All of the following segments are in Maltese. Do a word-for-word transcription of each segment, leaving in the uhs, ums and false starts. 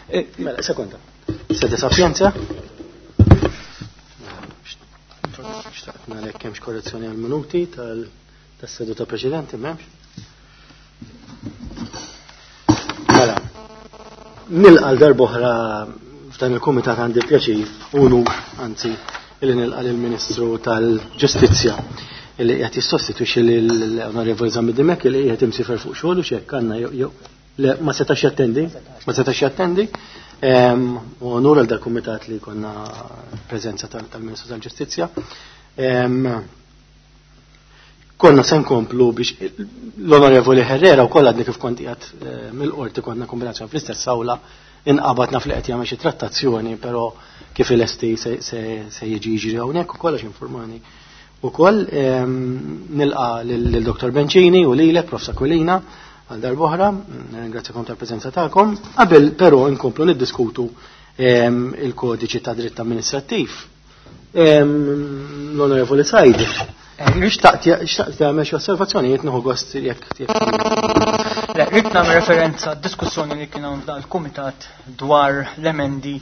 Mela, sekonda. Sede Sapienza. Xtaqt nalek hemmx korrezzjoni għal minuti tas-seduta preċedenti, m'hemmx. Mela, nilqa' l-darb'oħra f'dan il-kumitat għandi pjaċir unur, anzi, illi nilqa' lill-Ministru tal-Ġustizzja illi qiegħed jissostitwixxi lill-Onorevoli Zammit Dimech illi qiegħed imsifer fuq xogħol u x'hekk għandna jew le ma setax jattendi, ma setax jattendi. U onur għal dal-kumitat li konna preżenza tal-Ministru tal-Ġustizzja. Konna se nkomplu biex l-Onorevoli Herrera u kollha għadni kif kont qiegħed mill-qorti konna kombinazzjoni fl-istess awla inqabadna fl qed jagħmel xi trattazzjoni, però kif il-esti se jiġi jiġri hawnhekk ukoll għax informani. Ukoll nilqa lil Dottor Bencini u lilek Prof Aquilina għal darb'oħra, ringrazzjakom tal-preżenza tagħkom. Qabel però nkomplu niddiskutu il-kodiċi ta' dritt amministrattiv. L-Onorevoli Said, xtaqt tagħmel xi osservazzjonijiet nieħu gost jekk jekk. Le, rrid nagħmel referenza għad-diskussjoni li kien hawn f'dan il-kumitat dwar l-emendi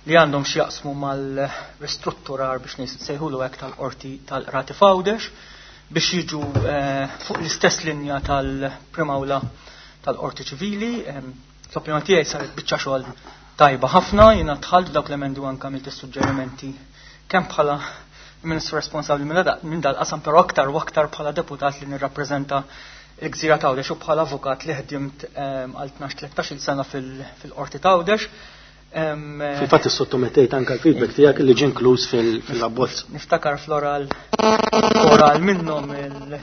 li għandhom x'jaqsmu mal-ristrutturar biex nsejħulu hekk tal-qorti tal-qrati f'Għawdex biex jiġu fuq l-istess linja tal-Primawla tal-Qorti Ċivili. L-opinjoni tiegħi saret biċċa xogħol tajba ħafna, jiena dħalt f'dawk l-emendi u anke għamilt is-suġġerimenti kemm bħala ministru responsabbli minn dal-qasam, però aktar u aktar bħala deputat li nirrappreżenta l-Gżira t'Għawdex u bħala avukat li ħdimt għal tnax tlettax-il sena fil-Qorti t'Għawdex. Fil-fatt issottomettejt anke l-feedback tiegħek li ġie inkluż fil-abbozz. Niftakar fl-oral oral minnhom il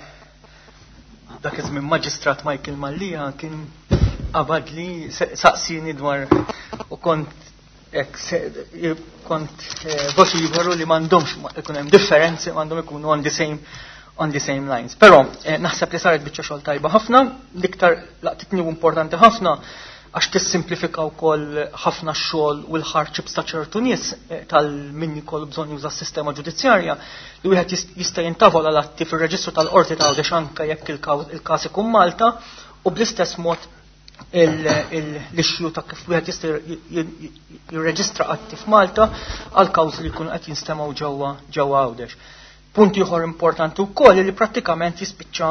dak iż-żmien Maġistrat Michael Mallia kien qabad li saqsini dwar u kont hekk kont vociferu li m'għandhomx ikun hemm differenzi, m'għandhom ikunu on the same on the same lines. Però naħseb li saret biċċa xogħol tajba ħafna, l-iktar laqtitni u importanti ħafna għax tissimplifika wkoll ħafna x-xogħol u l-hardships ta' ċertu nies tal-min jkollu bżonn juża s-sistema ġudizzjarja li wieħed jista' jintavola l-atti fir-reġistru tal-qorti ta' Għawdex anke jekk il-każ ikun Malta u bl-istess mod l-issue ta' kif wieħed jista' jirreġistra atti f'Malta għal kawżi li jkunu qed jinstemgħu ġewwa ġewwa Għawdex. Punt ieħor importanti wkoll li prattikament jispiċċa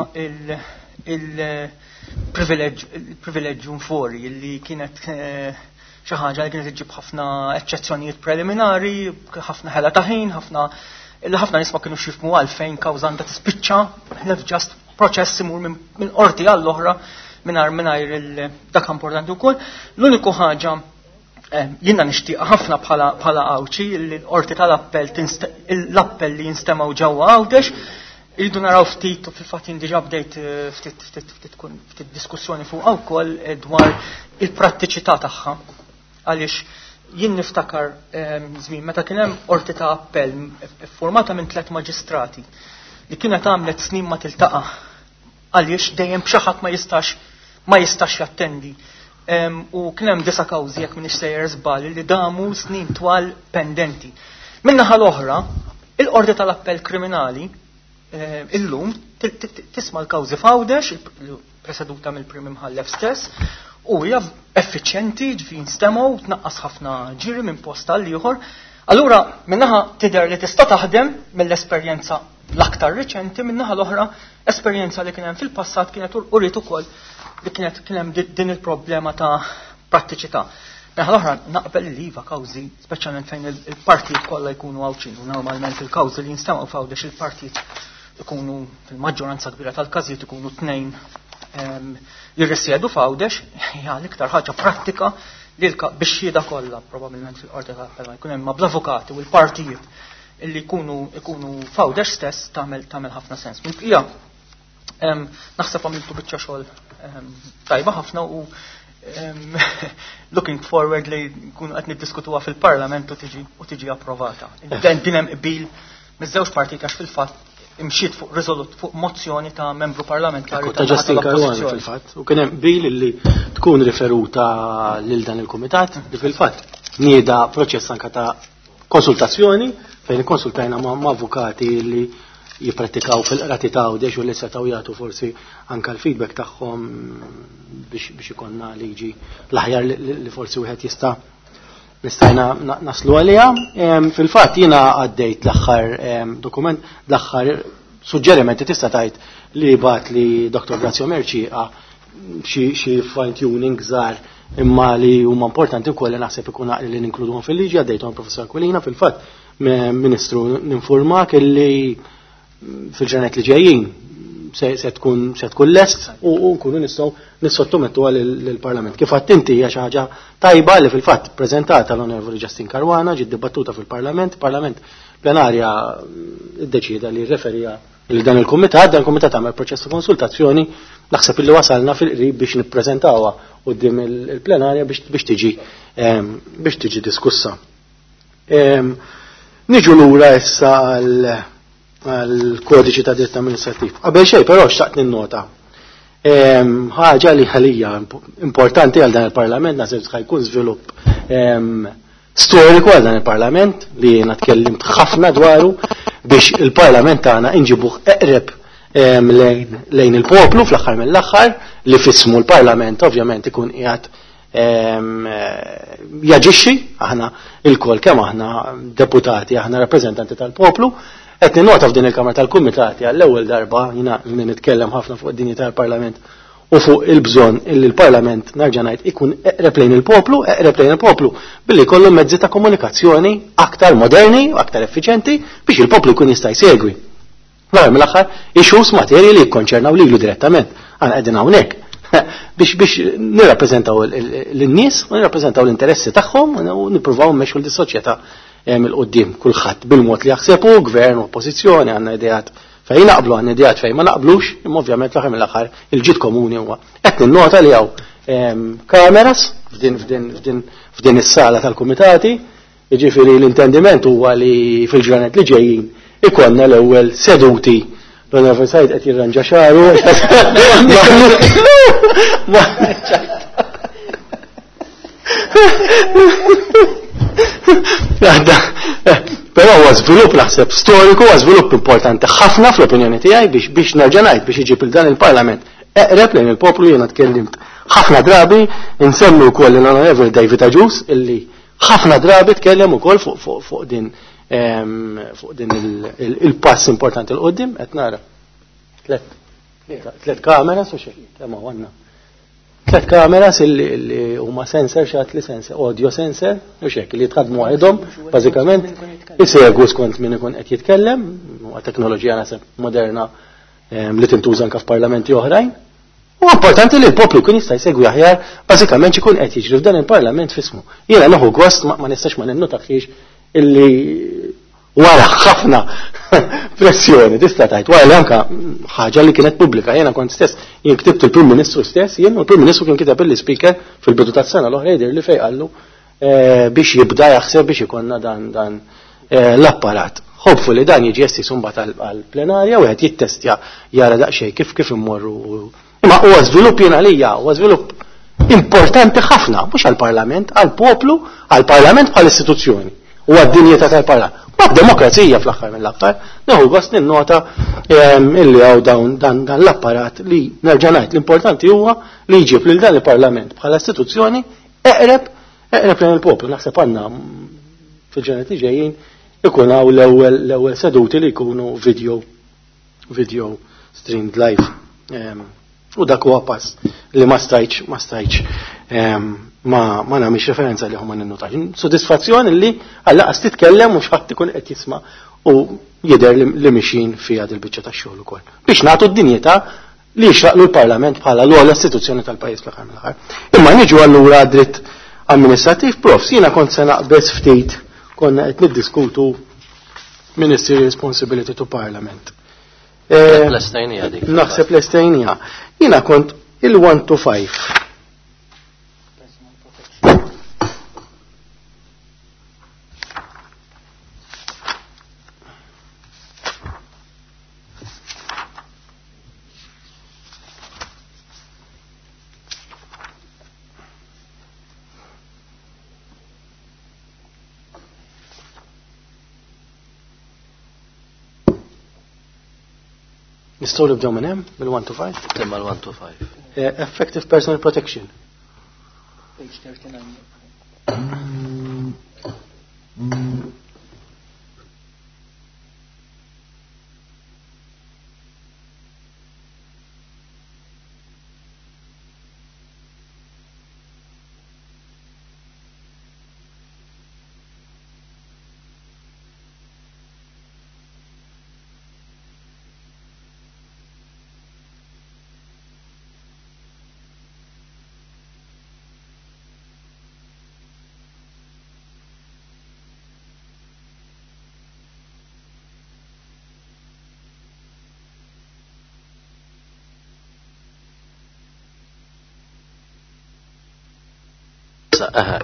il-privileġġ fori li kienet xi ħaġa li kienet iġġib ħafna eċċezzjonijiet preliminari, ħafna ħela ta' ħin, ħafna li ħafna nies ma kinux jifhmu għalfejn kawża għandha tispiċċa ħlef ġast proċess imur minn qorti għall-oħra mingħajr mingħajr il dak importanti wkoll. L-uniku ħaġa jiena nixtieq ħafna bħala bħala Għawdxi li l-qorti tal-appell l-appell li jinstemgħu ġewwa Għawdex irridu naraw ftit u fil-fatt jien diġà bdejt ftit ftit ftit ftit diskussjoni fuq wkoll dwar il-prattiċità tagħha. Għaliex jien niftakar żmien meta kien hemm qorti ta' appell formata minn tliet maġistrati li kienet għamlet snin ma tiltaqa' għaliex dejjem b'xi ħadd ma jistax ma jistax jattendi. U kien hemm disa' kawżi jekk m'iniex sejjer żball li damu snin twal pendenti. Min-naħa l-oħra, il-qorti tal-appell kriminali illum tisma' l-kawżi f'Għawdex, preseduta mill-Prim Imħallef stess, u hija effiċjenti, ġifieri nstemgħu, tnaqqas ħafna ġiri minn post għal ieħor. Allura min-naħa tidher li tista' taħdem mill-esperjenza l-aktar riċenti, min-naħa l-oħra esperjenza li kien hemm fil-passat kienet uriet ukoll li kienet kien hemm din il-problema ta' prattiċità. Naħa l-oħra naqbel li iva kawżi, speċjalment fejn il-partijiet kollha jkunu Għawdxin, u normalment il-kawżi li jinstemgħu f'Għawdex il-partijiet ikunu fil-maġġoranza kbira tal-każijiet ikunu tnejn jirrisjedu f'Għawdex, hija l-iktar ħaġa prattika li biex xhieda kollha probabbilment fil-qorti tal-appell ma jkun hemm ma bl-avukati u l-partijiet illi jkunu ikunu f'Għawdex stess tagħmel tagħmel ħafna sens. Mill-bqija naħseb għamiltu biċċa xogħol tajba ħafna u looking forward li nkunu qed niddiskutuha fil-Parlament u tiġi u tiġi approvata. Din hemm qbil miż-żewġ partiti għax fil-fatt imxiet fuq riżolut fuq mozzjoni ta' membru parlamentari ta' Justin Caruana fil-fatt u kien hemm qbil li tkun riferuta lil dan il-kumitat li fil-fatt nieda proċess anke ta' konsultazzjoni fejn ikkonsultajna ma' avukati li jipprattikaw fil-qrati ta' Għawdex u li setgħu jagħtu forsi anke l-feedback tagħhom biex biex ikollna liġi l-aħjar li forsi wieħed jista' nistajna naslu għaliha. Fil-fatt jiena għaddejt l-aħħar dokument, l-aħħar suġġerimenti tista' tgħid li bat li Doktor Grazio Mercieca xi fine tuning żgħar imma li huma importanti wkoll li naħseb ikun għaqli li ninkluduhom fil-liġi, għaddejthom Professor Aquilina. Fil-fatt Ministru ninformak illi fil-ġranet li ġejjin se tkun se tkun lest u nkunu nistgħu nissottomettuha lill-Parlament. Kif għadt inti hija xi ħaġa tajba li fil-fatt preżentata l-Onorevoli Justin Caruana, ġiet dibattuta fil-Parlament, Parlament plenarja ddeċida li rreferija li dan il-kumitat, dan il-kumitat għamel proċess ta' konsultazzjoni, naħseb illi wasalna fil-qrib biex nippreżentawha quddiem il-plenarja biex tiġi biex tiġi diskussa. Niġu lura issa għal kodiċi ta' dritt amministrattiv. Qabel xejn però xtaqt ninnota ħaġa li ħalija importanti għal dan il-Parlament, naħseb jkun żvilupp storiku għal dan il-Parlament li jiena tkellimt ħafna dwaru biex il-Parlament tagħna inġibuh eqreb lejn il-poplu fl-aħħar mill-aħħar li fismu l-Parlament ovvjament ikun qiegħed jaġixxi. Aħna il-kol kemm aħna deputati, aħna rappreżentanti tal-poplu. Qed ninnota f'din il-Kamra tal-Kumitati għall-ewwel darba, jiena nitkellem ħafna fuq id-dinjità tal-Parlament u fuq il-bżonn illi l-Parlament, nerġa' ngħid, ikun eqreb lejn il-poplu, eqreb lejn il-poplu billi jkollu mezzi ta' komunikazzjoni aktar moderni u aktar effiċenti biex il-poplu jkun jista' jsegwi. L-aħħar mill-aħħar issues, materji li jikkonċernaw lilu direttament. Aħna qegħdin hawnhekk biex biex nirrappreżentaw lin-nies u nirrappreżentaw l-interessi tagħhom u nippruvaw mmexxu lis-soċjetà il-qoddim, kulħadd bil-mod li jaħseb hu, gvern u oppożizzjoni, għandna ideat fejn naqblu, għandna ideat fejn ma naqblux, imma ovvjament l-aħħar mill-aħħar il-ġid komuni huwa. Qed ninnota li hawn kameras f'din f'din f'din f'din is-sala tal-kumitati, jiġifieri l-intendiment huwa li fil-ġranet li ġejjin ikollna l-ewwel seduti. L-Onorevoli Said qed jirranġa xagħru. Però huwa żvilupp naħseb storiku, huwa żvilupp importanti ħafna fl-opinjoni tiegħi biex biex nerġa' ngħid biex iġib il dan il-Parlament eqreb lejn il-poplu. Jiena tkellimt ħafna drabi, insemmi wkoll l-Onorevoli David Agius illi ħafna drabi tkellem ukoll fuq fuq fuq din fuq din il-pass importanti 'l quddiem. Qed nara tlet tlet kameras u xejn, kemm għandna tlet kameras illi huma sensor, xat li sensor, audio sensor, u xek li jitħadmu waħedhom, bażikament isegwu skont min ikun qed jitkellem, huwa teknoloġija naħseb moderna li tintuża anke f'parlamenti oħrajn. U importanti li l-poplu jkun jista' jsegwi aħjar bażikament x'ikun qed jiġri f'dan il-Parlament fismu. Jiena nieħu gost ma nistax ma ninnotax illi wara ħafna pressjoni, tista' tgħid, wara li anka ħaġa li kienet pubblika, jiena kont stess, jien ktibt il-Prim Ministru stess, jien u l-Prim Ministru kien kiteb il-Speaker fil-bidu tas-sena l-oħra jidher li fejn qallu biex jibda jaħseb biex ikollna dan dan l-apparat. Hopefully dan jiġi estiż imbagħad għall-plenarja u wieħed jittestja jara daqsxejn kif kif immorru. Imma huwa żvilupp jien għalija, huwa żvilupp importanti ħafna, mhux għall-Parlament, għall-poplu, għall-Parlament bħal istituzzjoni u għad-dinjità tal-Parlament. Ma demokrazija fl-aħħar mill-aħħar, nieħu gost ninnota illi hawn dawn dan dan l-apparat li nerġa' ngħid l-importanti huwa li jġib lil dan il-Parlament bħala istituzzjoni eqreb eqreb lejn il-poplu. Naħseb għandna fil-ġranet li ġejjin ikun hawn l-ewwel l-ewwel seduti li jkunu video video streamed live. U dak huwa pass li ma stajtx ma stajtx ma ma nagħmilx referenza li huma ninnotax. Sodisfazzjon li għall-aqas titkellem u x'ħadd ikun qed jisma' u jidher li mixin fiha dil-biċċa tax-xogħol ukoll. Biex nagħtu d-dinjità li jixraqlu l-Parlament bħala l-ogħla istituzzjoni tal-pajjiż fl-aħħar mill-aħħar. Imma niġu allura dritt amministrattiv, prof, jiena kont se naqbeż ftit, konna qed niddiskutu Ministerial Responsibility to Parliament. L-estejnija dik. Naħseb l-estejnija. Jiena kont il-one to five. Nistgħu nibdew minn hemm mill-one to five? Imma l-one to five. Effective personal protection. Page thirty-nine.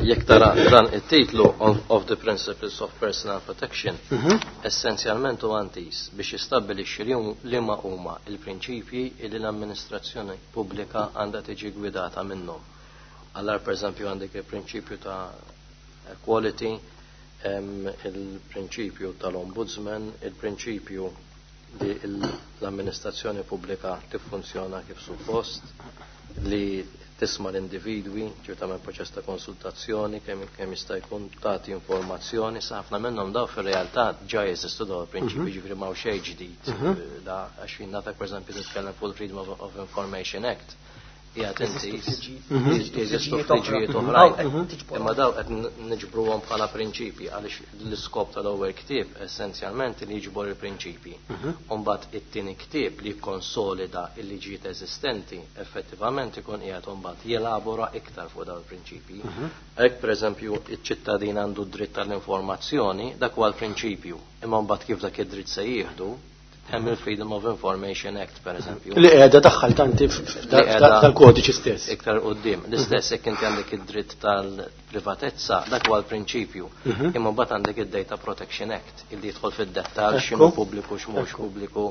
Jekk tara dan it-titlu of the Principles of Personal Protection, essenzjalment huwa antis biex jistabbilixxi liema huma il-prinċipji li l-amministrazzjoni pubblika għandha tiġi gwidata minnhom. Allora pereżempju għandek il-prinċipju ta' equality, il-prinċipju tal-ombudsman, il-prinċipju li l-amministrazzjoni pubblika tiffunzjona kif suppost, li tisma' l-individwi, ġifieri tagħmel proċess ta' konsultazzjoni kemm kemm jista' jkun tagħti informazzjoni, sa ħafna minnhom daw fir-realtà ġa jeżistu dawn il-prinċipji, ġifieri m'hawn xejn ġdid. Da għax jien nafek pereżempju titkellem fuq il-Freedom of, of Information Act. Qiegħed inti jeżistu f'liġijiet oħrajn. Imma daw qed niġbruhom bħala prinċipji għaliex l-iskop tal-ewwel ktieb essenzjalment li jiġbor il-prinċipji. U mbagħad it-tieni ktieb li jikkonsolida l-liġijiet eżistenti effettivament ikun qiegħed mbagħad jelabora iktar fuq dawn il-prinċipji. Hekk pereżempju iċ-ċittadin għandu d-dritt tal-informazzjoni, dak huwa l-prinċipju. Imma mbagħad kif dak id-dritt se jieħdu, hemm il-Freedom of Information Act pereżempju. Li qiegħda daħħal tanti tal-kodiċi stess. Iktar quddiem. L-istess jekk inti għandek id-dritt tal-privatezza, dak huwa l-prinċipju. Imma mbagħad għandek id-Data Protection Act illi jidħol fid-dettall x'inhu pubbliku x'mhux pubbliku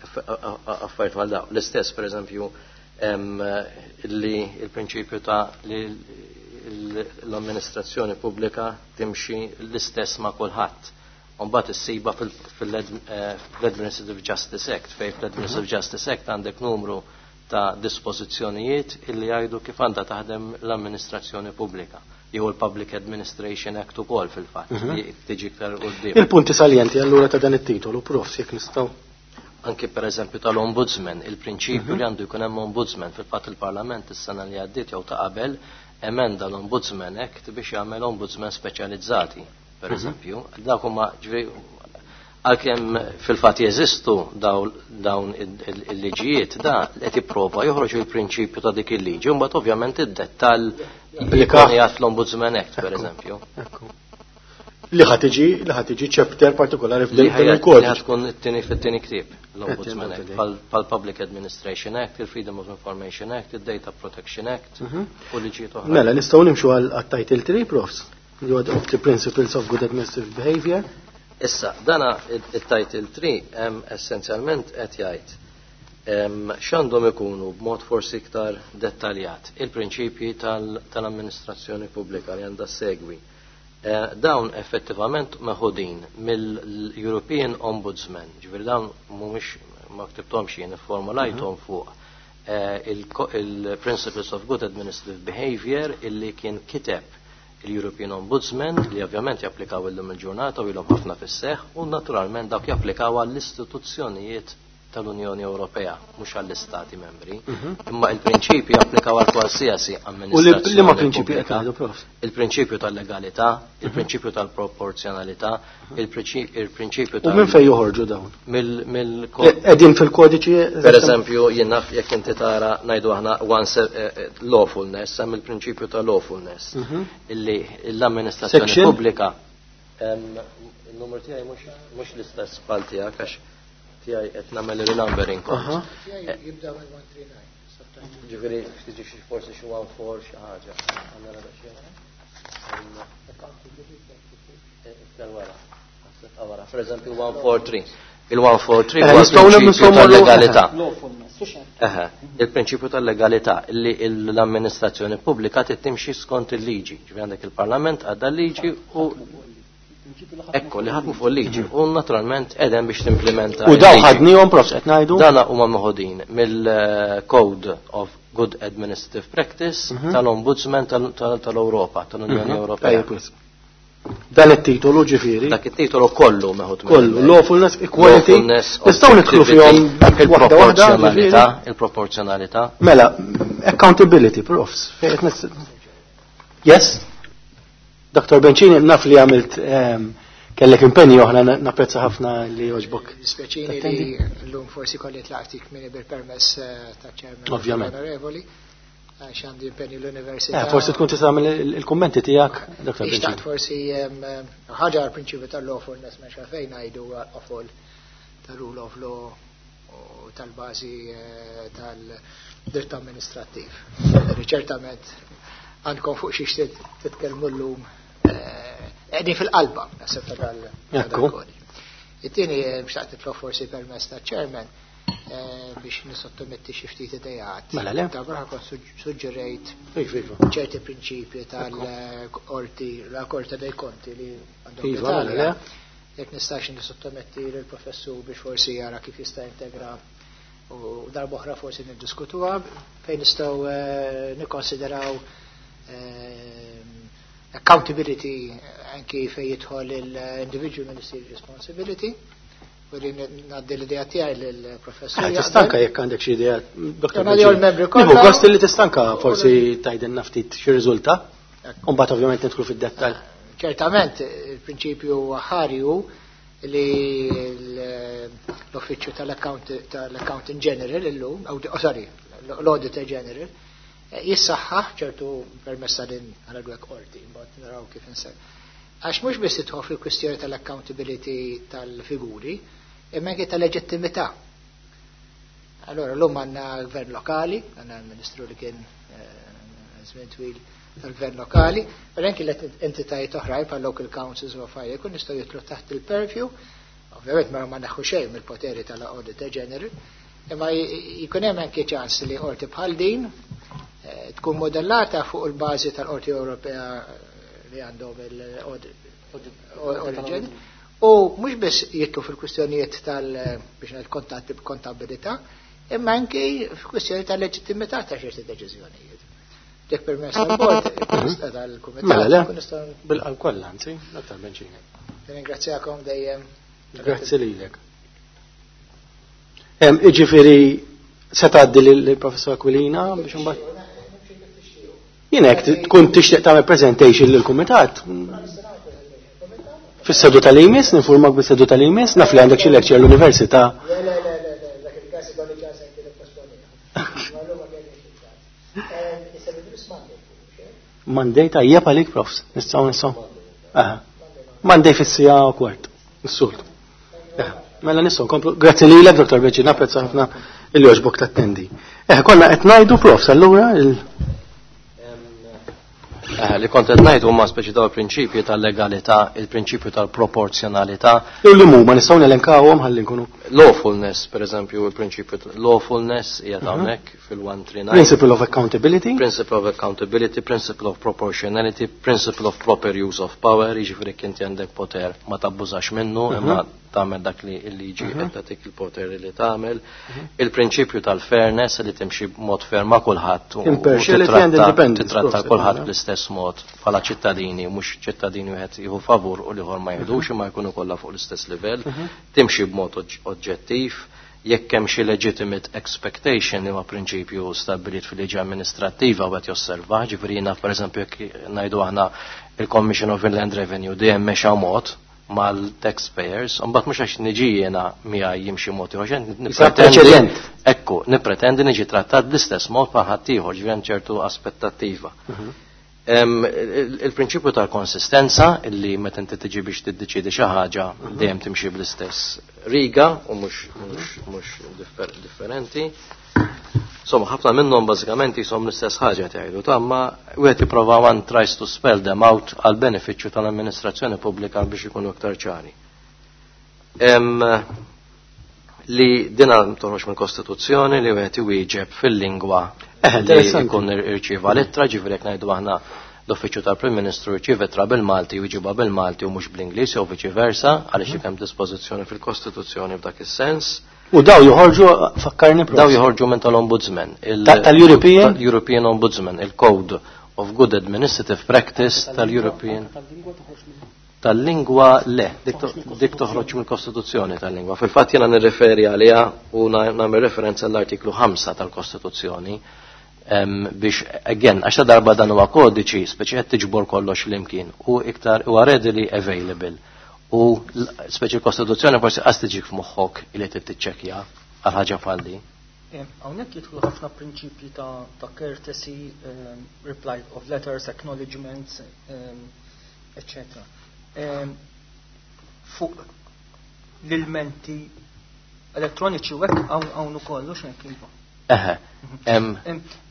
affarijiet bħal dawn. L-istess pereżempju li l-prinċipju ta' li l-amministrazzjoni pubblika timxi l-istess ma' kulħadd. Mbagħad issiba fil-Administrative Justice Act, fejn fl-Administrative Justice Act għandek numru ta' dispożizzjonijiet illi jgħidu kif għandha taħdem l-amministrazzjoni pubblika. Jew il-Public Administration Act ukoll fil-fatt li tiġi iktar quddiem. Il-punti saljenti allura ta' dan it-titolu, prof, jekk nistgħu. Anki pereżempju tal-Ombudsman, il-prinċipju li għandu jkun hemm Ombudsman, fil-fatt il-Parlament is-sena li għaddiet jew ta' qabel emenda l-Ombudsman Act biex jagħmel ombudsman speċjalizzati. Per eżempju, dak huma ġifieri għalkemm fil-fatt jeżistu dawn il-liġijiet, da qed jipprova joħroġ il-prinċipju ta' dik il-liġi, u mbagħad ovvjament id-dettall jkun jgħid l-Ombudsman Act, per eżempju. Li ħa tiġi, li ħa tiġi chapter partikolari f'dan il-kodiċi. Li ħa tkun it-tieni fit-tieni ktieb l-Ombudsman Act, pal-Public Administration Act, il-Freedom of Information Act, il-Data Protection Act u liġijiet oħra. Mela, nistgħu nimxu għal title three, profs. Of the Principles of Good Administrative Behavior. Issa, dana il-title three essenzjalment qed jgħid x'għandhom ikunu b'mod forsi iktar dettaljat il-prinċipji tal-amministrazzjoni pubblika li għandha segwi. Dawn effettivament meħudin mill-European Ombudsman, ġifieri dawn mhumiex ma ktibthomx jien ifformulajthom fuq il-Principles of Good Administrative Behavior illi kien kiteb il-European Ombudsman li ovvjament japplikaw illum il-ġurnata u ilhom ħafna fis-seħħ u naturalment dawk japplikaw għall-istituzzjonijiet tal-Unjoni Ewropea, mhux għall-Istati membri. Imma il-prinċipji japplikaw għal qualsiasi amministrazzjoni. U liema prinċipji qed ngħidu, prof? Il-prinċipju tal-legalità, il-prinċipju tal-proporzjonalità, il-prinċipju tal U minn fejn joħorġu dawn? Mill Qegħdin fil-kodiċi? Per eżempju, jien naf jekk inti tara ngħidu aħna once lawfulness, hemm il-prinċipju ta' lawfulness illi l-amministrazzjoni pubblika. Il-numru tiegħi mhux l-istess bħal tiegħek għax tiegħi qed nagħmel il-numbering kont. Jibda minn one three nine. Ġifieri tiġi xi forsi xi one four xi ħaġa. Għandna daqsxejn. Iktar wara. Wara. Per eżempju one four three. Il-one four three huwa il-prinċipju tal-legalità. Il-prinċipju tal-legalità li l-amministrazzjoni pubblika trid timxi skont il-liġi. Ġifieri għandek il-Parlament għadda l-liġi u Ekku, li ħadmu fuq il-liġi u naturalment edem biex timplementa. U daw ħadnihom profs qed ngħidu? Dana huma meħudin mill-Code of Good Administrative Practice Mhm. tal-Ombudsman tal-Ewropa, tal-Unjoni Ewropea. Tajjeb, wisq. Dan it-titolu ġifieri. Dak it-titolu kollu meħud Kollu, lawfulness, equality. Nistgħu nidħlu fihom waħda waħda, il-proporzjonalità, il-proporzjonalità. Mela, accountability, profs. Fejn qed nis- Yes? Dr. Bencini, naf li għamilt ehm, kellek impenji oħra napprezza ħafna li għoġbok. Dispjaċini li l-lum forsi kolli tlaqtik minni bil-permess eh, ta' chairman Ovvjament. onorevoli, għax għandi impenji l-università. Eh, forsi tkun tista' tagħmel il- il-kummenti tiegħek, Dr. Ixtaqt Bencini. forsi em, em, ħaġa għal-prinċipju tal-lawfulness ma xalfejn ngħidu għal-qofol tal-rule of law u tal-bażi eh, tal-dritt amministrattiv. Ċertament għandkom fuq xiex titkellmu llum eh, qegħdin fil-qalba naħseb ta' dal- ta' Ekku. dal-kodiċi. It-tieni eh, xtaqt nitlob forsi permess ta' chairman eh, biex nisottometti xi ftit idejat. Mela le. Ta' barra kont suġġerejt Iva, iva. ċerti prinċipji tal-qorti, la Corte dei Conti li għandhom Iva, mela l-Italja. le. Jekk nistax nisottometti lill-professur biex forsi jara kif jista' integra u darb'oħra forsi niddiskutuha fejn nistgħu eh, nikkonsideraw eh, accountability anki fejn jidħol il-individual ministerial responsibility u li ngħaddi l-idea tiegħi lill-professur. Eh, Tistanka jekk għandek xi idea, Dr. Jekk ngħaddi għall-membri Nieħu kollha. gost li tistanka forsi tgħidilna ftit xi riżulta. U mbagħad ovvjament nidħlu fid-dettall. Ċertament, il-prinċipju ħarju li l-uffiċċju tal-Accountant General illum, oh, sorry, l-Auditor General, eh, jissaħħaħ ċertu permessa din għal qorti, mbagħad naraw kif inser. Għax mhux biss tidħol fil-kwistjoni tal-accountability tal-figuri, imma anke tal-leġittimità. Allora, l-lum għandna gvern lokali, għandna l-ministru li kien eh, żmien twil tal-gvern lokali, per anki l-entitajiet oħrajn bħal local councils u affarijiet jkun jistgħu jidħlu taħt il-purview, ovvjament ma ma neħu xejn mill-poteri tal-Auditor General, imma jkun hemm anke ċans li qorti bħal din eh, tkun modellata fuq il-bażi tal-Qorti Ewropea eh, li għandhom il-Audit General. U mhux biss jidħlu fil-kwistjonijiet tal biex ngħid kontatti b'kontabilità, imma anki fil-kwistjoni tal-leġittimità ta' ċerti deċiżjonijiet. Jekk permess tal-bord, tal-kumitat, Mela le, kun nistgħu bil-qalb kollha, anzi, Dr. Bencini. Ringrazzjakom dejjem. Grazzi lilek. Em, Iġifieri se tgħaddi lill-Professor Aquilina biex imbagħad Jien hekk tkun tixtieq tagħmel presentation lill-kumitat. Fis-seduta li jmiss, ninfurmak bis-seduta li jmiss, naf li għandek xi lecture l-università. Le, le, le, le, le, dak il-każ ikolli ċans anke nipposponiha. Ma llum ma kellix il-ċans. Is-seduta biss Monday, mhux hekk? Monday tajjeb għalik, profs. Nistgħu nistgħu. Aha. Monday fis-siegħa u kwart. Is-soltu. Eh, Mela nistgħu nkomplu. Grazzi lilek, Dr. Beċi, napprezza ħafna illi għoġbok tattendi. Eh, konna qed ngħidu profs allura il Eh, li kont qed ngħid huma speċi daw il-prinċipji tal-legalità, il-prinċipju tal-proporzjonalità, Jew li huma nistgħu nelenkawhom ħalli nkunu lawfulness, per eżempju, il-prinċipju ta- lawfulness qiegħed hawnhekk fil-one three nine. Principle of accountability. Principle of accountability, principle of proportionality, principle of proper use of power, jiġifieri inti għandek poter ma tabbużax minnu, imma tagħmel dak li l-liġi qed tagħtik il-poter li tagħmel. Il-prinċipju tal-fairness li timxi b'mod fair ma' kulħadd u- u Impartiality and titratta independence, titratta proset, kulħadd mela. bl-istess mod bħala ċittadini, mhux ċittadini wieħed jieħu favur u l-ieħor ma jieħdux imma jkunu kollha fuq l-istess livell, timxi b'mod oġ- oġġettiv, jekk hemm xi legitimate expectation li huwa prinċipju stabbilit fil-liġi amministrattiva u qed josserva, ġifieri jiena pereżempju jekk ngħidu aħna il-Commission of Inland Revenue dejjem mexa mod mal-taxpayers, u mbagħad mhux għax niġi jiena miegħi jimxi mod ieħor, għax nippretendi preċedent. Ekku, nippretendi niġi trattat bl-istess mod bħal ħaddieħor, ġifieri hemm ċertu aspettattiva. Em, il- Il-prinċipju tal-konsistenza illi meta inti tiġi biex tiddeċiedi xi ħaġa dejjem timxi bl-istess riga u mhux mhux mhux differ- differenti. Insomma, ħafna minnhom bażikament jisom l-istess ħaġa tgħidu, ta' ma wieħed jipprova one tries to spell them out għal benefiċċju tal-amministrazzjoni pubblika biex ikunu iktar ċari. Em, li dina toħroġ mill-Kostituzzjoni li wieħed iwieġeb fil-lingwa Eh, li interessanti. jkun irċieva l-ittra, ġifieri jekk ngħidu aħna l-Uffiċċju tal-Prim Ministru jirċievi ittra bil-Malti u jġibha bil-Malti u mhux bl-Ingliż jew viċi versa, għaliex mm. hemm dispożizzjoni fil-Kostituzzjoni f'dak is-sens. U daw joħorġu, fakkarni prof. Daw joħorġu minn tal-Ombudsman. Tal-European? Tal-European Ombudsman, il-Code of Good Administrative Practice tal-European. Tal-lingwa le, dik toħroġ mill-Kostituzzjoni tal-lingwa. Fil-fatt jiena nirreferi għaliha u nagħmel referenza l-artiklu ħamsa tal-Kostituzzjoni biex, again, għax ta' darba dan huwa kodiċi, speċi qed tiġbor kollox flimkien u iktar huwa readily available. U speċi l-Kostituzzjoni forsi qas tiġik f'moħħok li trid tiċċekkja għal ħaġa bħal di. Hawnhekk jidħlu ħafna prinċipji ta', ta courtesy, um, reply of letters, acknowledgements, um, eccetera. Um, fuq l-ilmenti elettroniċi u hekk hawn ukoll u x'hekk iva. Eħe.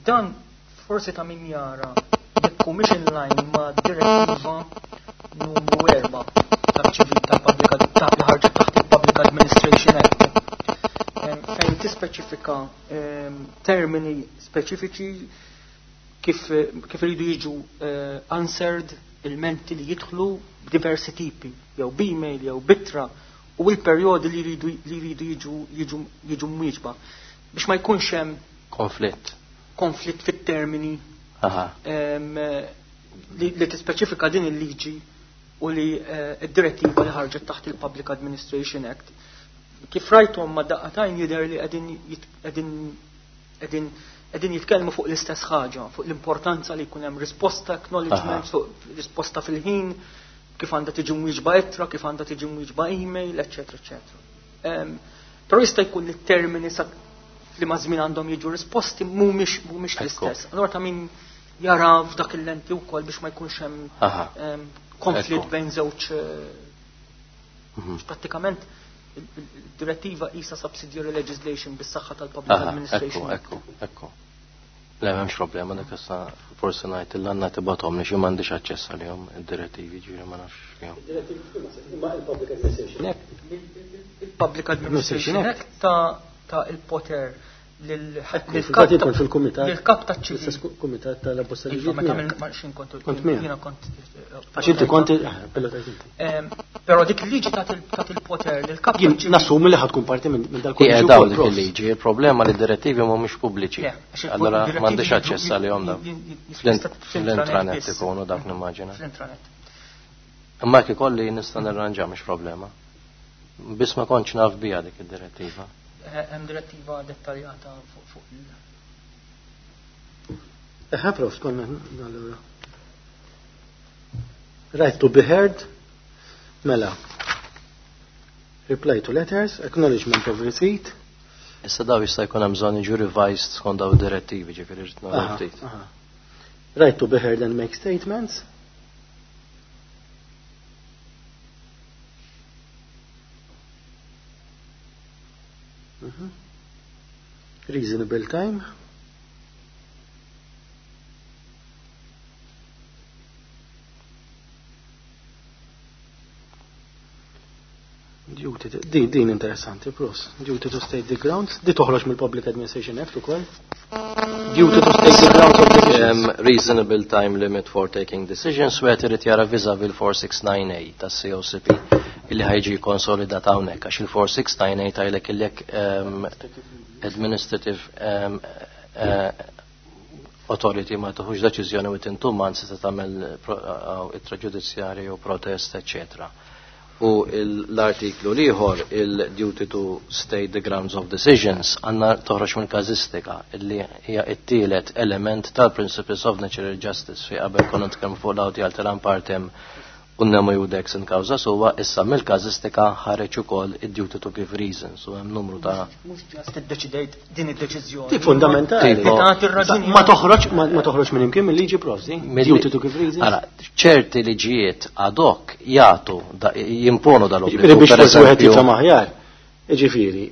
Dan forsi ta' min jara jekk mhix in line ma' direttiva numru erba' tal-ċivil tal-Public li ħarġet taħt il-Public Administration Act, fejn tispeċifika termini speċifiċi kif kif iridu jiġu answered ilmenti li jidħlu b'diversi tipi, jew b'email jew b'ittra, u l-perjodi li jridu li jridu jiġu jiġu jiġu mwieġba biex ma jkunx hemm konflitt konflitt fit-termini li, li tispeċifika din il-liġi u li id-direttiva li ħarġet taħt il-Public Administration Act. Kif rajthom ma daqqatajn jidher li qegħdin qegħdin qegħdin qegħdin jitkellmu fuq l-istess ħaġa, fuq l-importanza li jkun hemm risposta, acknowledgement, fuq risposta fil-ħin, kif għandha tiġi mwieġba ittra, kif għandha tiġi mwieġba email, eċetera, eċetera. Però jista' jkun li t-termini sa li ma' żmien għandhom jiġu risposti mhumiex mhumiex l-istess. Allura ta' min jara f'dak il-lenti wkoll biex ma jkunx hemm konflitt bejn żewġ. Prattikament il-direttiva isa subsidiary legislation bis-saħħa tal-Public Administration. Ekku, ekku, ekku. Le, m'hemmx problema, dak issa forsi ngħid il għandna tibgħathom li xi m'għandix aċċess għalihom id-direttivi, ġifieri ma nafx fihom. Imma il-Public Administration Act. Il-Public Administration Act ta' ta' il-poter lil-kap fil-kumitat. Lil-kap ta' ċivil. Kumitat tal-abbosta liġi. Meta minn kont jiena kont. Għax inti kont Però dik il-liġi ta' il-poter lil-kap. Jien nassumi li ħad tkun parti minn dal-kolleġġju. Daw dik il-liġi, il-problema li d-direttivi mhumiex pubbliċi. Allora m'għandix aċċess għalihom dawn. Fl-intranet ikunu dak nimmaġina. Fl-intranet. Imma jekk ikolli nista' nirranġa mhix problema. Biss ma kontx naf biha dik id-direttiva. Hemm direttiva dettaljata fuq fuq il. Eħe, prof, konna allura. Right to be heard, mela. Reply to letters, acknowledgement of receipt. Issa daw jista' jkun hemm bżonn jiġu revised skont daw id-direttivi, ġifieri rid nagħmlu ftit. Right to be heard and make statements. Mm-hmm. Reasonable time. Duty to, din, din interessanti, pros. Duty to state the grounds. Di toħroġ mill-Public Administration Act ukoll. Duty to state the grounds of decisions. Um, reasonable time limit for taking decisions, wieħed irid jara vis-a-vis il-four six nine eight tas-C O C P illi ħajġi konsolidat hawnhekk għax il-four six nine eight għajlek illek um, administrative um, uh, authority ma tuħux deċiżjoni within two months se tagħmel ittra ġudizzjarja jew protest, eccetera. U l-artiklu l-ieħor, il-duty to state the grounds of decisions, għandna toħroġ minn każistika illi hija t-tielet element tal-principles of natural justice fi qabel konna nitkellmu fuq l-audi alteram partem u nemo judex in causa sua, issa mill-każistika ħareġ ukoll id-duty to give reasons, u hemm numru ta' Mhux ġast iddeċidejt din id-deċiżjoni. Di fundamentali. Tipo, Tagħti r-raġuni. Ma toħroġ, ma, ma toħroġ minn imkien mill-liġi provdi. Duty to give reasons. Ara, ċerti liġijiet ad hoc jagħtu da, jimponu dal-obbligu. Ġifieri biex Per forsi wieħed eżempju, jifhem aħjar. Ġifieri,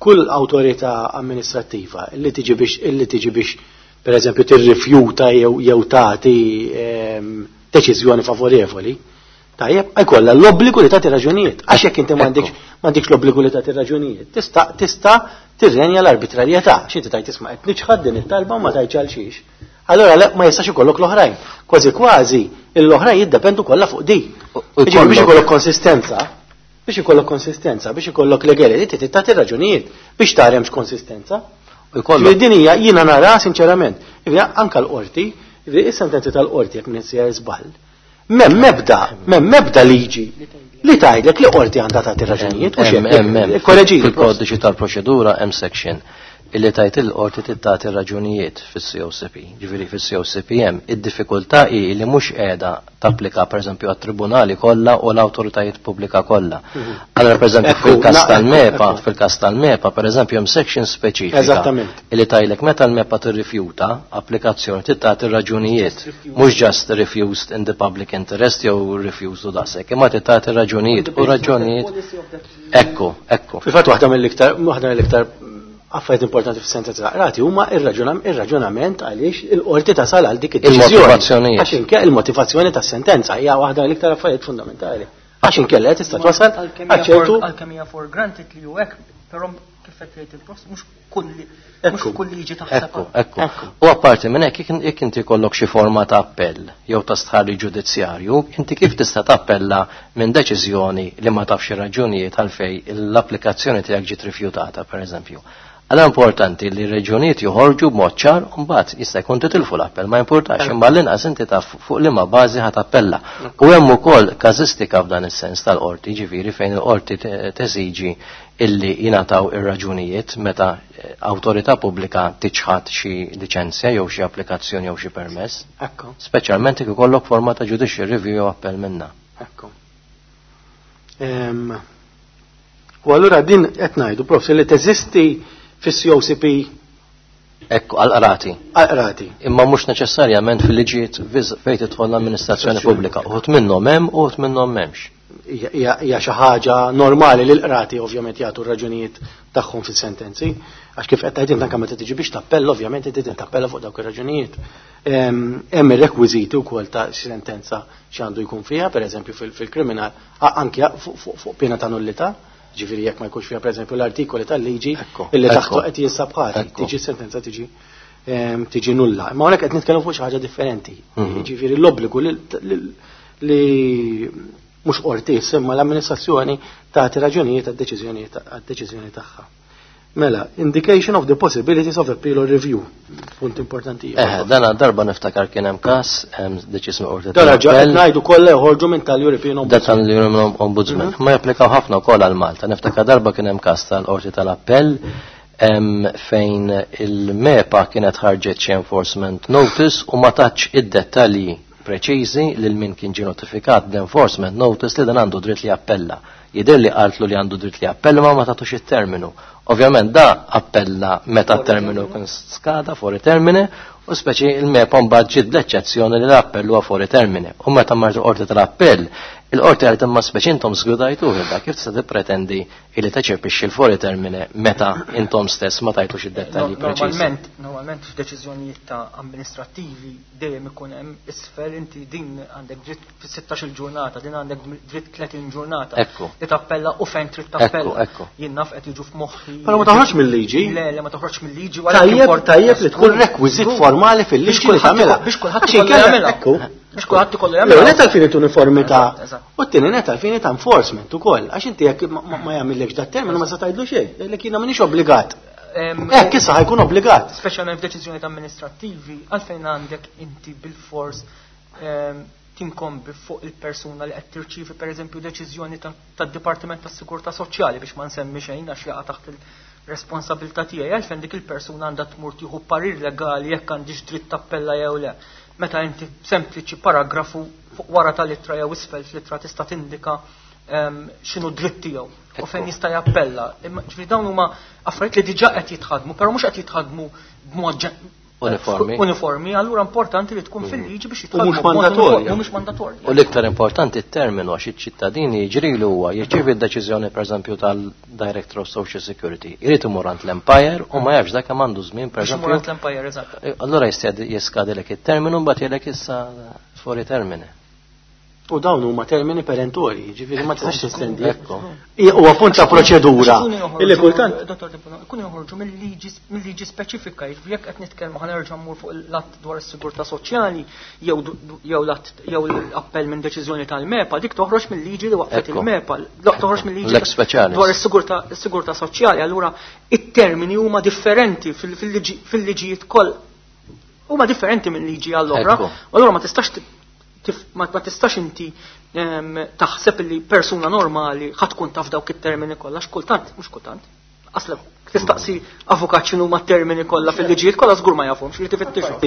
kull awtorità amministrattiva li tiġi biex, li tiġi biex per eżempju tirrifjuta jew, jew tagħti, ehm, deċiżjoni favorevoli, tajjeb, jkollha l-obbligu li tagħti raġunijiet. Għax jekk inti m'għandekx, m'għandekx l-obbligu li tagħti raġunijiet, tista', tista' tirrenja l-arbitrarjetà. Xi inti tajt tisma' qed niċħad din it-talba u ma tgħidx għal xiex. Allora ma jistax ikollok l-oħrajn. Kważi kważi l-oħrajn jiddependu kollha fuq di. Jiġifieri biex ikollok konsistenza, biex ikollok konsistenza, biex ikollok legality trid tagħti raġunijiet biex tara hemmx konsistenza. Ġifieri din hija jiena nara sinċerament, anke l-qorti, is-sentenzi tal-qorti jekk minn sejjer żball. M'hemm mebda, m'hemm mebda liġi li tgħidlek li qorti għandha tagħti raġunijiet u xejn. Korreġi. Fil-kodiċi tal-proċedura hemm section illi tajt il-qorti tagħti raġunijiet fis-C O C P. Ġifieri fis-C O C P hemm id-diffikultà hi li mhux qiegħda tapplika, pereżempju, għat-tribunali kollha u l-awtoritajiet pubblika kollha. Allora, pereżempju, fil-każ tal-MEPA, fil-każ tal-MEPA, pereżempju, hemm section speċifika Eżattament. illi tgħidlek meta l-MEPA tirrifjuta applikazzjoni tagħti raġunijiet, mhux just refused in the public interest jew refused u daqshekk, imma tagħti raġunijiet u raġunijiet. Ekku, ekku. Fil-fatt waħda mill-iktar waħda mill-iktar affarijiet importanti fis-sentenza ta' qrati huma ir-raġunament għaliex il-qorti tasal għal dik id-deċiżjoni. Il-motivazzjonijiet. Għax inke il-motivazzjoni tas-sentenza hija waħda mill-iktar affarijiet fundamentali. Għax inkella tista' twasal għal ċertu Għalkemm hija for granted li hu hekk, però kif qed tgħid il-prof, mhux kull mhux kull liġi taħseb. Ekku, ekku. U apparti minn hekk, jekk inti jkollok xi forma ta' appell jew ta' stħarriġ ġudizzjarju, inti kif tista' tappella minn deċiżjoni li ma tafx ir-raġunijiet għalfej l-applikazzjoni tiegħek ġiet rifjutata, pereżempju? Għala importanti li r-raġunijiet joħorġu b'mod ċar u mbagħad jista' jkun titilfu l-appell, ma importax, imma l-inqas inti taf fuq liema bażi ħa tappella. U hemm ukoll każistika f'dan is-sens tal-qorti, ġifieri fejn il-qorti teżiġi illi jingħataw ir-raġunijiet meta eh, awtorità pubblika tiċħad xi liċenzja jew xi applikazzjoni jew xi permess. Ekku. Speċjalment jekk ikollok forma ta' judicial review jew appell minna. Ekku. U allura din qed ngħidu, prof, li teżisti fis-C O C P. Ekku, għal-qrati. Għal-qrati. Imma mhux neċessarjament fil-liġijiet fejn tidħol l-amministrazzjoni pubblika. Uħud minnhom hemm, uħud minnhom m'hemmx. Hija xi ħaġa normali li l-qrati ovvjament jagħtu r-raġunijiet tagħhom fis-sentenzi. Għax kif qed tgħid anke meta tiġi biex tappella, ovvjament inti tappella fuq dawk ir-raġunijiet. Hemm ir-rekwiżiti wkoll ta' sentenza x'għandu jkun fiha, pereżempju fil-kriminal, anke fuq pena ta' nullità, ġifieri jekk ma jkunx fiha, pereżempju, l-artikoli tal-liġi illi taħtu qed jinsab ħati, tiġi sentenza tiġi tiġi nulla. Imma hawnhekk qed nitkellmu fuq xi ħaġa differenti. Mhm. Ġifieri l-obbligu li mhux qorti imma l-amministrazzjoni tagħti raġunijiet għad-deċiżjoni tagħha. Mela, indication of the possibilities of appeal or review. Punt importanti. Eh, dana darba niftakar kien hemm każ, hemm deċiż qorti. Dana ġa ngħidu kollha joħorġu minn tal-European Ombudsman. Da tal-European Ombudsman. Mhm. Ma japplikaw ħafna wkoll għal Malta. Niftakar darba kien hemm każ tal-qorti tal-appell fejn il-MEPA kienet ħarġet xi enforcement notice u ma tatx id-dettalji preċiżi lil min kien ġie notifikat l-enforcement notice li dan għandu dritt li appella. Jidher li qaltlu li għandu dritt li appella ma ma tatux it-terminu. Ovvjament da appella meta terminu kien skada, fuori termine, u speċi il-MEPA mbagħad ġiet bl-eċċezzjoni li l-appell huwa fuori termine. U meta martu qorti tal-appell, il-qorti għalet imma speċi intom żgudajtu da kif tista' tippretendi li teċepixxi l-fuori termine meta intom stess ma tajtux id-dettalji preċiżi. Normalment, normalment f'deċiżjonijiet ta' amministrattivi dejjem ikun hemm isfel inti din għandek dritt fis-sittax-il ġurnata, din għandek dritt tletin ġurnata. Ekku. Li tappella u fejn trid tappella. Ekku, ekku. Jien naf qed jiġu f'moħħi. Però ma toħroġ mill-liġi. Le, le, ma toħroġ mill-liġi. Tajjeb, tajjeb li tkun rekwiżit formali fil-liġi li tagħmilha. Biex kulħadd ikollu jagħmilha. Ekku. Biex kulħadd ikollu jagħmilha. L-ewwel net għal-fini uniformità u t-tieni net għal-fini ta' enforcement ukoll. Għax inti jekk ma jagħmillekx dat terminu ma se tgħidlu xejn. Jgħidlek jiena m'iniex obbligat. Hekk issa ħa jkun obbligat. Speċjalment f'deċiżjonijiet amministrattivi, għalfejn għandek inti bil-fors tinkombi fuq il-persuna li qed tirċievi, pereżempju, deċiżjoni tad-Dipartiment tas-Sigurtà Soċjali, biex ma nsemmi xejn għax jaqa' taħt il-responsabilità tiegħi, għalfejn dik il-persuna għandha tmur tieħu parir legali jekk għandix dritt tappella jew le? Meta inti sempliċi paragrafu fuq wara tal-ittra jew isfel fl-ittra tista' tindika x'inhu dritt tiegħu u fejn jista' jappella. Ġifieri dawn huma affarijiet li diġà qed jitħadmu, però mhux qed jitħadmu b'mod uniformi. Uniformi, allura importanti li tkun fil-liġi biex U mhux mandatorja. U mhux mandatorja. U l-iktar importanti t-terminu, għax iċ-ċittadini jiġrilu huwa jirċievi d-deċiżjoni, pereżempju, tal-Director of Social Security. Irid imur għand l-Empire u ma jafx dak kemm għandu żmien, Biex imur pereżempju. għand l-Empire, eżatt. Allura jista' jeskadilek it-terminu, mbagħad jgħidlek issa fuori termine. U dawn huma termini perentorji, ġifieri ma tistax testendi. Huwa punt ta' proċedura. Illi kultant Dottor Debono, ikunu joħorġu mill-liġi speċifika, jiġifieri jekk qed nitkellmu ħa nerġa' mmur fuq l-att dwar is-sigurtà soċjali jew jew l-att jew l-appell minn deċiżjoni tal-MEPA, dik toħroġ mill-liġi li waqfet il-MEPA, toħroġ mill-liġi dwar is-sigurtà soċjali, allura it-termini huma differenti fil-liġijiet koll huma differenti minn liġi għall-oħra, allura ma tistax ma tistax inti taħseb li persuna normali ħa tkun taf dawk it-termini kollha, x'kultant, mhux kultant. Aslek tistaqsi avukat x'inhu ma termini kollha fil-liġijiet kollha żgur ma jafhomx li tifittixhom.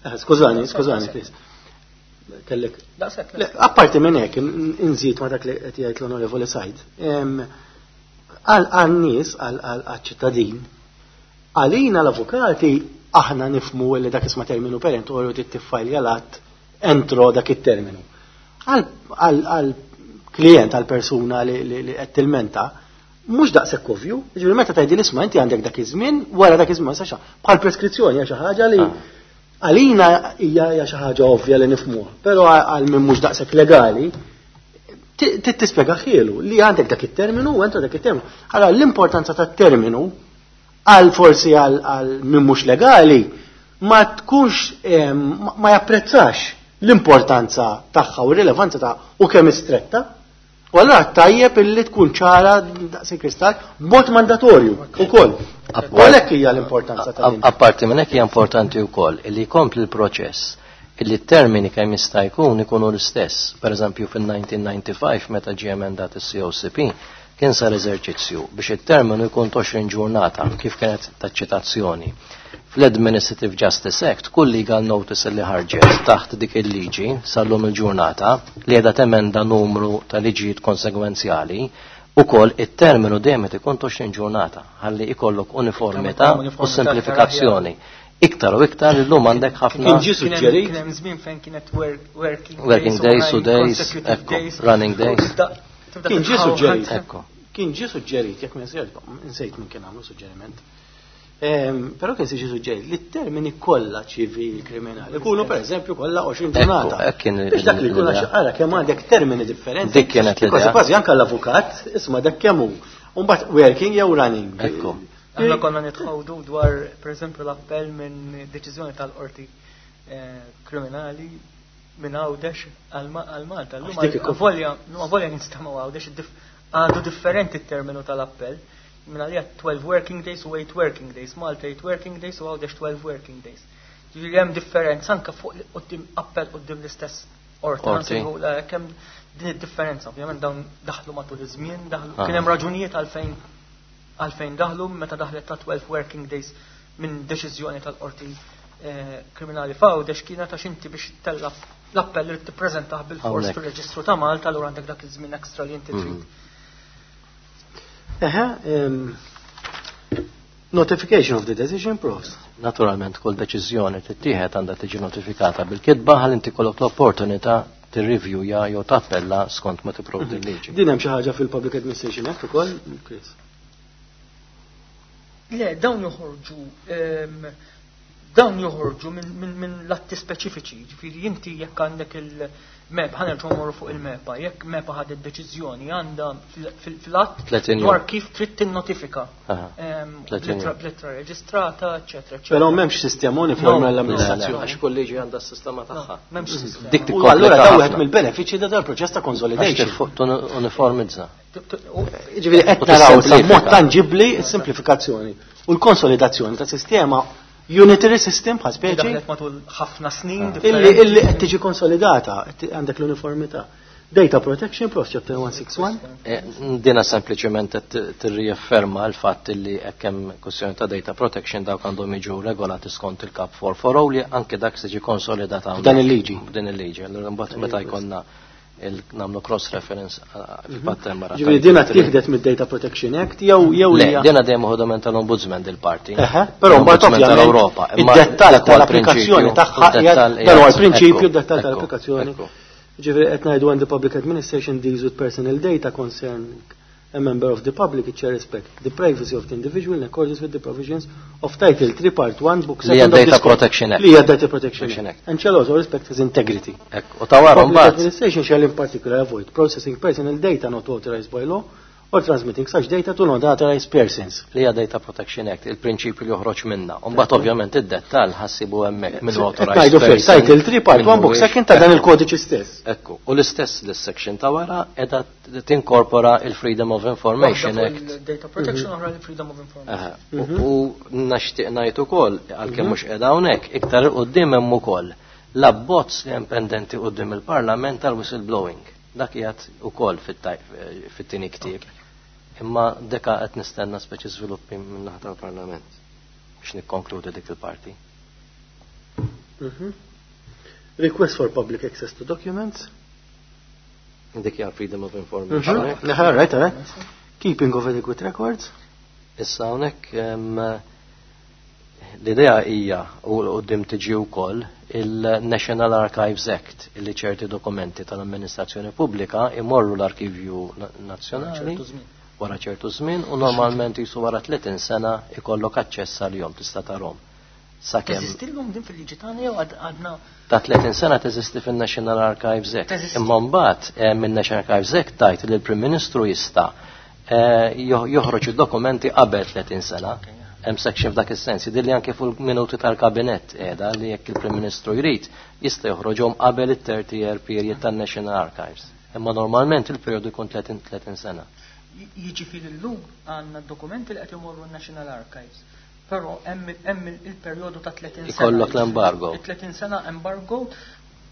Eh, skużani, skużani, please. Kellek. Apparti minn hekk, inżid ma dak li qed jgħid l-Onorevoli Said. Għal-nies, għal-ċittadin, għalina l-avukati aħna nifmu li dak isma' terminu perentorju tiffajlja l-att entro dak it-terminu. Għal klient, għal persuna li qed tilmenta, mhux daqshekk ovvju, jiġifieri meta tgħidli isma' inti għandek dak iż-żmien, wara dak iż-żmien sa bħal preskrizzjoni hija xi ħaġa li ah. għalina hija xi ħaġa ovvja li nifhmuha, però għal min mhux daqshekk legali tispjega ħielu li għandek dak it-terminu u entro dak it-terminu. Allora l-importanza tat-terminu għal forsi għal min mhux legali ma tkunx ma japprezzax l-importanza tagħha u r-rilevanza tagħha u kemm istretta. U allura tajjeb illi tkun ċara daqs il-kristall b'mod mandatorju ukoll. U għalhekk hija l-importanza ta' din. Apparti minn hekk hija importanti wkoll illi jkompli l-proċess illi t-termini kemm jista' jkun ikunu l-istess. Per eżempju fil-elf disa' mija u disgħa u disgħin meta ġie emendat is-C O C P kien sar eżerċizzju biex it-terminu jkun għoxrin ġurnata kif kienet taċ-ċitazzjoni. Fl-Administrative Justice Act, kull legal notice li ħarġet taħt dik il-liġi sal-lum il-ġurnata li qiegħda temenda numru ta' liġijiet konsegwenzjali, ukoll it-terminu dejjem qed ikun għoxrin ġurnata ħalli ikollok uniformità u semplifikazzjoni. Iktar u iktar illum għandek ħafna. Kien ġie suġġerit. Kien hemm żmien fejn kienet working Working days u days, ekku, running days. Kien ġie suġġerit. Kien ġie suġġerit, jekk nsejt minn kien għamlu suġġeriment. Però kien siġi suġġerit li t-termini kollha ċivili, kriminali, ikunu per eżempju kollha għoxrin ġurnata. Biex dak li jkun għara kemm għandek termini differenti. Dik kienet l Kważi kważi anke l-avukat, isma' dak kemm hu. U mbagħad working jew running. Ekku. Aħna konna nitħawdu dwar, per eżempju, l-appell minn deċiżjoni tal-qorti eh, kriminali minn Għawdex għal Malta. Volja, volja jinstemaw Għawdex, għadu differenti t-terminu tal-appell. Minn għalija twelve working days u eight working days, Malta eight working days u Għawdex twelve working days. Ġifieri hemm differenza anke fuq quddiem appell quddiem l-istess qorti. Kemm din id-differenza, ovvjament dawn daħlu matul iż-żmien, daħlu kien hemm raġunijiet għalfejn għalfejn daħlu meta daħlet ta' twelve working days minn deċiżjoni tal-qorti eh, kriminali f'Għawdex kienet għax inti biex tella l-appell li tippreżentah bil-fors fir-Reġistru ta' Malta, allura għandek dak iż-żmien ekstra li inti trid. Mhm. Eħe, notification of the decision process. Naturalment, kull deċiżjoni tittieħed għandha tiġi notifikata bil-kitba ħalli inti kollok l-opportunità tirrivjuja jew tappella skont ma tipprovdi mhm. l-liġi. Din hemm xi ħaġa fil-Public Administration Act ukoll, Chris? Le, dawn joħorġu dawn joħorġu minn min, l-atti speċifiċi, ġifieri inti jekk għandek il-MEPA, ħa nerġgħu mmorru fuq il-MEPA, jekk MEPA ħadet deċiżjoni għandha fil-att dwar kif trid tinnotifika. B'littra reġistrata, eċetera, eċetera. Però m'hemmx sistema uniformi għall-amministrazzjoni. Għax kull liġi għandha s-sistema tagħha. M'hemmx sistema. Dik Allura da wieħed mill-benefiċċji ta' dal-proċess ta' consolidation. Uniformizza. Ġifieri qed naraw mod tanġibbli s-simplifikazzjoni u l-konsolidazzjoni ta' sistema unitary system bħal speċi. Matul ħafna snin. Illi illi qed tiġi konsolidata, għandek l-uniformità. Data Protection, Prof. Chapter one sixty-one. Eh, dina sempliċement tirriafferma l-fatt li hekk hemm kwestjoni ta' data protection dawk għandhom jiġu regolati skont il-Kap four forty li anke dak se ġi konsolidata Dan il-liġi. Din il-liġi. Allura mbagħad meta jkollna nagħmlu cross reference fil-fatt hemm Ġifieri dina tieħdet mid-Data Protection Act jew jew Le, dina dejjem uħodament tal-Ombudsman dil-parti. Però mbagħad tal-Ewropa. Id-dettall tal-applikazzjoni tagħha dan huwa l-prinċipju, d-dettall tal-applikazzjoni. Ġifieri qed ngħidu when the public administration deals with personal data concern a member of the public, it shall respect the privacy of the individual in accordance with the provisions of Title three, Part one, Book Li hija seven of Data this code. Protection Act. Li hija Data Protection Protection Act. Act. And shall also respect his integrity. Ekku, u ta' wara Public mbagħad administration shall in particular avoid processing personal data not authorized by law or transmitting such data to non-authorized persons. Li hija Data Protection Act, il-prinċipju li joħroġ minna. U mbagħad ovvjament id-dettall ħassibu hemmhekk minn authorized Ngħidu fil person. Title three, Part minn one, Book mhuwiex. second ta' dan il-kodiċi stess. Ekku, u l-istess l-section ta' wara qiegħda tinkorpora il-Freedom of Information Waħda fuq Act. il-Data Protection, oħra il-Freedom of Information. Aha. U u nixtieq ngħid ukoll għalkemm mhux qiegħda hawnhekk, iktar 'il quddiem hemm ukoll l-abbozz li hemm pendenti quddiem il-Parlament tal-whistleblowing. Dak qiegħed ukoll fit-taj- fit-tieni ktieb. Imma deka qed nistenna speċi żviluppi minn naħa tal-Parlament biex nikkonkludi dik il-parti. Mhm. Request for public access to documents. Dik hija Freedom of Information Mhm. Act. All right, all right. Keeping of adequate records. Issa hawnhekk em, l-idea hija u quddiem tiġi wkoll il-National Archives Act illi ċerti dokumenti tal-amministrazzjoni pubblika imorru l-Arkivju Na- Nazzjonali ċertu żmien. wara ċertu żmien u normalment jisu wara tletin sena ikollok aċċess għalihom tista' tarhom. Sakemm Teżisti llum din fil-liġi tagħna jew għad- għadna ta' tletin sena teżisti fin-National Archives Act. Teżisti. Imma mbagħad eh, min-National Archives Act tajt li l-Prim Ministru jista' eh, jo- joħroġ id-dokumenti qabel tletin sena. Hemm section f'dak is-sens, jidhirli li anke fuq minuti tal-kabinett qiegħda li jekk il-Prim Ministru jrid jista' joħroġhom qabel it-thirty year period tan-National Archives. Imma normalment il-perjodu jkun tletin tletin sena. Jiġifieri llum għandna dokumenti li qed imorru n-National Archives. Però hemm hemm il-perjodu ta' tletin sena. Ikollok l-embargo. Il-tletin sena embargo,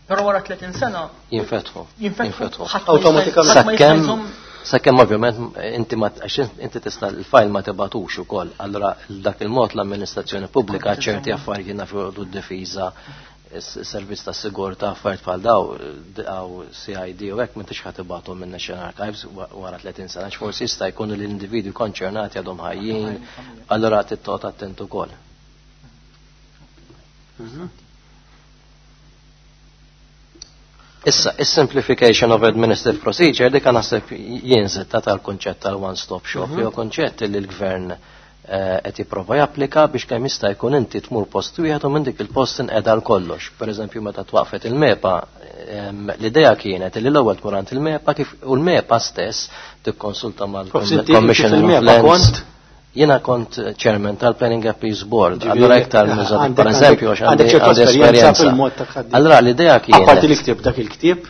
però wara tletin sena Jinfetħu. jinfetħu. ħadd ma jista' Awtomatikament. ħadd ma jista' Sakemm jżomm- sakemm ovvjament inti ma għax inti tista' l-file ma tibatux ukoll. Allura dak il-mod l-amministrazzjoni pubblika ċerti affarijiet nafu d-difiża, s-servizz ta' sigurtà, affarijiet bħal daw, għaw C I D u hekk m'intix ħa tibgħathom minn National Archives wa- wara tletin sena, għax forsi jista' jkun l-individwi konċernati għadhom ħajjin, allura trid toqgħod attent ukoll. Mhm. Issa, is-simplification of administrative procedure dik naħseb jien ta' tal-konċett tal-one-stop shop, jew konċett li l-gvern eh, qed jipprova japplika biex kemm jista' jkun inti tmur post wieħed u minn dik il-post inqeda l kollox. Per eżempju, meta twaqfet il-MEPA, em, l-idea kienet li l-ewwel tmur għand il-MEPA kif u l-MEPA stess tikkonsulta Forsi inti mal-Commissioner of fil-MEPA Lands. kont? Jiena kont chairman tal-Planning Appeals Board, Ġifieri, allura iktar nużat għandek- per eżempju għax għandek għandi ċertu għandi esperjenza esperjenza. fil-mod ta' tħaddim. Allura l-idea Apparti li kienet ktib dak il-ktieb,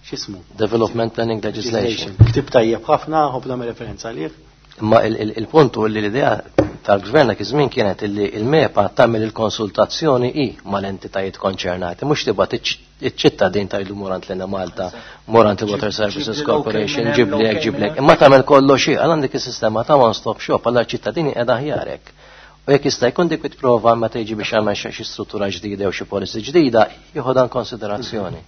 x'ismu? Development Planning Legislation. Ktieb tajjeb ħafna, ħobb nagħmel referenza għalih. Imma il- il- il-punt hu li l-idea tal-gvern dak iż-żmien kienet illi il-MEPA tagħmel il-konsultazzjoni i mal-entitajiet konċernati, mhux tibgħat iċ-ċittadin tgħidlu mur għand l-Enemalta, mur għand il-Water Services ġib li Corporation, l-OK ġib minn li hemm, hekk, ġib li hekk. l-OK Imma tagħmel kollox hi, għal għandek is-sistema ta' one stop shop, għal ċittadini qiegħda aħjarek. U jekk jista' jkun dik prova meta jiġi biex jagħmel xi struttura ġdida jew xi policy ġdida, jieħu dan konsiderazzjoni.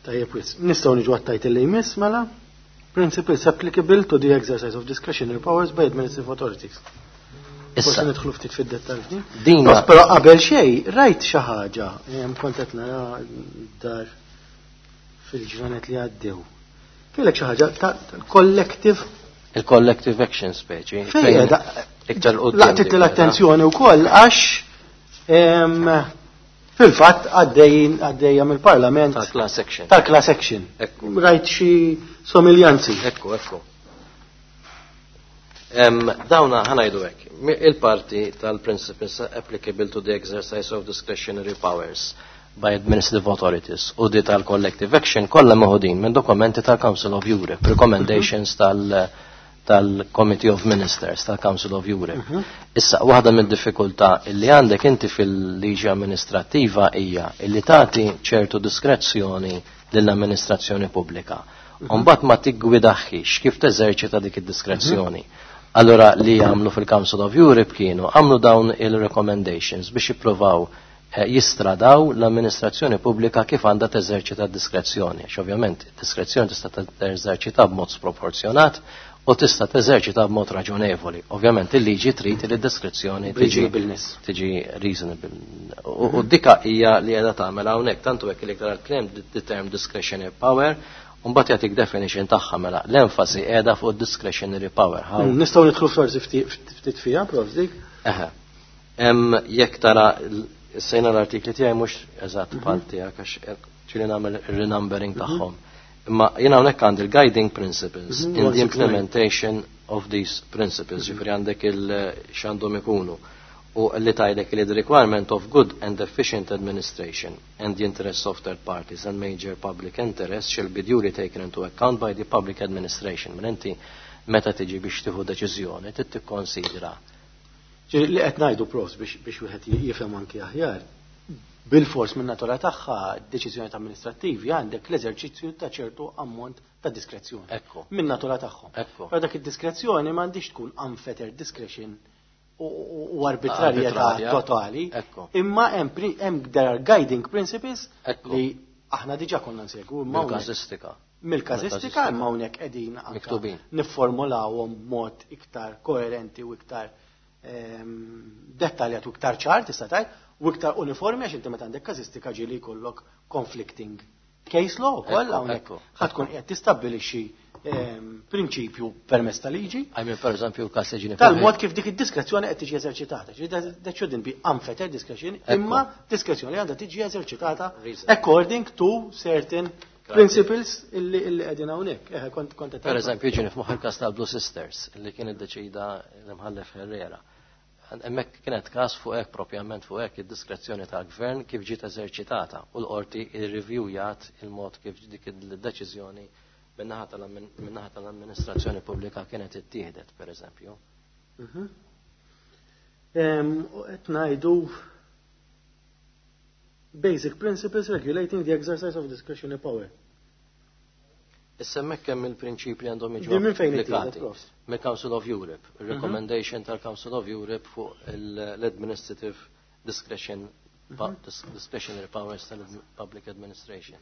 Tajjeb wis. Nistgħu niġu għat-title li jmiss mela. Principles applicable to the exercise of discretionary powers by administrative authorities. Issa, Forsi nidħlu ftit fid-dettall f'din. dina Però però qabel xejn, rajt xi ħaġa, em, kont qed nara dar fil-ġranet li għaddew. Kellek xi ħaġa ta' collective il-collective action speċi. fejn qiegħda iktar quddiem laqtit dik l-attenzjoni wkoll għax em, fil-fatt għaddejjin għaddejja mill-Parlament tal-class action. tal-class action. Ekku. Rajt xi somiljanzi. Ekku, ekku. Em, dawna ħa ngħidu hekk. Mi- Il-parti tal-principles applicable to the exercise of discretionary powers by administrative authorities u di tal-collective action kollha meħudin minn dokumenti tal-Council of Europe, recommendations tal- tal-Committee of Ministers tal-Council of Europe. Issa, waħda mid-diffikultà illi għandek inti fil-liġi amministrattiva hija illi tagħti ċertu diskrezzjoni lill-amministrazzjoni pubblika. Mbagħad ma tiggwidaħħix kif teżerċita dik id-diskrezzjoni. Allora li għamlu fil-Council of Europe kienu għamlu dawn il-recommendations biex jippruvaw eh, jistradaw l-amministrazzjoni pubblika kif għandha teżerċita d-diskrezzjoni. Għax ovvjament id-diskrezzjoni tista' teżerċita b'mod sproporzjonat u tista' teżerċita b'mod raġonevoli. Ovvjament il-liġi trid li d-diskrezzjoni tiġi Reasonableness. tiġi reasonable. U u dika hija li qiegħda tagħmel hawnhekk tantu hekk li iktar claim the term discretionary power Mbagħad jagħtik definition tagħha mela l-enfasi qiegħda fuq discretionary power. Mm, nistgħu nidħlu forsi ftit fiha, prof, dik? Eħe. Jekk tara sejna l-artikli tiegħi mhux eżatt mhm. bħal tiegħek għax ġieli nagħmel renumbering mhm. tagħhom. Imma jiena hawnhekk għandi l-guiding principles mhm. in the implementation of these principles, ġifieri għandek il x'għandhom ikunu u li tgħidlek li the requirement of good and efficient administration and the interests of third parties and major public interest shall be duly taken into account by the public administration. Mela inti meta tiġi biex tieħu deċiżjoni trid tikkonsidra. Li qed ngħidu profs biex wieħed jifhem anki aħjar, bil-fors minn natura tagħha deċiżjoni amministrattivi għandek l-eżerċizzju ta' ċertu ammont ta' diskrezzjoni. Ekku. Minn natura tagħhom. Ekku. Però dak id-diskrezzjoni m'għandix tkun unfettered discretion u arbitrarjetà totali. Imma hemm there are guiding principles li aħna diġà konna nsegwu. Mill-każistika. Mill-każistika imma hawnhekk qegħdin miktubin. Nifformulawhom b'mod iktar koerenti u iktar ehm, dettaljat u iktar ċar tista' tgħid u iktar uniformi għax inti meta għandek każistika ġieli jkollok conflicting case law ukoll hawnhekk ħa tkun qiegħed tistabbilixxi ehm, prinċipju permezz ta' liġi. I mean, per eżempju, każ li Tal-mod kif dik id-diskrezzjoni qed tiġi eżerċitata. That shouldn't be unfettered discretion, imma diskrezzjoni għandha tiġi eżerċitata according to certain principles illi illi qegħdin hawnhekk. Eh, kont kont Per eżempju, ġieni f'moħħi il-każ tal-Blue Sisters illi kien iddeċida l-imħallef Herrera. Hemmhekk kienet każ fuq hekk propjament fuq hekk id-diskrezzjoni tal-gvern kif ġiet eżerċitata u l-qorti irrivjujat il-mod kif dik il-deċiżjoni min-naħa tal-amministrazzjoni pubblika kienet ittieħdet, per eżempju. Mhm. Qed ngħidu basic principles regulating the exercise of discretionary power. Issa hemmhekk hemm il-prinċipji għandhom jiġu minn fejn applikati. Mill-Council of Europe, il-recommendation tal-Council of Europe fuq l-administrative discretion, mhm. discretionary powers tal-public administration.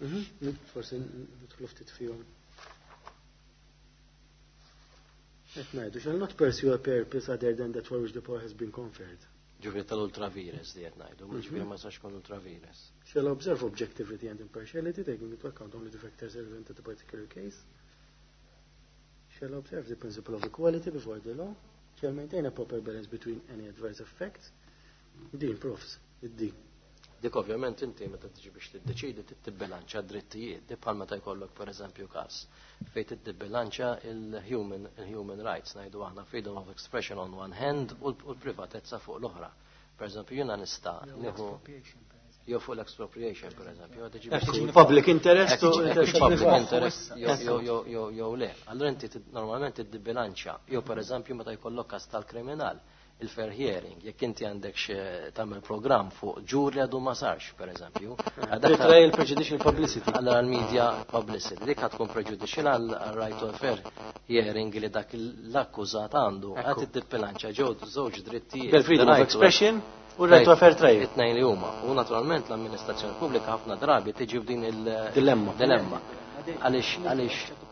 Mhm. Forsi nidħlu ftit fihom. Qed ngħidu shall not pursue a purpose other than that for which the power has been conferred. Ġifieri tal-ultra vires li qed ngħidu, mhm. ġifieri ma sax kun ultra vires. Shall observe objectivity and impartiality, taking into account only the factors relevant to the particular case. Shall observe the principle of equality before the law. Shall maintain a proper balance between any adverse effects. Din, profs, id-din. Dik ovvjament inti meta tiġi biex tiddeċidi tibbilanċa drittijiet, di bħal meta jkollok pereżempju każ fejn tidbilanċa il-human il-human rights, ngħidu aħna freedom of expression on one hand u l-privatezza fuq l-oħra. Per eżempju, jiena nista' nieħu jew fuq l-expropriation per eżempju. Public interest public interest jew le. Allura inti normalment tidbilanċa jew per eżempju meta jkollok każ tal-kriminal il-fair hearing, jekk inti għandek tagħmel programm fuq ġur li għadu ma sarx, per eżempju. Trial prejudicial publicity. Allora l-media publicity, dik tkun prejudicial għal right to fair hearing li dak l-akkużat għandu. Għad id-bilanċa ġew żewġ drittijiet. Freedom of expression u right to fair trial. It-tnejn li huma. U naturalment l-amministrazzjoni pubblika ħafna drabi tiġi f'din il-dilemma. Dilemma. Għaliex għaliex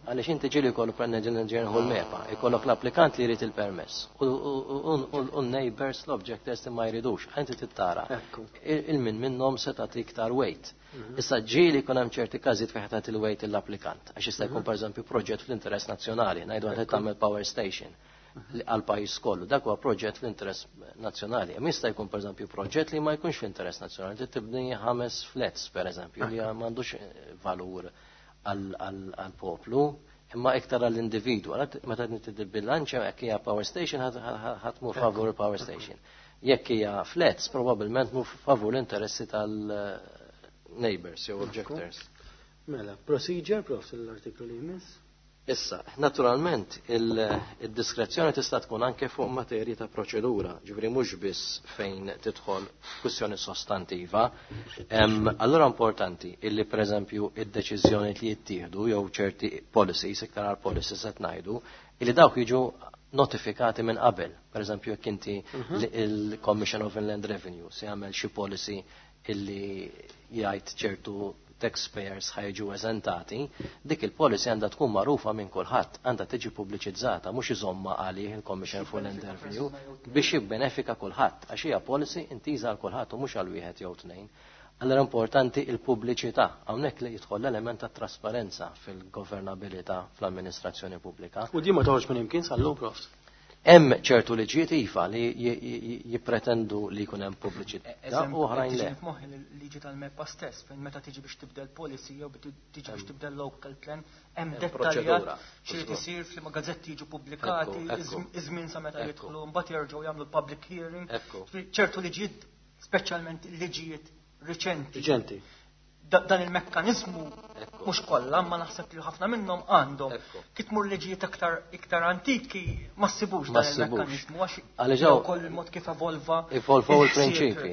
għaliex inti ġieli jkollu ġenħu l-MEPA, ikollok l-applikant li jrid il-permess u n-neighbors l-objectors li ma jridux, inti tittara. Il-min minnhom se tagħti iktar weight. Mhm. Issa ġieli jkun hemm ċerti każijiet fejn tagħti il-weight l-applikant, għax jista' jkun mhm. pereżempju proġett fl-interess nazzjonali, ngħidu għad tagħmel power station mhm. għal pajjiż kollu. Dak huwa proġett fl-interess nazzjonali. Imma jista' jkun pereżempju proġett li ma jkunx fl-interess nazzjonali, tibni ħames flats pereżempju li m'għandux valur għal-poplu, imma iktar għall-individu. Meta bilanċa jekk hija power station ħa tmur favur il-power station. Jekk hija flats, probabbilment mur favur l-interessi tal-neighbors jew objectors. Mela, procedure, prof, l-artiklu li jmiss. Issa, naturalment, il-diskrezzjoni tista' tkun anke fuq materji ta' proċedura, ġifieri mhux biss fejn tidħol kwistjoni sostantiva. Allura importanti illi pereżempju id-deċiżjoni li jittieħdu jew ċerti policies, iktar għal policies qed ngħidu, illi dawk jiġu notifikati minn qabel. Per eżempju, jekk inti mhm. il-Commission of Inland Revenue se jagħmel xi policy illi jgħid ċertu taxpayers ħa jiġu eżentati, dik il-policy għandha tkun magħrufa minn kulħadd, għandha tiġi pubbliċizzata, mhux iżomma għalih il-Commission for Land Revenue biex jibbenefika kulħadd, għax hija policy intiża għal kulħadd u mhux għal wieħed jew tnejn. Allora importanti il-pubbliċità, hawnhekk li jidħol l-element ta' trasparenza fil-governabilità fl-amministrazzjoni pubblika. U di ma toħroġ minn imkien sal-lum, profs. Hemm ċertu liġijiet iva li jippretendu li jkun hemm pubbliċità u oħrajn le. Moħħi l-liġi tal-MEPA stess, fejn meta tiġi biex tibdel policy jew tiġi biex tibdel local plan, hemm dettaljat xi isir f'liema gazzetti jiġu pubblikati, iż-żmien sa meta jidħlu, mbagħad jerġgħu jagħmlu public hearing. Ċertu liġijiet, speċjalment liġijiet riċenti. Riċenti. Dan il-mekkanizmu mhux kollha, ma naħseb li ħafna minnhom għandhom. Kif tmur liġijiet aktar iktar antiki ma ssibux dan il-mekkanizmu għax ukoll il-mod kif evolva. Evolvaw il-prinċipi.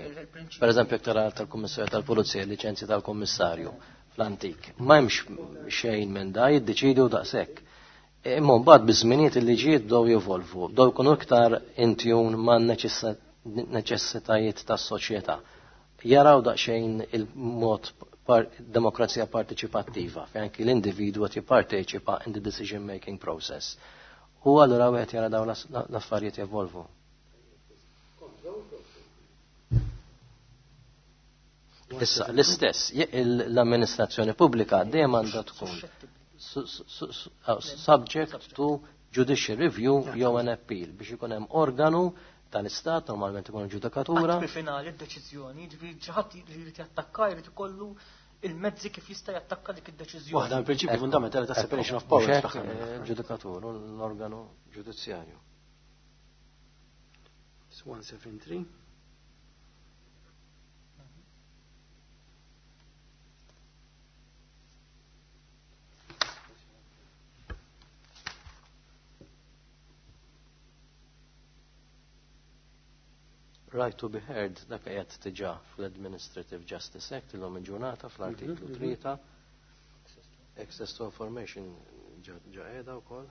Per eżempju, iktar tal-Kummissarju tal-Pulizija, liċenzji tal-Kummissarju fl-antik. Ma hemmx xejn minn da jiddeċidu daqshekk. Imma mbagħad biż-żminijiet il-liġijiet bdew jevolvu, bdew jkunu iktar in tune man neċessitajiet tas-soċjetà. Jaraw daqsxejn il-mod par demokrazija partiċipattiva, fejn anki l-individwu qed jipparteċipa in the decision making process. U allura wieħed jara dawn l-affarijiet jevolvu. Issa, l-istess, l-amministrazzjoni pubblika dejjem għandha tkun subject to judicial review jew an appeal biex ikun hemm organu tal-istat, normalment ikun ġudikatura. Qatt finali d-deċiżjoni, ġifieri xi ħadd li jrid jattakka jrid ikollu il-mezzi kif jista' jattakka dik id-deċiżjoni. Waħda mill-prinċipji fundamentali ta' separation of powers. Ġudikatur, l-organu ġudizzjarju. one seven three. Right to be heard, dak qiegħed diġà fl-Administrative Justice Act illum il-ġurnata fl-artiklu tlieta. Access to information ġa qiegħda wkoll.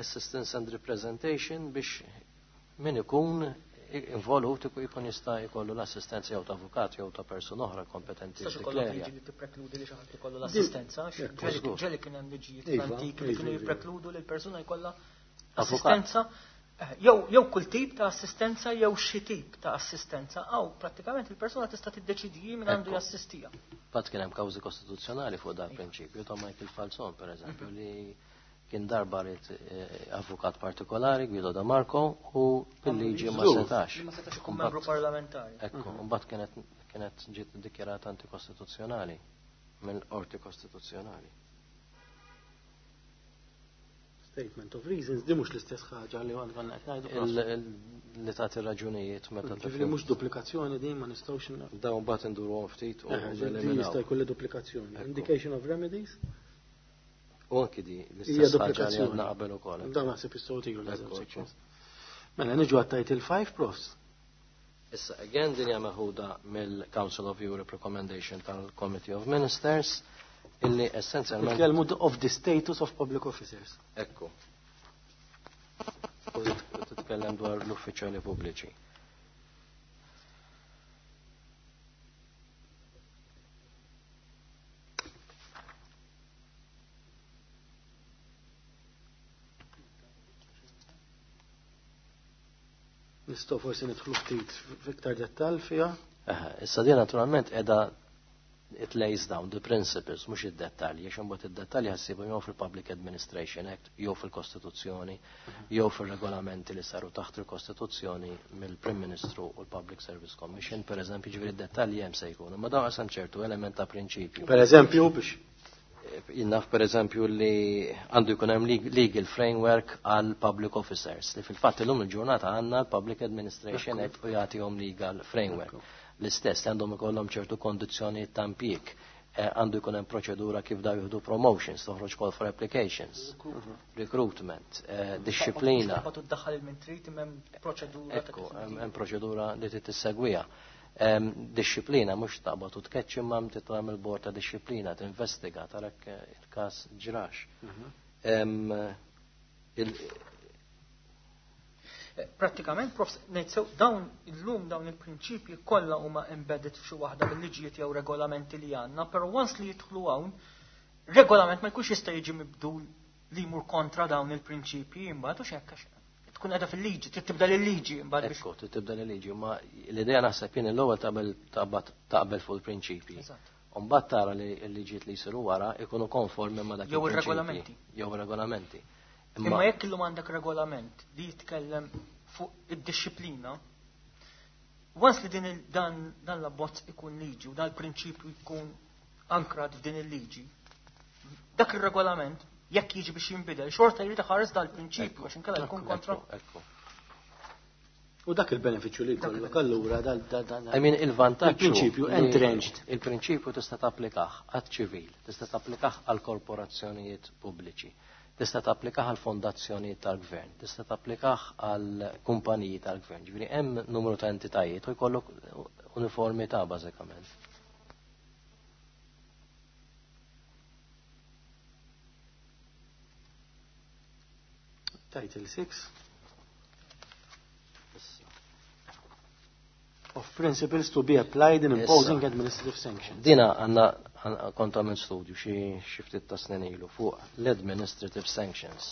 Assistance and representation biex min ikun involut ikun jista' jkollu l-assistenza jew ta' avukat jew ta' persuna oħra kompetenti. Sax ikollok liġi li tipprekludi li xi ħadd ikollu l-assistenza, ġeli kien hemm liġijiet antiki li kienu jipprekludu li l-persuna jkollha assistenza. Jew jew kull tip ta' assistenza jew xi tip ta' assistenza, aw prattikament il-persuna tista' tiddeċidi min għandu jassistija. Fatt kien hemm kawżi kostituzzjonali fuq dan prinċipju ta' Michael Falzon pereżempju li kien darba rid avukat partikolari Guido Da Marco u bil-liġi ma setax. Ma setax ikun membru parlamentari. Ekku, mbagħad kienet kienet ġiet iddikjarata antikostituzzjonali mill-Qorti Kostituzzjonali. Statement of reasons, di mhux l-istess ħaġa li għand konna qed ngħidu. Li tagħti raġunijiet meta Ġifieri mhux duplikazzjoni din ma nistgħux dawn mbagħad induruhom ftit u jista' jkolli duplikazzjoni. Indication of remedies. U anki di l-istess ħaġa li għandna qabel ukoll. Dan naħseb jistgħu tiġu l-eżempju. Mela niġu għat title five, profs. Issa again din hija meħuda mill-Council of Europe Recommendation tal-Committee of Ministers illi essenzjalment Nitkellmu of the status of public officers. Ekku. U titkellem dwar l-uffiċjali pubbliċi. Nistgħu forsi nidħlu ftit f'iktar dettall fiha. Issa din naturalment qiegħda it lays down the principles, mhux id-dettalji, għax imbagħad id-dettalji ħassibu jew fil-Public Administration Act, jew fil-Kostituzzjoni, jew fil-regolamenti li saru taħt il-Kostituzzjoni mill-Prim Ministru u l-Public Service Commission, per eżempju, ġifieri id-dettalji hemm se jkunu, ma dawn qasam ċertu element ta' prinċipju. Per eżempju, biex Jinnaf per eżempju li għandu jkun hemm legal framework għal public officers, li fil-fatt illum il-ġurnata għandna l-Public Administration Act u jagħtihom legal framework. L-istess li għandhom ikollhom ċertu kondizzjoni ta' impjieg, għandu jkun hemm proċedura kif daw jieħdu promotions, toħroġ call for applications, recruitment, disciplina. Ekku, hemm proċedura li trid tissegwiha. Disciplina mhux taqbad u tkeċċ imma titgħamel bord ta' disciplina, tinvestiga tarak il-każ ġrax. Prattikament, profs, ngħid sew dawn illum dawn il-prinċipji kollha huma embedded f'xi waħda bil-liġijiet jew regolamenti li għandna, però once li jidħlu hawn, regolament ma jkunx jista' jiġi mibdul li jmur kontra dawn il-prinċipji imbagħad u x'hekk għax tkun qiegħda fil-liġi, trid tibda l-liġi imbagħad biex. Ekku, trid tibda l-liġi, ma l-idea naħseb jien l-ewwel taqbel taqbel fuq il-prinċipji. U mbagħad tara li l-liġijiet li jsiru wara ikunu konformi ma' dak Jew ir-regolamenti. Jew ir-regolamenti. Imma jekk illum għandek regolament li jitkellem fuq id-disciplina, once li din dan dan l-abbozz ikun liġi u dan il-prinċipju jkun ankrat f'din il-liġi, dak ir-regolament jekk jiġi biex jinbidel, xorta jrid iħares dal-prinċipju għax inkella jkun kontra. U dak il-benefiċċju li jkollok allura dal dan. I mean il-vantaġġ. Il-prinċipju entrenched. Il-prinċipju tista' tapplikah għaċ-ċivil, tista' tapplikah għal korporazzjonijiet pubbliċi, tista' tapplikah għal fondazzjonijiet tal-gvern, tista' tapplikah għal kumpaniji tal-gvern. Ġifieri hemm numru ta' entitajiet u jkollok uniformità bażikament. Title six of principles to be applied in imposing administrative sanctions. Dina għanna kont għamil studju xi ftit ta' snin ilu fuq l-administrative sanctions.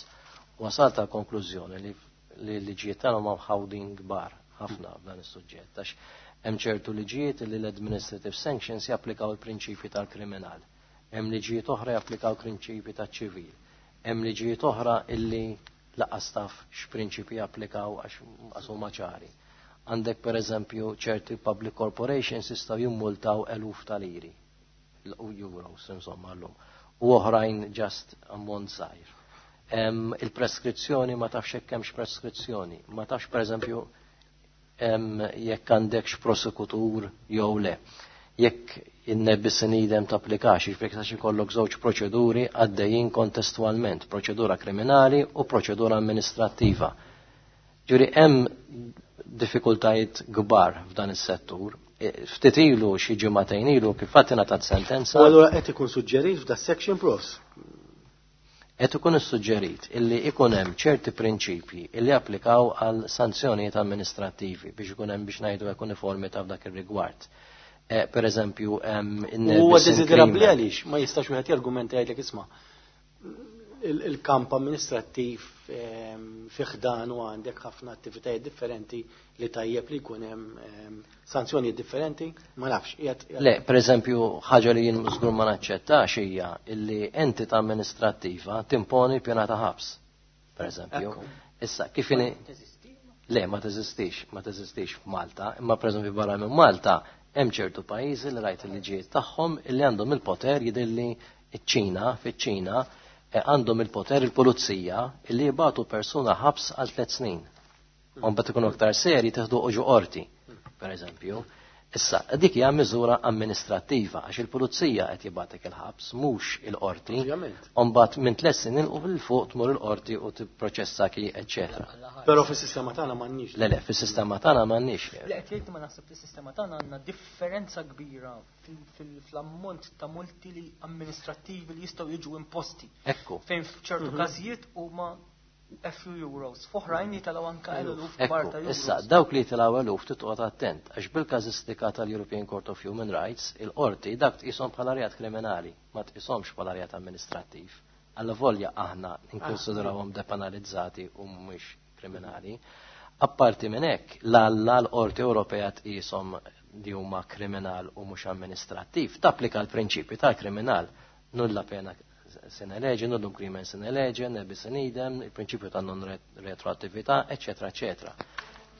Wasalt għal konklużjoni li l-liġijiet tagħna huma mħawdin kbar ħafna f'dan is-suġġett għax hemm ċertu liġijiet li l-administrative sanctions japplikaw il-prinċipji tal-kriminal. Hemm liġijiet oħra japplikaw prinċipji taċ-ċivil. Hemm liġijiet oħra illi laqas taf x'prinċipji japplikaw għax huma ċari. Għandek per eżempju ċerti public corporations jistgħu jimmultaw eluf ta' liri, euros insomma llum, u oħrajn just ammont żgħir. Il-preskrizzjoni ma tafx hekk hemmx preskrizzjoni, ma tafx per eżempju jekk għandekx prosekutur jew le. Jekk in-ne bis in idem tapplikax, jiġifieri għax ikollok żewġ proċeduri għaddejjin kontestwalment, proċedura kriminali u proċedura amministrattiva. Ġifieri hemm diffikultajiet kbar f'dan is-settur. Ftit ilu xi ġimagħtejn ilu kif fatt ingħatat sentenza. U allura qed ikun suġġerit f'da section profs. Qed ikun issuġġerit illi ikun hemm ċerti prinċipji illi applikaw għal sanzjonijiet amministrattivi biex ikun hemm biex ngħidu hekk uniformità f'dak ir-rigward. Per eżempju, huwa desiderabbli għaliex ma jistax wieħed jargumenta jgħidlek isma' il-kamp amministrattiv fih dan u għandek ħafna attivitajiet differenti li tajjeb li jkun hemm sanzjonijiet differenti, ma nafx. Le, per eżempju, ħaġa li jien żgur ma naċċettax hija illi entità amministrattiva timponi pjena ta' ħabs, per eżempju. Issa, kif inhi? Le, ma teżistix, ma teżistix f'Malta, imma per eżempju barra minn Malta hemm ċertu pajjiżi li rajt il-liġijiet tagħhom illi għandhom il-poter jidilli ċ-Ċina, fiċ-Ċina għandhom il-poter il-pulizija illi jibatu persuna ħabs għal tliet snin. U mbagħad ikunu aktar seri teħdu uġu qorti, per eżempju. Issa, dik hija miżura amministrattiva għax il-pulizija qed jibatek il-ħabs mhux il-qorti. U mbagħad minn tliet snin u fil fuq tmur il-qorti u tipproċessaki, eċċetera. Però fis-sistema tagħna m'għandniex. Le le, fis-sistema tagħna m'għandniex. Le qed jgħid ma naħseb fis-sistema tagħna għandna differenza kbira fl-ammont ta' multi li amministrattivi li jistgħu jiġu imposti. Ekku. Fejn f'ċertu każijiet huma a few euros. F'oħrajn jitilgħu anke eluf kbar ta' euros. Issa, dawk li jitilgħu eluf titqgħod attent għax bil-każistika tal-European Court of Human Rights il-qorti dak tqishom bħala reat kriminali, ma tqishomx bħala reat amministrattiv. Alla volja aħna nkonsidrawhom depenalizzati u mhumiex kriminali. Apparti minn hekk, l-alla l-Qorti Ewropea tqishom li huma kriminal u mhux amministrattiv, tapplika l-prinċipju tal-kriminal, nulla pena sine lege, nullum crimen sine lege, ne bis in idem, il-prinċipju ta' non retroattività, eccetera, eccetera.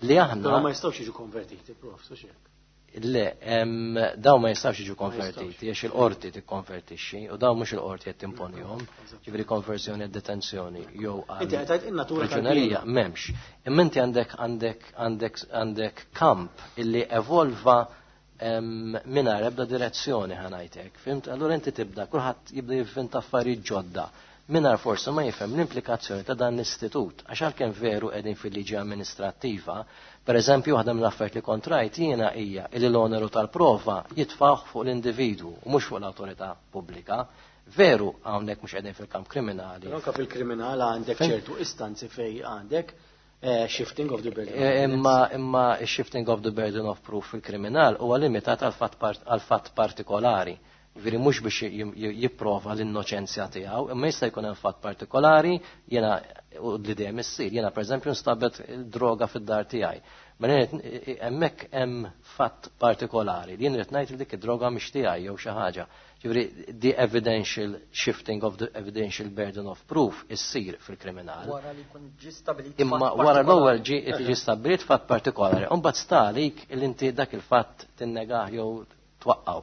Li aħna. Però ma jistgħux jiġu konvertiti, prof, so xek. Le, dawn ma jistgħux jiġu konvertiti, għax il-qorti tikkonvertixxi, u dawn mhux il-qorti qed timponihom, ġifieri konversjoni e detenzjoni jew għal. Priġunerija m'hemmx. Imma inti għandek għandek għandek għandek kamp illi evolva mingħajr ebda direzzjoni ħanajtek, fimt? Allura inti tibda, kulħadd jibda jivvinta affarijiet ġodda, mingħajr forsi ma jifhem l-implikazzjoni ta' dan l-istitut, għax għalkemm veru qegħdin fil-liġi amministrattiva, per eżempju waħda mill-affarijiet li kontrajt jiena hija li l-oneru tal-prova jitfgħuh fuq l-individwu u mhux fuq l-awtorità pubblika. Veru hawnhekk mhux qegħdin fil-kamp kriminali. Anke fil-kriminal għandek ċertu istanzi fejn għandek shifting of the burden. Imma imma shifting of the burden of proof fil-kriminal huwa limitat għal fatt partikolari. Ġifieri mhux biex jipprova l-innoċenzja tiegħu, imma jista' jkun hemm fatt partikolari, jiena u li dejjem issir, jiena pereżempju nstabet droga fid-dar tiegħi. Mela hemmhekk hemm fatt partikolari li jien irid ngħid li dik id-droga mhix tiegħi jew xi ħaġa. Ġifieri the evidential shifting of the evidential burden of proof issir fil-kriminal. Wara li jkun ġie stabbilit. Imma wara l-ewwel ġie ġie stabbilit fatt partikolari. U mbagħad sta għalik li inti dak il-fatt tinnegah jew twaqqgħu.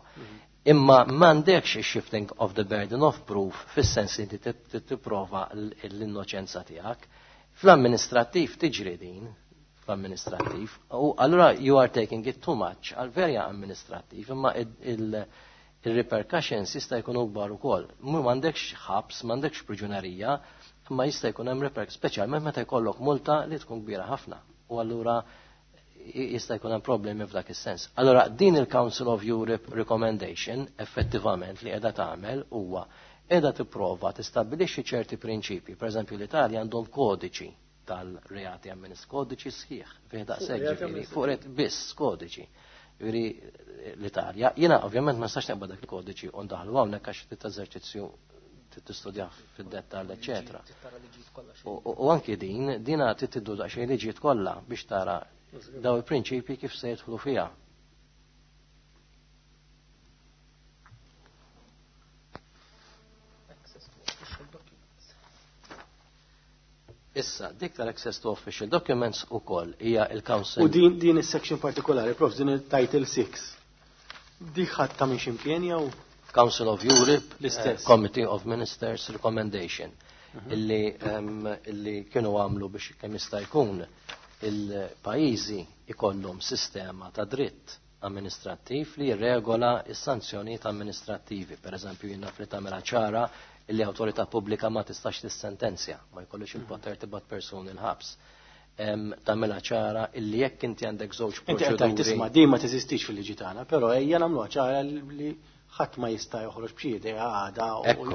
Imma m'għandekx shifting of the burden of proof fis-sens li inti tipprova l-innoċenza tiegħek. Fl-amministrattiv tiġri din, fl-amministrattiv, u allura you are taking it too much għal verja amministrattiv, imma il-repercussions jista' jkunu kbar ukoll. Mhu m'għandekx ħabs, m'għandekx priġunerija, imma jista' jkun hemm repercussions, speċjalment meta jkollok multa li tkun kbira ħafna. U allura jista' jkun hemm problemi f'dak is-sens. Allura din il-Council of Europe recommendation effettivament li qiegħda tagħmel huwa qiegħda tipprova tistabbilixxi ċerti prinċipji. Pereżempju l-Italja għandhom kodiċi tal-reati amministrativi, kodiċi sħiħ, fih daqshekk ġifieri, fuq ret biss kodiċi. Ġifieri l-Italja, jiena ovvjament ma nistax neqbad dak il-kodiċi u ndaħlu hawnhekk għax trid eżerċizzju tistudja fid-dettall, eċetera. U anki din, dina trid tiddu daqsxejn liġijiet kollha biex tara daw il-prinċipji kif se jidħlu fiha. Issa, dik tal-access to official documents ukoll hija il-Council. U din din is-section partikolari, prof, din il-Title six. Dik ħadd minn x'imkien jew Council of Europe, l-istess Committee of Ministers Recommendation, illi illi kienu għamlu biex kemm jista' jkun il-pajjiżi ikollhom sistema ta' dritt amministrattiv li jirregola s-sanzjonijiet amministrattivi. Per eżempju, jiena li tagħmilha ċara illi awtorità pubblika ma tistax tissentenzja, ma jkollux il-poter tibgħat persuni l-ħabs. Tagħmilha ċara illi jekk inti għandek żewġ proċeduri. Inti tisma' din ma teżistix fil-liġi tagħna, però ejja nagħmluha ċara li ħadd ma jista' joħroġ b'xi idea għada u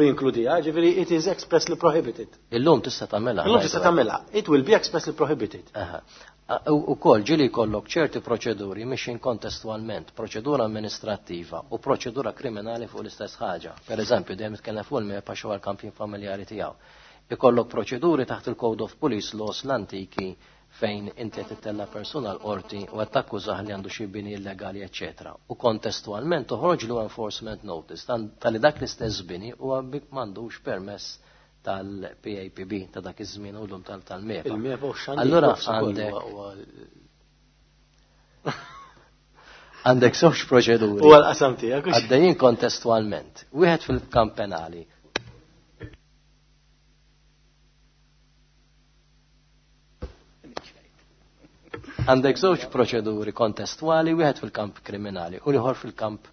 jinkludiha, ġifieri it is expressly prohibited. Illum tista' tagħmilha. Illum tista' tagħmilha. It will be expressly prohibited. Ukoll ġieli jkollok ċerti proċeduri mixin kontestualment, proċedura amministrattiva u proċedura kriminali fuq l-istess ħaġa. Per eżempju, dejjem nitkellem fuq il-MEPA xi għall-kampjin familjari tiegħu. Ikollok proċeduri taħt il-Code of Police Laws l-antiki fejn inti qed tittella persuna l-qorti u qed takkużah li għandu xi bini illegali, eċetera. U kontestualment toħroġlu enforcement notice tal-li dak l-istess bini huwa m'għandux permess tal-P A P B ta' dak iż-żmien u llum tal-MEPA. Il-MEPA u x'għandu Allura għandek għandek żewġ proċeduri. U għal-qasam tiegħek. Għaddejjin kontestualment. Wieħed fil-kamp penali. Għandek żewġ proċeduri kontestwali, wieħed fil-kamp kriminali u ieħor fil-kamp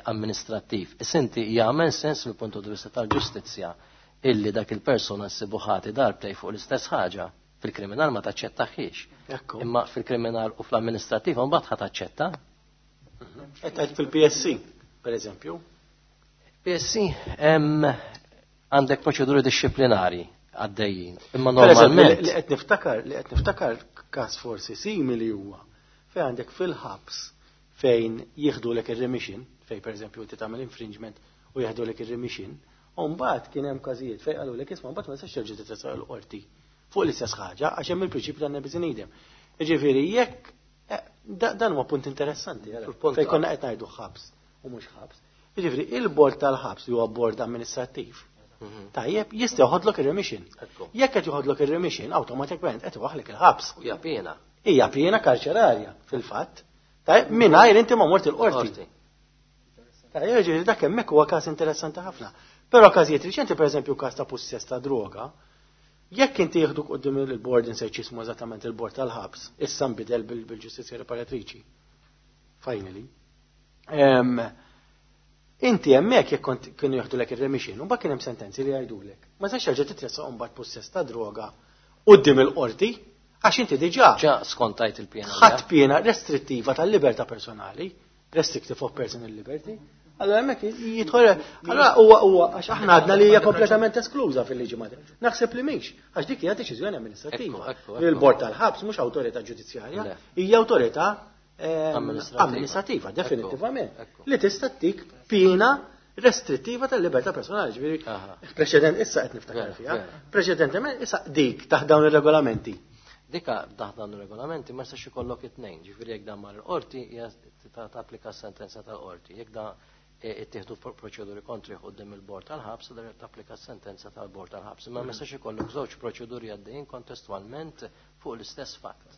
amministrattiv. Is-inti jagħmel sens mill-punt di vista tal-ġustizzja illi dak il-persuna ssibu ħati darbtej fuq l-istess ħaġa. Fil-kriminal ma taċċettaħiex. Imma fil-kriminal u fl-amministrattiv mbagħad ħa taċċetta. Qed fil-P S C, per eżempju. P S C għandek proċeduri disciplinari għaddejjin. Imma normalment li qed niftakar, li qed niftakar każ forsi simili huwa fejn għandek fil-ħabs fejn jieħdulek ir-remission, fejn pereżempju inti tagħmel infringement u jieħdulek ir-remission, u mbagħad kien hemm każijiet fejn qalulek isma' mbagħad ma tistax terġa' titressaq l-qorti fuq l-istess ħaġa għax hemm il-prinċipju tan ne bis in idem. Jiġifieri jekk dan huwa punt interessanti, fejn konna qed ngħidu ħabs u mhux ħabs. Jiġifieri il-bord tal-ħabs li huwa bord amministrattiv, tajjeb, jista' joħodlok ir-remission. Jekk qed joħodlok ir-remission, awtomatikament qed iwaħħlek il-ħabs. Hija piena. Hija piena karċerarja fil-fatt. Tajjeb, mingħajr inti ma mort il-qorti. Tajjeb, jiġifieri dak hemmhekk huwa każ interessanti ħafna. Però każijiet riċenti, pereżempju każ ta' pussess ta' droga, jekk inti jieħduk quddiem il-bord insejt x'ismu eżattament il-bord tal-ħabs, issa nbidel bil-ġustizzja riparatriċi. Finally. Inti hemmhekk jekk kont kienu jieħdulek ir-remission, u mbagħad kien hemm sentenzi li jgħidulek. Ma tistax terġa' titressaq mbagħad pussess ta' droga quddiem il-qorti għax inti diġà ġa skontajt il-piena. Ħadd piena restrittiva tal-libertà personali, restrictive of personal liberty. Allora hemmhekk jidħol, allora huwa huwa għax aħna għadna li hija kompletament eskluża fil-liġi Maltija. Naħseb li mhix, għax dik hija deċiżjoni amministrattiva. Il-bord tal-ħabs mhux awtorità ġudizzjarja, hija awtorità amministrativa, definitivament, li tista' tik pina restrittiva tal-libertà personali, ġifieri preċedent issa qed niftakar fiha, preċedentement issa dik taħt dawn ir-regolamenti. Dika taħt dawn ir-regolamenti ma jistax ikollok it-tnejn, ġifieri jekk dan mar il-qorti hija tapplika s-sentenza tal-qorti, jekk da ittieħdu proċeduri kontri quddiem il-bord tal-ħabs, tapplika s-sentenza tal-bord tal-ħabs. Imma ma jistax ikollok żewġ proċeduri għaddejjin kontestwalment fuq l-istess fatt.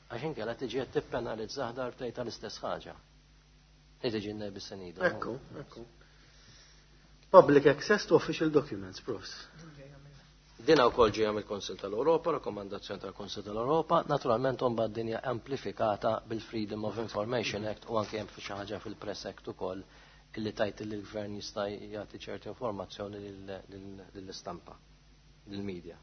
Għax inkella tiġi qed tippenalizzah darbtejn tal-istess ħaġa. Li tiġi n-nebi senida. Ekku, ekku. Public access to official documents, profs. Dina wkoll ġejja mill-Konsil tal-Ewropa, rakkomandazzjoni tal-Konsil tal-Ewropa, naturalment imbagħad din hija amplifikata bil-Freedom of Information Act u anke hemm xi ħaġa fil-Press Act ukoll illi tajt li l-gvern jista' jagħti ċerti informazzjoni lill-istampa, lill-media.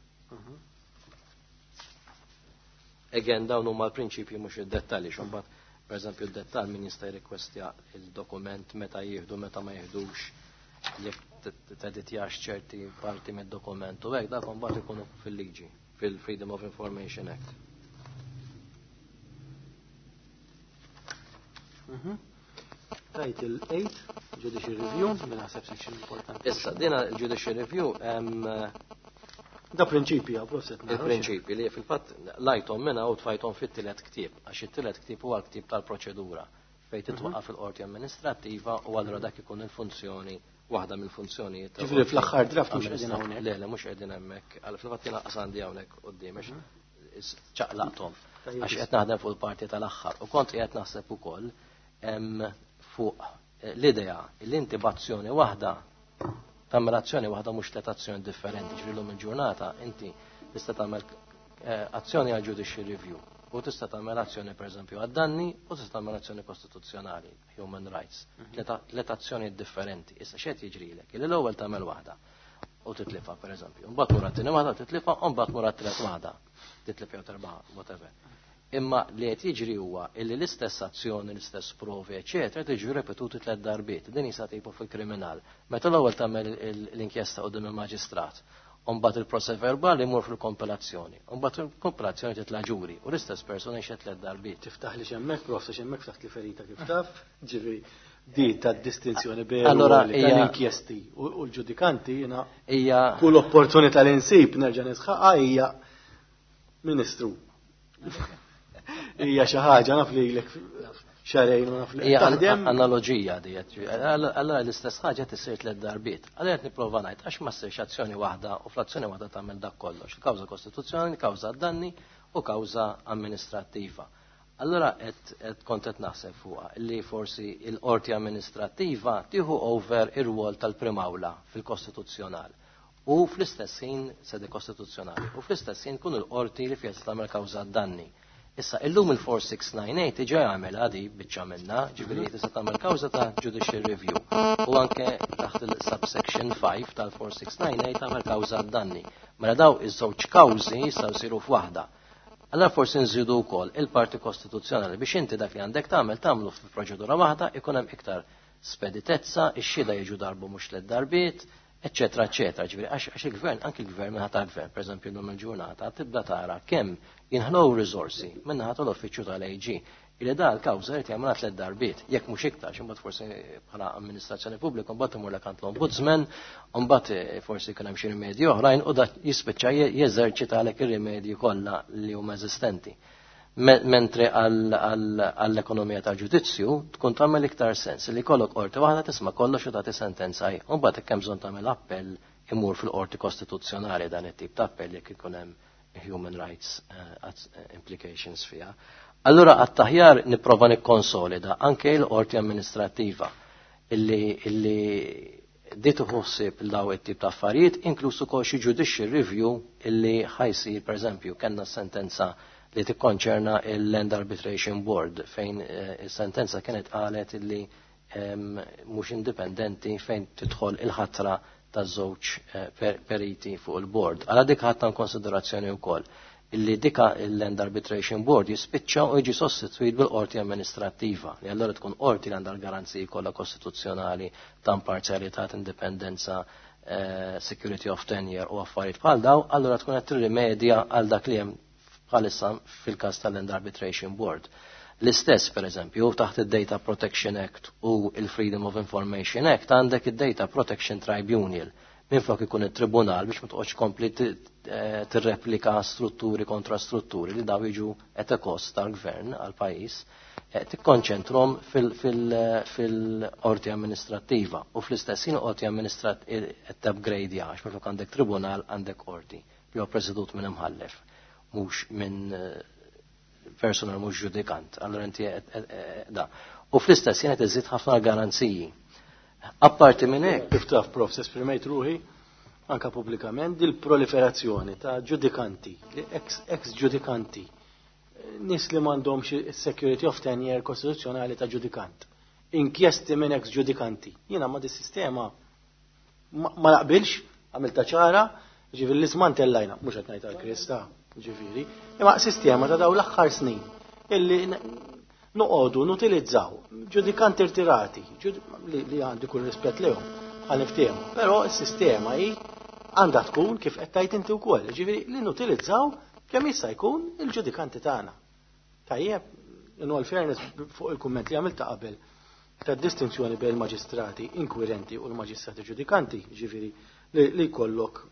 Again, dawn huma l-prinċipji mhux id-dettalji, x'imbagħad pereżempju d-dettall min jista' jirrikwestja il-dokument meta jieħdu, meta ma jieħdux, jekk teditjax ċerti parti mid-dokument u hekk dak imbagħad ikunu fil-liġi, fil-Freedom of Information Act. Title eight, Judicial Review, minn naħseb section importanti. Issa, dina il-Judicial Review hemm Da prinċipi, għaw, proset. Il-prinċipi li fil-fatt lajthom minna u tfajthom fit-tielet ktieb, għax it-tielet ktieb huwa l-ktieb tal-proċedura fejn titwaqqaf il-qorti amministrattiva u allura dak ikun il-funzjoni, waħda mill-funzjonijiet. Ġifieri fl-aħħar draft mhux qegħdin hawnhekk. Le, le, mhux qegħdin hemmhekk. Għal fil-fatt jiena qas għandi hawnhekk quddiem għax ċaqlaqthom. Għax qed naħdem fuq il-parti tal-aħħar u kont qiegħed naħseb ukoll fuq l-idea li inti b'azzjoni waħda tagħmel azzjoni waħda mhux tliet azzjoni differenti, ġifieri llum il-ġurnata inti tista' tagħmel azzjoni għal judicial review u tista' tagħmel azzjoni pereżempju għad-danni u tista' tagħmel azzjoni kostituzzjonali, human rights, tliet azzjoni differenti. Issa x'qed jiġrilek? Illi l-ewwel tagħmel waħda u titlifa pereżempju, mbagħad mur għat-tieni waħda titlifa u mbagħad mur għat-tielet waħda, titlif jew terbaħ, whatever. Imma li qed jiġri huwa illi l-istess azzjoni, l-istess provi, eċetera, tiġi ripetuti tliet darbiet. Din jista' tipo fil-kriminal. Meta l-ewwel tagħmel l-inkjesta quddiem il-maġistrat, u mbagħad il-process verbali jmur fil-kompilazzjoni, u mbagħad il-kompilazzjoni titla' ġuri u l-istess persuna jxed tliet darbiet. Tiftaħ li x'hemmhekk, prof, x'hemmhekk ftaħt li ferita kif taf, ġifieri di ta' distinzjoni bejn l-inkjesti u l-ġudikanti jiena hija kull opportunità li nsib nerġa' nisħaqha hija Ministru. Hija xi ħaġa naf lilek xarejn u naf li hija taħdem. Analogija di qed. Allura l-istess ħaġa tisir tliet darbiet. Allura qed nipprova ngħid għax ma ssirx azzjoni waħda u fl-azzjoni waħda tagħmel dak kollox. Il-kawża kostituzzjonali, kawża danni u kawża amministrattiva. Allura qed kont qed naħseb fuqha li forsi l-qorti amministrattiva tieħu over ir-rwol tal-primawla fil-kostituzzjonal. U fl-istess ħin sede kostituzzjonali u fl-istess ħin kun il-qorti li fiha tagħmel kawża danni. Issa, illum il-four six nine eight diġà jagħmel għadi biċċa minna, ġifieri tista' tagħmel kawża ta' judicial review. U anke taħt il-subsection five tal-four six nine eight tagħmel kawża danni. Mela daw iż-żewġ kawżi jistgħu jsiru f'waħda. Allora forsi nżidu wkoll il-parti kostituzzjonali biex inti dak li għandek tagħmel tagħmlu f'proċedura waħda, ikun hemm iktar speditezza, ix-xhieda jiġu darbu mhux tliet darbiet, eccetera, eccetera. Ġifieri, għax, għax il-gvern, anki il-gvern minħata tal-gvern, per eżempju, llum il-ġurnata, tibda tara kemm jinħlow riżorsi minnaħa tal-uffiċċju tal-A G. Illi da l-kawża jrid jagħmilha tliet darbiet, jekk mhux iktar, imbagħad forsi bħala amministrazzjoni pubblika, mbagħad imur lek għand l-ombudsman, mbagħad forsi jkun hemm xi rimedji oħrajn u dak jispiċċa je-, jeżerċita għalhekk ir-rimedji kollha li huma eżistenti. Me-, mentre għall-ekonomija tal-ġudizzju tkun tagħmel iktar sens li jkollok qorti waħda tisma' kollox u tagħti sentenza hi. U mbagħad hekk hemm bżonn tagħmel appell imur fil-qorti kostituzzjonali dan it-tip ta' appell jekk ikun hemm human rights, eh, implications fiha. Allura għat-taħjar nipprova nikkonsolida anke l-qorti amministrattiva illi, illi di tħossib daw it-tip ta' affarijiet, inkluż ukoll xi judicial review illi ħajsir, pereżempju, kellna sentenza li tikkonċerna il-Land Arbitration Board fejn, eh, is-sentenza kienet qalet illi, ehm, mhux indipendenti fejn tidħol il-ħatra taż-żewġ, eh, per-, periti fuq il-board. Għala dik ħadna konsiderazzjoni wkoll illi dika il-Land Arbitration Board jispiċċa u jiġi sostitwit bil-qorti amministrattiva, li allura tkun qorti li għandha l-garanziji kollha kostituzzjonali ta' imparzjalità, indipendenza, eh, security of tenure u affarijiet bħal daw, allura tkun qed tirrimedja għal dak li hemm bħalissa fil-każ tal-Land Arbitration Board. L-istess, per eżempju, taħt id-Data Protection Act u il-Freedom of Information Act għandek id-Data Protection Tribunal. Minflok ikun it-tribunal biex ma toqgħodx kompli tirreplika strutturi kontra strutturi li daw jiġu at a cost tal-gvern għal-pajjiż, tikkonċentrom fil-qorti amministrattiva u fl-istess ħin qorti amministrattiva qed upgrade għax minflok għandek tribunal għandek qorti li huwa presedut minn imħallef mhux minn personal mhux ġudikant. Allura inti da. U fl-istess ħin qed iżid ħafna garanziji. Apparti minn hekk, kif taf prof, esprimejt ruħi anka pubblikament dil-proliferazzjoni ta' ġudikanti, ex-ġudikanti, nies li m'għandhomx security of tenure kostituzzjonali ta' ġudikant. Inkjesti minn ex-ġudikanti. Jiena ma' dis-sistema ma naqbilx, għamilta ċara, ġifieri li smantellajna, mhux qed ngħid għall-Krista, ġifieri, imma sistema ta' dawn l-aħħar snin illi noqogħdu nutilizzaw ġudikanti irtirati, li għandi kull rispett lehom, għal niftehmu. Però s-sistema hi għandha tkun kif qed tgħid inti wkoll, ġifieri li nutilizzaw kemm jista' jkun il-ġudikanti tagħna. Tajjeb, in all fairness fuq il-kumment li għamilta qabel ta' distinzjoni bejn il-maġistrati inkwirenti u l-maġistrati ġudikanti, ġifieri li jkollok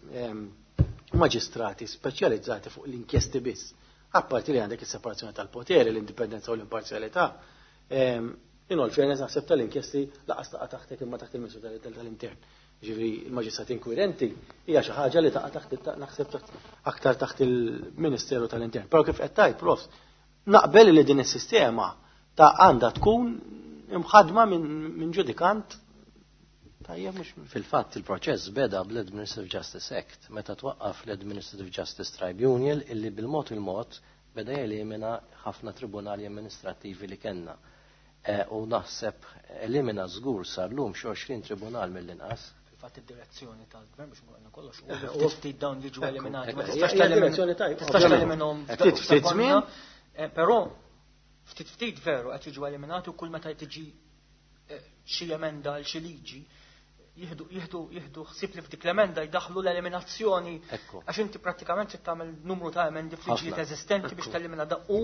maġistrati speċjalizzati fuq l-inkjesti biss. Apparti li għandek is-separazzjoni tal-poteri, l-indipendenza u l-imparzjalità, in all fairness naħseb tal-inkjesti laqas taqa' taħtek imma taħt il-Ministru tal-Intern. Ġifieri il-maġistrati inkwirenti hija xi ħaġa li taqa' taħt naħseb aktar taħt il-Ministeru tal-Intern. Però kif qed tgħid, prof, naqbel li din is-sistema ta' għandha tkun imħadma minn ġudikant. Tajjeb mhux fil-fatt il-proċess beda bl-Administrative Justice Act meta twaqqaf l-Administrative Justice Tribunal illi bil-mod il-mod beda jelimina ħafna tribunali amministrativi li kellna. U naħseb elimina żgur sal-lum xi għoxrin tribunal mill-inqas. Fil-fatt id-direzzjoni tal-gvern biex nqolna kollox u ftit dawn jiġu eliminati. Ma tistax teliminhom ftit ftit żmien, però ftit ftit veru qed jiġu eliminati u kull meta tiġi xi emenda għal xi liġi jieħdu jieħdu jieħdu ħsieb li f'dik l-emenda jdaħlu l-eliminazzjoni għax inti prattikament trid tagħmel numru ta' emendi f'liġijiet eżistenti biex telimina da u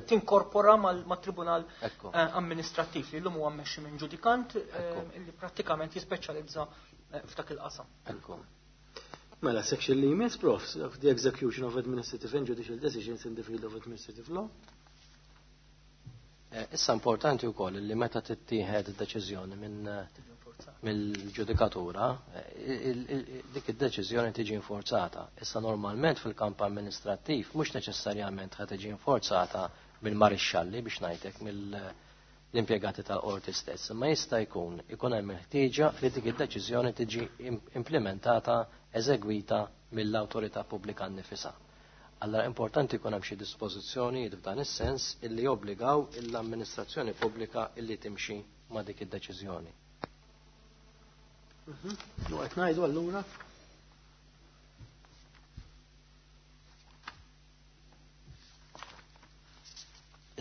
tinkorpora mat-tribunal amministrattiv li llum huwa mmexxi minn ġudikant li prattikament jispeċjalizza f'dak il-qasam. Mela section li jmiss, prof, of the execution of administrative and judicial decisions in the field of administrative law. Issa importanti wkoll li meta tittieħed id-deċiżjoni minn mill-ġudikatura, dik id-deċiżjoni tiġi inforzata. Issa normalment fil-kamp amministrattiv mhux neċessarjament ħa tiġi inforzata mill-marixxalli biex ngħidlek mill-impjegati tal-qorti stess, imma jista' jkun ikun hemm il-ħtieġa li dik id-deċiżjoni tiġi implementata, eżegwita mill-awtorità pubblika nnifisha. Allora importanti jkun hemm xi dispożizzjonijiet f'dan is-sens illi jobbligaw l-amministrazzjoni pubblika illi timxi ma' dik id-deċiżjoni. U qed ngħidu allura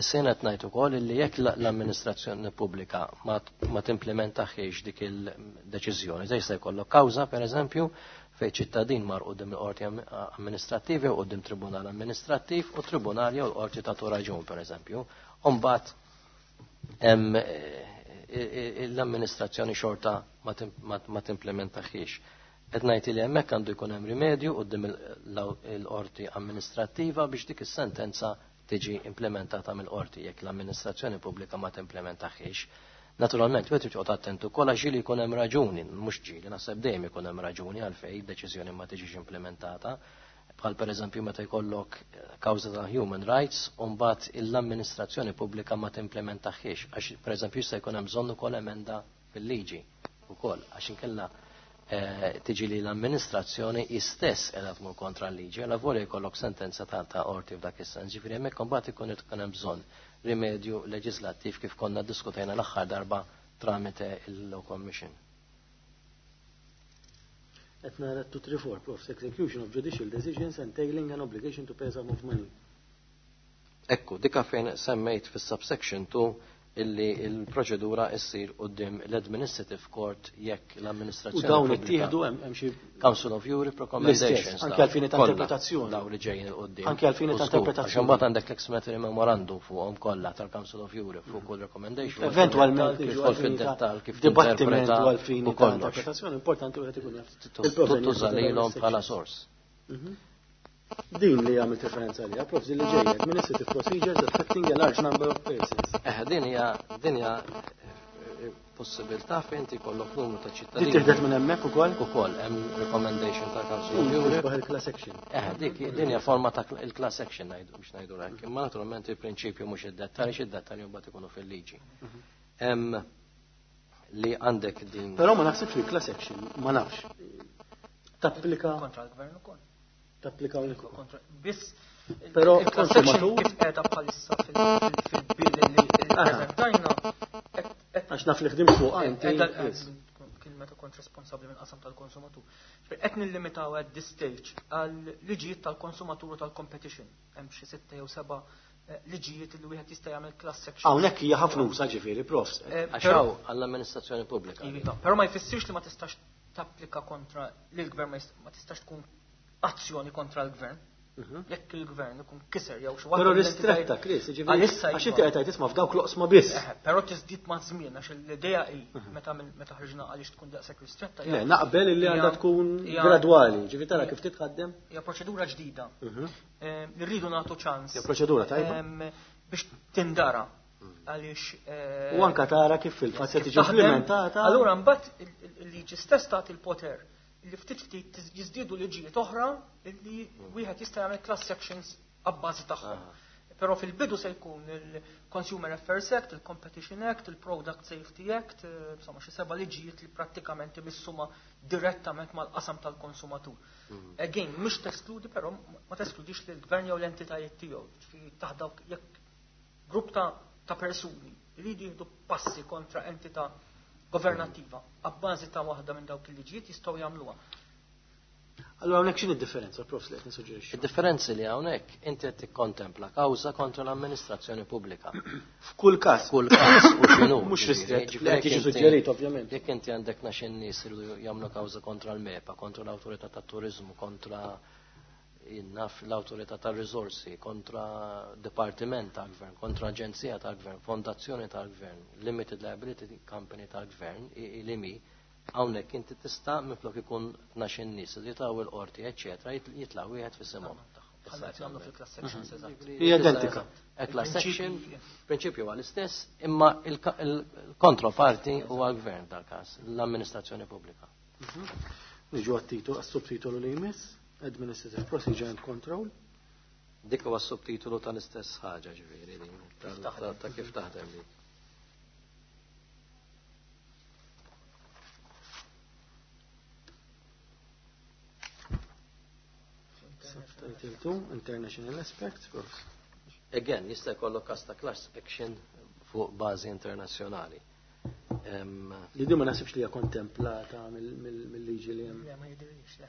Is-sena qed ngħid ukoll illi jekk l-amministrazzjoni pubblika ma timplementaħiex dik il-deċiżjoni, se jista' jkollok kawża pereżempju fejn ċittadin mar quddiem il-qorti amministrattivi u quddiem tribunal amministrattiv u tribunal jew l-qorti tagħtu raġun pereżempju. U mbagħad hemm l-amministrazzjoni xorta ma timplementaħiex. Qed ngħid li hemmhekk għandu jkun hemm rimedju quddiem il-qorti amministrattiva biex dik is-sentenza tiġi implementata mill-qorti jekk l-amministrazzjoni pubblika ma timplementaħiex. Naturalment, wieħed irid joqgħod attent ukoll għax ġieli jkun hemm raġuni, mhux ġieli, naħseb dejjem ikun hemm raġuni għalfejn deċiżjoni ma tiġix implementata. Bħal pereżempju meta jkollok kawża ta' human rights u mbagħad l-amministrazzjoni pubblika ma timplementaħiex għax pereżempju jista' jkun hemm bżonn ukoll emenda fil-liġi ukoll għax inkella tiġi li l-amministrazzjoni istess qiegħda tmur kontra l-liġi, għal volja jkollok sentenza ta' ta' qorti f'dak is-sens. Ġifieri hemmhekk imbagħad ikun ikun hemm bżonn rimedju leġislattiv kif konna ddiskutejna l-aħħar darba tramite il-Law Commission. Qed nara two three four, prof, execution of judicial decisions entailing an obligation to pay a sum of money. Ekku, dika fejn semmejt fis-subsection two Illi il-proċedura issir quddiem l-Administrative Court jekk l-amministrazzjoni. U dawn ittieħdu hemm xi Council of Europe recommendations. Anke għal fini ta' interpretazzjoni. Dawn li ġejjin il quddiem. Anke għal fini ta' interpretazzjoni. Għax imbagħad għandek l-explanatory memorandum fuqhom kollha tal-Council of Europe fuq kull recommendation. Eventwalment kif tidħol fid-dettall, kif dibattiment għal fini ta' interpretazzjoni importanti wieħed ikun jaf. Tuża lilhom bħala sors. Din li għamilt referenza għaliha, Prof li ġejja, administrative procedures affecting a large number of persons. Eh, din hija din hija possibilità fejn inti jkollok numru ta' ċittadini. Din tieħdet minn hemmhekk ukoll? Ukoll hemm recommendation ta' Council of Europe. Il-class action. Eh, dik din hija forma ta' il-class action ngħidu biex ngħidu hekk. Imma naturalment il-prinċipju mhux id-dettalji, x'id-dettalji mbagħad ikunu fil-liġi. Hemm li għandek din. Però ma naħsibx li class action, ma nafx. Tapplika kontra l-gvern ukoll. Tapplika ukoll. Biss però konsumatur kif qiegħda bħalissa fil-bill li ppreżentajna. Għax naf li ħdimt fuq inti. Kien meta kont responsabbli minn qasam tal-konsumatur. Qed nillimitaw at this stage għal liġijiet tal-konsumatur u tal-competition. Hemm xi sitta jew seba' liġijiet li wieħed jista' jagħmel class action. Hawnhekk hija ħafna usa ġifieri, Prof. Għax hawn għall-amministrazzjoni pubblika. Però ma jfissirx li ma tistax tapplika kontra lill-gvern, ma tistax tkun azzjoni kontra l-gvern. Jekk il-gvern ikun kiser jew xi waħda. Però ristretta, Chris, ġifieri għax inti qed tgħid isma' f'dawk l-oqsma biss. Però tiżdied ma' żmien għax l-idea hi meta meta ħriġna għaliex tkun daqshekk ristretta. Le, naqbel illi għandha tkun gradwali, ġifieri tara kif titħaddem. Hija proċedura ġdida. Li rridu nagħtu ċans. Hija proċedura tajba. Biex tindara għaliex. U anka tara kif fil-fatt se tiġi implementata. Allura mbagħad il-liġi stess tagħti il-poter li ftit ftit jiżdiedu liġijiet oħra li wieħed jista' jagħmel class actions abbażi tagħhom. Però fil-bidu se jkun il-Consumer Affairs Act, il-Competition Act, il-Product Safety Act, insomma xi seba' liġijiet li prattikament imissuma direttament mal-qasam tal-konsumatur. Again, mhux teskludi però ma teskludix lill-gvern jew l-entitajiet tiegħu. Ġifieri taħt dawk jekk grupp ta' ta' persuni jridu jieħdu passi kontra entità governattiva abbażi ta' waħda minn dawk il-liġijiet jistgħu jagħmluha. Allura hawnhekk x'inhi d-differenza, Prof, li qed nissuġġerixxi? Id-differenzi li hawnhekk inti qed tikkontempla kawża kontra l-amministrazzjoni pubblika. F'kull każ. F'kull każ u x'inhu. Mhux ristrett li qed jiġi suġġerit ovvjament. Jekk inti għandek nax in-nies iridu jagħmlu kawża kontra l-MEPA, kontra l-awtorità tat-turiżmu, kontra naf l-awtorità tar-riżorsi, kontra dipartiment tal-gvern, kontra aġenzija tal-gvern, fondazzjoni tal-gvern, limited liability company tal-gvern, il-I M I, hawnhekk inti tista' minflok ikun tnax in-nies li jitgħu il-qorti, eċċetera, jitla' wieħed f'isimhom. Hija identika. Class action, prinċipju huwa l-istess, imma il-kontroparti huwa l-gvern dal-każ, l-amministrazzjoni pubblika. Niġu għat-titolu, għas-subtitolu li jmiss. Administrative Procedure and Control. Dik huwa s-subtitolu tal-istess ħaġa ġifieri din, ta' kif taħdem dik. Subtitle two, International Aspects. Again, jista' jkollok każ ta' class action fuq bażi internazzjonali. Li din ma naħsibx li hija kontemplata mill-liġi li hemm. Le, ma jidhirlix, le.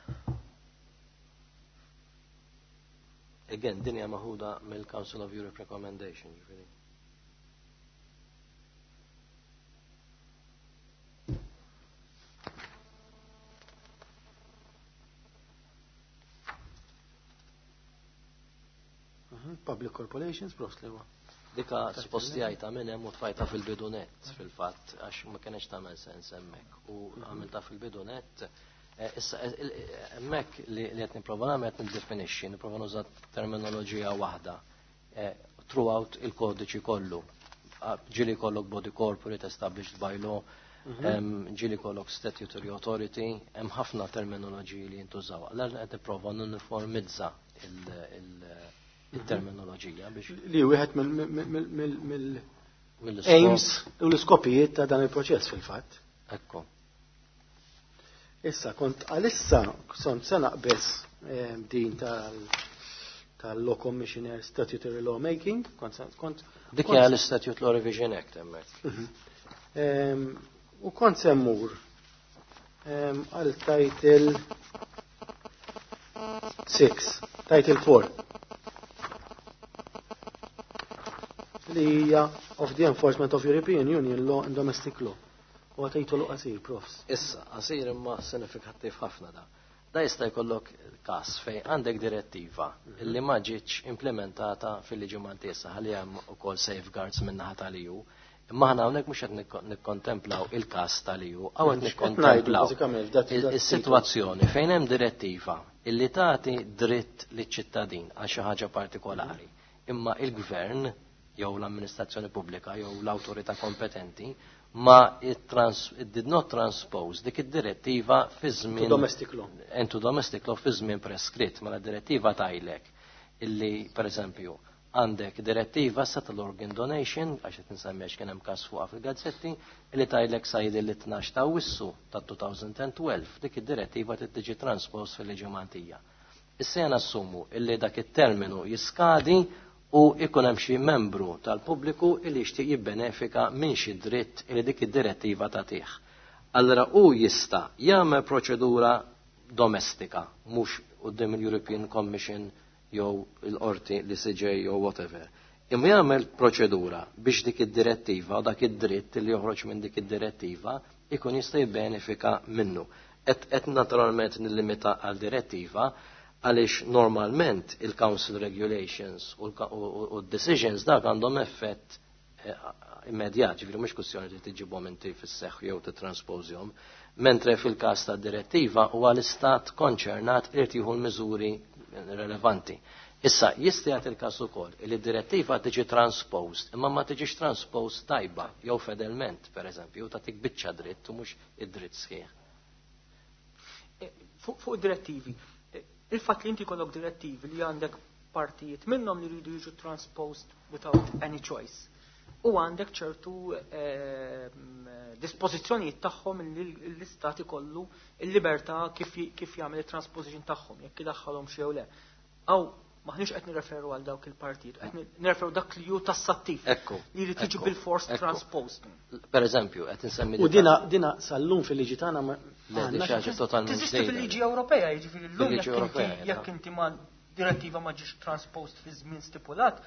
Again, din hija maħuda mill-Council of Europe Recommendation, ġifieri. Public Corporations, prost li huwa. Dika spostjajta minn hemm u tfajta fil-bidunet fil-fatt, għax ma kienx tagħmel sens hemmhekk. U għamilta fil-bidunet. Issa, hemmhekk li qed nipprova nagħmel qed niddefinixxi, nipprova nuża terminoloġija waħda throughout il-kodiċi kollu. Ġieli kollok body corporate established by law, ġieli kollok statutory authority, hemm ħafna terminoloġiji li jintużaw. Allura qed nipprova nuniformizza il-terminoloġija biex. Li wieħed mill-aims u l-iskopijiet ta' dan il-proċess fil-fatt. Ekku. Issa, kont għalissa, kont se naqbes din tal-Law Commissioner Statutory Lawmaking, kont kont Dik hija l-Statute Law Revision Act hemmhekk. U kont se mmur għal title six, title four. Li hija of the enforcement of European Union law and domestic law. U għatejtu qasir, profs. Issa, qasir imma sinifikattiv ħafna da. Da jista' jkollok każ fejn għandek direttiva illi ma ġietx implementata fil-liġi Maltesa ħalli hemm ukoll safeguards min-naħa tal-E U. Imma aħna hawnhekk mhux qed nikkontemplaw il-każ tal-E U, hawn qed nikkontemplaw is-sitwazzjoni fejn hemm direttiva illi tagħti dritt liċ-ċittadin għal xi ħaġa partikolari. Imma il-gvern jew l-amministrazzjoni pubblika jew l-awtorità kompetenti ma it, trans, it did not transpose dik id-direttiva fi żmien domestic law. Into domestic law fi żmien preskritt. Mela direttiva tgħidlek illi, per eżempju, għandek direttiva sa tal-organ donation, għax qed nsemmi għax kien hemm każ fuqha fil-gazzetti, illi tgħidlek sa jidil li tnax ta' Awwissu ta' elfejn u tnax dik id-direttiva trid tiġi transpost fil-liġi Maltija. Issa jena assumu illi dak it-terminu jiskadi u ikun hemm xi membru tal-pubbliku illi jixtieq jibbenefika minn xi dritt illi dik id-direttiva tagħtih. Allora u jista' jagħmel proċedura domestika, mhux quddiem il-European Commission jew il-qorti l-E C J jew whatever. Imma jagħmel proċedura biex dik id-direttiva u dak id-dritt li joħroġ minn dik id-direttiva ikun jista' jibbenefika minnu. Et, et naturalment nillimita għal direttiva għaliex normalment il-Council Regulations u l-decisions dak għandhom effett eh, immedjat, ġifieri mhux kwestjoni li tiġibhom inti fis-seħħ jew titranspożjhom, mentre fil-każ ta' direttiva huwa l-istat konċernat irid jieħu l-miżuri relevanti. Issa, jista' jagħti il-każ ukoll li d-direttiva tiġi transposed, imma ma tiġix transposed tajba jew fedelment, pereżempju, tagħtik biċċa dritt u mhux id-dritt sħiħ. Eh, fuq direttivi, il-fatt li inti kollok direttivi li għandek partijiet minnhom li jridu jiġu transposed without any choice. U għandek ċertu eh, dispożizzjonijiet tagħhom li l-istat ikollu il-libertà kif, kif jagħmel il-transposition tagħhom, jekk idaħħalhom xi jew le. Aw maħniex qed nirreferu għal dawk il-partijiet, qed nirreferu dak li hu tassattiv. Ekku. Li jrid jiġi bil-force transposed. Per eżempju, qed insemmi U dina dina sal-lum fil-liġi tagħna ma Le, di xi ħaġa totalment Teżisti fil-liġi Ewropea, jiġifieri llum jekk inti ma direttiva ma ġiex transposed fi żmien stipulat,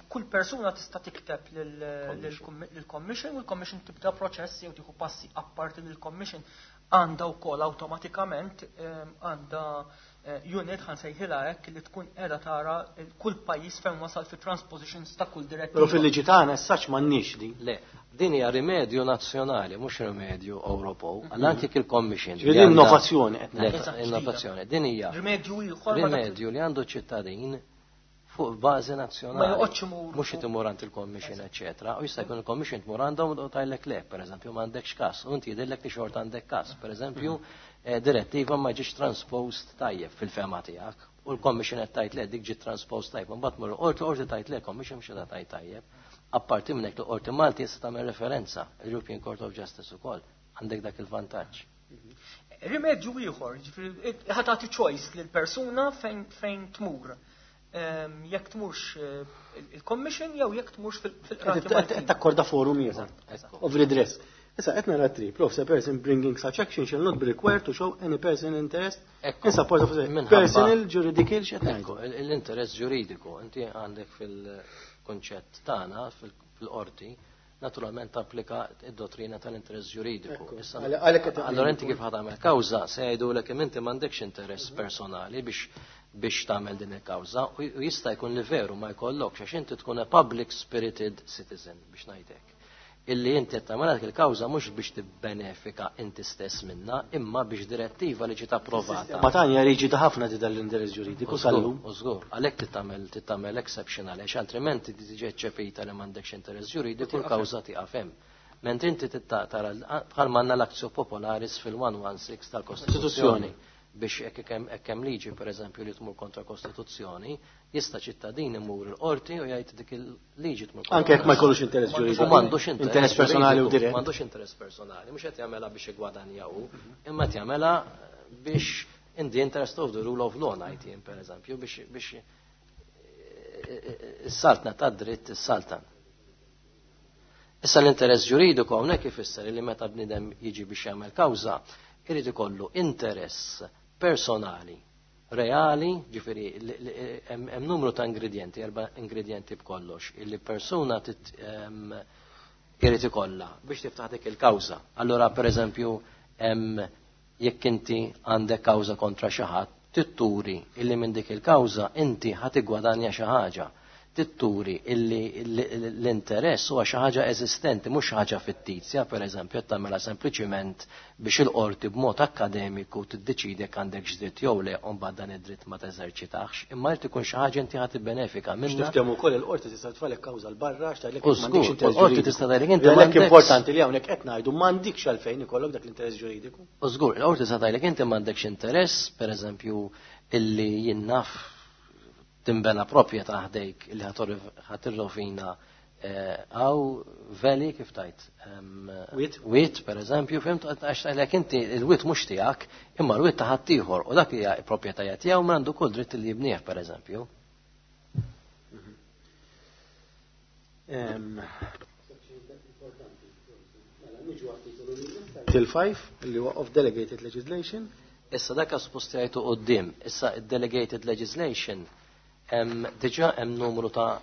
kull persuna tista' tikteb lill-Commission u l-Commission tibda proċess jew tieħu passi. Apparti lill-Commission għandha wkoll awtomatikament għandha eh, unit, ħa nsejħilha hekk, li tkun qiegħda tara kull pajjiż fejn wasal fi transpositions ta' kull direttiva. Però fil-liġi tagħna essaċ m'għandniex din. Le, din hija rimedju nazzjonali, mhux rimedju Ewropew. Għal anki il-Commission. Ġifieri innovazzjoni qed ngħid. Innovazzjoni. Din hija rimedju ieħor. Rimedju li għandu ċittadin fuq bażi nazzjonali. Ma joqgħodx imur. Mhux imur għand il-Commission, eċetera. U jista' jkun il-Commission tmur għandhom u tgħidlek le, pereżempju, m'għandekx każ. U inti jidhirlek li xorta għandek każ. Pereżempju, eh, direttiva ma ġiex transposed tajjeb fil-fema tiegħek. U l-Commission qed tgħid le, dik ġiet transposed tajjeb. Mbagħad mur qorti, qorti tgħid le, Commission mhux qiegħda tgħid tajjeb. Apparti minn hekk, l-Qorti Malti jista' tagħmel referenza, European Court of Justice ukoll. Għandek dak il-vantaġġ. Rimedju ieħor, ġifieri ħa tagħti choice lil persuna fejn fejn tmur. Jekk tmurx eh, il-Commission jew jekk tmurx fil-qrati. Qed takkorda forum ieħor of redress. Issa qed nara three, prof, a person bringing such action shall not be required to show any personal interest in support of personal juridical x'qed ngħidu. L-interess ġuridiku, inti għandek fil-konċett tagħna fil-qorti, naturalment applika id-dottrina tal-interess ġuridiku. Allora inti kif ħa tagħmel kawża se jgħidulek kemm inti m'għandekx interess personali biex biex tagħmel din il-kawża u jista' jkun li veru ma jkollokx għax inti tkun a public spirited citizen, biex ngħidlek. Illi inti qed tagħmel dik il-kawża mhux biex tibbenefika inti stess minna, imma biex direttiva li ġiet approvata. Ma tanja liġi ta' ħafna di dal-interess ġuridiku sal-lum. U żgur, għalhekk titagħmel titagħmel exception, għaliex altrimenti tiġi eċċepita li m'għandekx interess ġuridiku, l-kawża tieqaf hemm. Mentri inti tara bħal manna l-actio popularis fil-mija u sittax tal-Kostituzzjoni biex hekk hemm liġi, pereżempju, li tmur kontra Kostituzzjoni, jista' ċittadin imur il-qorti u jgħid dik il-liġi tmur kontra. Anke jekk ma jkollux interess ġuridiku. U m'għandux interess personali u dirett. M'għandux interess personali, mhux qed jagħmilha biex igwadanja hu, imma qed jagħmilha biex in the interest of the rule of law, ngħid jien, pereżempju, biex biex is-saltna ta' dritt is-saltan. Issa l-interess ġuridiku hawnhekk ifisser li meta bniedem jiġi biex jagħmel kawża, irid ikollu interess personali reali, ġifieri hemm numru ta' ingredienti, erba' ingredienti b'kollox, illi persuna irid ikollha biex tiftaħ dik il-kawża. Allura pereżempju hemm jekk inti għandek kawża kontra xi ħadd, titturi illi minn dik il-kawża inti ħa tiggwadanja xi ħaġa. Titturi illi l-interess huwa xi ħaġa eżistenti, mhux xi ħaġa fittizja, pereżempju qed tagħmilha sempliċiment biex il-qorti b'mod akkademiku tiddeċidi jekk għandek dritt jew le u mbagħad dan id-dritt ma teżerċitax, imma jrid ikun xi ħaġa inti ħa tibbenefika minnha. Niftehmu wkoll il-qorti tista' tfalek kawża l barra x'tgħidlek m'għandekx interess. Il-qorti tista' tgħidlek inti m'għandekx. Importanti li hawnhekk qed ngħidu m'għandikx għalfejn ikollok dak l-interess ġuridiku. U żgur, il-qorti tista' tgħidlek inti m'għandekx interess, pereżempju, illi jien naf timbena proprjetà ħdejk illi ħatirrovina għaw veli kif tajt. Wit? Wit, per eżempju, fimt, għax tajlek inti il-wit mhux tiegħek, imma l-wit ta' ħaddieħor u dak hija proprjetà tiegħu ma għandu kull dritt li jibnieh, per eżempju. Till five, li huwa of delegated legislation. Issa dak suppost jgħidu quddiem, issa delegated legislation diġà hemm numru ta'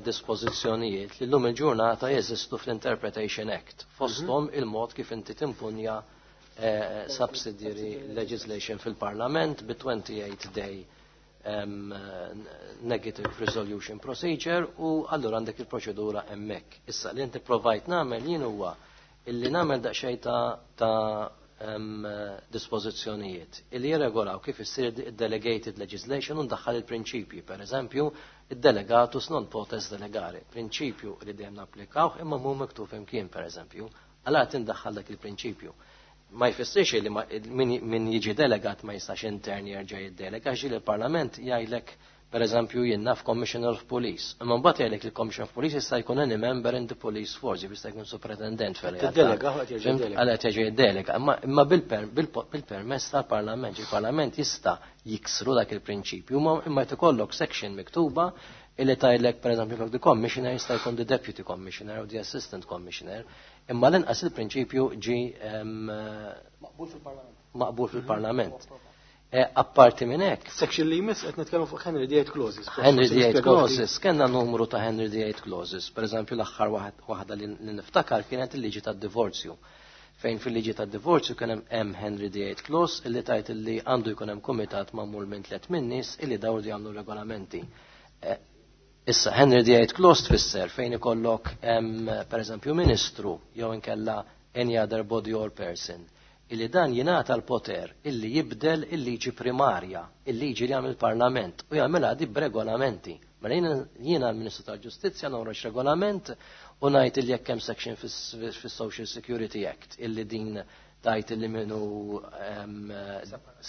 dispożizzjonijiet li llum il-ġurnata jeżistu fl-Interpretation Act, fosthom il-mod kif inti timpunja subsidiary legislation fil-Parlament bi twenty-eight day negative resolution procedure u allura għandek il-proċedura hemmhekk. Issa li inti provajt nagħmel jien huwa illi nagħmel daqsxejn ta' dispożizzjonijiet illi jirregolaw kif issir delegated legislation u ndaħħal il-prinċipji, per eżempju, id-delegatus non potest delegare, prinċipju li dejjem napplikawh imma mhu miktub imkien, per eżempju, għala tindaħħal dak il-prinċipju. Ma jfissirx li min jiġi delegat ma jistax intern jerġa' jiddelega, għax il-Parlament jgħidlek per eżempju jien naf Commissioner of Police. Imma mbagħad jgħidlek il-Commissioner of Police jista' jkun any member in the police force, jista' jkun superintendent fil-realtà. Tiddelega, għal jerġa' jiddelega. Għal jerġa' jiddelega, imma bil-permess tal-Parlament, il-Parlament jista' jiksru dak il-prinċipju, imma jrid ikollok section miktuba illi tgħidlek per eżempju the commissioner jista' jkun the deputy commissioner u the assistant commissioner, imma l-inqas il-prinċipju ġi maqbul fil-Parlament. Maqbul fil-Parlament. Apparti minn hekk. Section li jmiss qed nitkellmu fuq Henry the Eighth Clauses. Henry the Eighth Clauses, kellna numru ta' Henry the Eighth Clauses. Per eżempju l-aħħar waħda li niftakar kienet il-liġi tad-divorzju. Fejn fil-liġi tad-divorzju kien hemm Henry the Eighth Clause illi tajt illi għandu jkun hemm kumitat magħmul minn tliet min-nies illi dawru jagħmlu regolamenti. Issa Henry the Eighth Clause tfisser fejn ikollok per eżempju ministru jew inkella any other body or person illi dan jingħata l-poter illi jibdel il-liġi primarja, il-liġi li jagħmel il-Parlament u jagħmilha di b'regolamenti. Mela jiena l-Ministru tal-Ġustizzja noħroġ regolament u ngħid illi jekk hemm section fis-Social Security Act illi din tajt illi minnu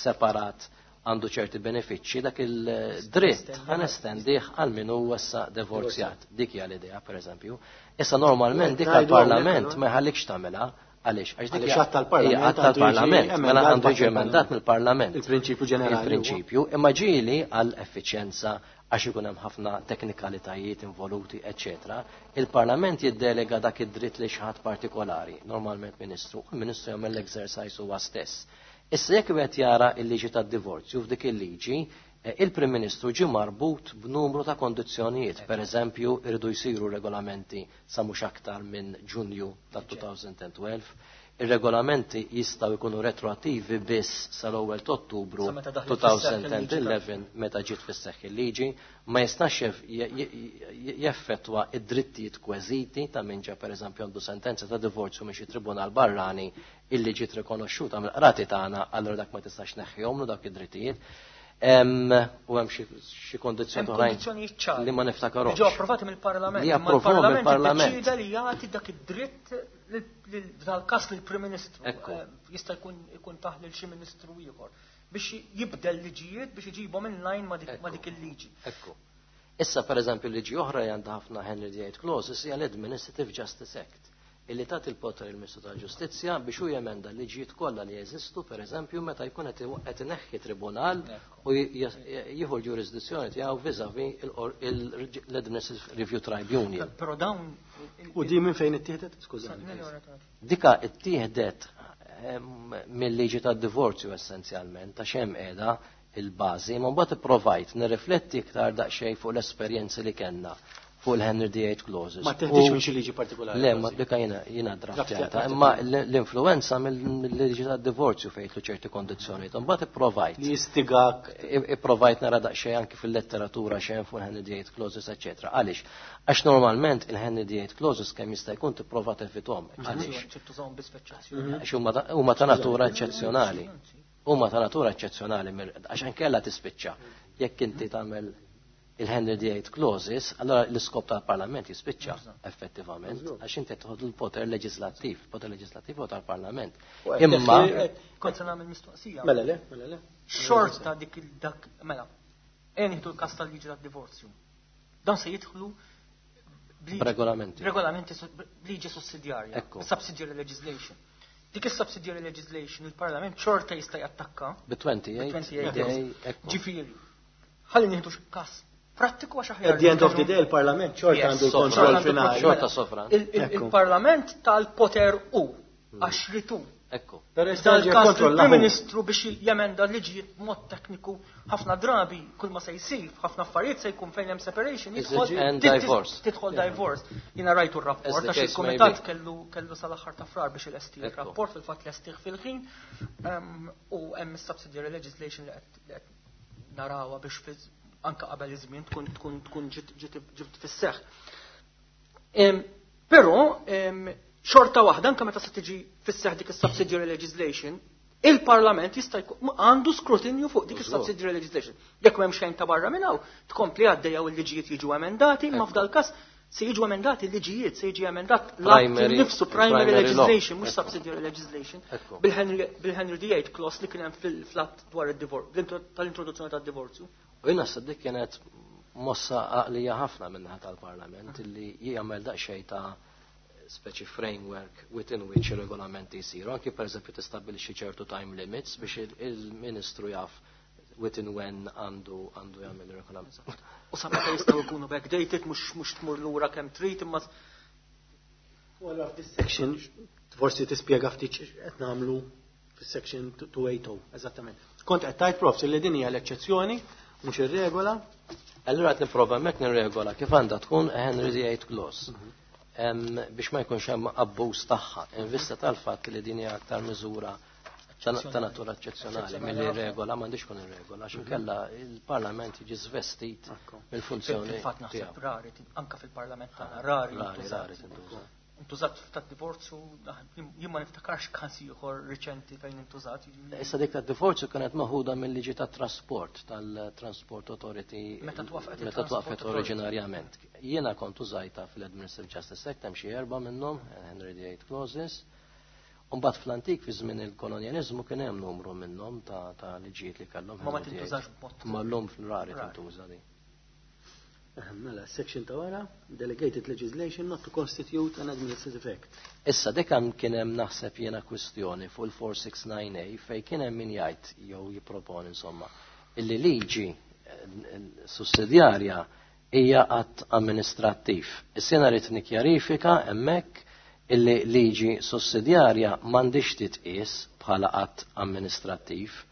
separat għandu ċerti benefiċċji, dak il-dritt ħanestendih għal min huwa issa divorzjat. Dik hija l-idea, pereżempju. Issa normalment dik għall-Parlament ma jħallikx tagħmilha. Għaliex? Għax dik hija għadd tal-Parlament, mela għandu jiġi emendat mill-Parlament. Il-prinċipju ġenerali. Il-prinċipju, imma ġieli għal effiċjenza għax ikun hemm ħafna teknikalitajiet involuti, eċċetera. Il-Parlament jiddelega dak id-dritt li xi ħadd partikolari, normalment ministru, u l-ministru jagħmel l-exercise huwa stess. Issa jekk wieħed jara l-liġi tad-divorzju f'dik il-liġi, il-Prim Ministru ġie marbut b'numru ta' kondizzjonijiet. Per eżempju, irridu jsiru regolamenti sa mhux aktar minn Ġunju ta' elfejn u tnax. Ir-regolamenti jistgħu jkunu retroattivi biss sal-ewwel ta' Ottubru elfejn u għaxra meta ġiet fis-seħħ il-liġi, ma jistax jeffettwa id-drittijiet kweżiti ta' min ġa pereżempju għandu sentenza ta' divorzju minn xi tribunal barrani illi ġiet rikonoxxuta mill-qrati tagħna, allura dak ma tistax neħħihomlu dak id-drittijiet. U hemm xi kondizzjoni oħrajn li ma niftakarhomx. Ġew approvati mill-Parlament. Li approvati mill-Parlament. Deċida li jagħti dak id-dritt dal-każ lill-Prim Ministru. Jista' jkun ikun taħ lil xi ministru ieħor biex jibdel liġijiet biex iġibhom in line ma' dik il-liġi. Ekku. Issa pereżempju liġi oħra li għandha ħafna Henry the Eighth Clauses hija l-Administrative Justice Act illi tagħti il-poter il-Ministru tal-Ġustizzja biex hu jemenda l-liġijiet kollha li jeżistu, pereżempju meta jkun qed ineħħi tribunal u jieħu l-ġurisdizzjoni tiegħu vis-à-vis l-Administrative Review Tribunal. Però dawn u di minn fejn ittieħdet? Skużani. Dika ittieħdet mill-liġi tad-divorzju essenzjalment, għax hemm qiegħda il-bażi, ma mbagħad ipprovajt nirrifletti iktar daqsxejn fuq l-esperjenzi li kellna fuq il-Henry the Eighth Clauses. Ma teħdix minn xi liġi partikolari. Le, ma dika jiena jiena draftjata, imma l-influenza mill-liġi tad-divorzju fejn jidħlu ċerti kondizzjonijiet. Imbagħad ipprovajt. Li jistigak. Ipprovajt nara daqsxejn anki fil-letteratura xejn fuq il-Henry the Eighth Clauses, eċċetera. Għaliex? Għax normalment il-Henry the Eighth Clauses kemm jista' jkun tipprova tevithom. Għaliex? Għax huma ta' natura eċċezzjonali. Huma ta' natura eċċezzjonali għax inkella tispiċċa. Jekk inti tagħmel il-Henry the Eighth Clauses, allora l-iskop tal-Parlament jispiċċa effettivament, għax inti tieħu l-poter leġislattiv, poter leġislattiv u tal-Parlament. Imma kont se nagħmel mistoqsija. Mela le, mela le. Xorta dik dak mela. Ejja nieħdu l-każ tal-liġi tad-divorzju. Dan se jidħlu regolamenti. Regolamenti liġi sussidjarja, subsidiary legislation. Dik is-subsidiary legislation il-Parlament xorta jista' jattakka. Bi twenty-eight. Ġifieri. Ħalli nieħdu każ prattiku għax aħjar. At the end of the day il-Parlament xorta għandu l-kontroll finali. Xorta sovran. Il-Parlament tal-poter u għax ritu. Ekku. Dal-każ il-Prim Ministru biex jemenda liġijiet b'mod tekniku ħafna drabi kull ma se jsir, ħafna affarijiet se jkun fejn hemm separation, tidħol divorce. Jiena rajtu r-rapport għax il-kumitat kellu kellu sal-aħħar ta' frar biex ilesti r-rapport, fil-fatt lestih fil-ħin u hemm is-subsidiary legislation li qed narawha biex anka qabel iż-żmien tkun tkun tkun ġiet fis-seħħ. Però xorta waħda anke meta se tiġi fis-seħħ dik is-subsidiary legislation, il-Parlament jista' jkun għandu skrutinju fuq dik is-subsidiary legislation. Jekk m'hemm xejn ta' barra minn hawn, tkompli għaddejja u l-liġijiet jiġu emendati, imma f'dal każ se jiġu emendati l-liġijiet, se jiġi emendat l-att nifsu primary legislation, mhux subsidiary legislation, bil-Henry the Eighth Clause li kien hemm fil-flat dwar id-divorzju, tal-introduzzjoni tad-divorzju. U jien naħseb dik kienet mossa għaqlija ħafna min-naħa tal-Parlament illi jagħmel daqsxejn ta' speċi framework within which ir-regolamenti jsiru. Anki pereżempju tistabbilixxi ċertu time limits biex il-Ministru jaf within when għandu għandu jagħmel ir-regolament. U sa meta jistgħu jkunu backdated mhux mhux tmur lura kemm trid imma. U allura f'dis section forsi tispjega ftit qed nagħmlu fis-section two eighty eżattament. Kont qed tgħid profs li din hija l-eċċezzjoni mhux ir-regola. Allura qed nipprova hemmhekk nirregola kif għandha tkun Henry the Eighth Clause. Biex ma jkunx hemm abbuż tagħha, in vista tal-fatt li din hija aktar miżura ta' natura eċċezzjonali milli regola m'għandix tkun ir-regola għax inkella il-Parlament jiġi żvestit mill-funzjoni. Fil-fatt naħseb rari, anke fil-Parlament tagħna rari rari tintuża. Intużat tad-divorzju, jien ma niftakarx każ ieħor riċenti fejn intużat. Issa dik tad-divorzju kienet maħuda mill-liġi tat-trasport, tal-Transport Authority meta twaqfet meta twaqfet oriġinarjament. Jiena kont użajta fil-Administrative Justice Act hemm xi erba' minnhom, Henry the Eighth Clauses. U mbagħad fl-antik fi żmien il-kolonjaliżmu kien hemm numru minnhom ta' ta' liġijiet li kellhom. Ma ma tintużax b'mod. Ma llum fil-rari tintuża din. Mela, section ta' wara, delegated legislation not to constitute an administrative act. Issa dik hemm kien hemm naħseb jiena kwistjoni fuq il-four six nine A fejn kien hemm min jgħid jew jipproponi insomma illi liġi sussidjarja hija att amministrattiv. Issa jiena rrid nikkjarifika hemmhekk illi liġi sussidjarja m'għandix titqies bħala att amministrattiv.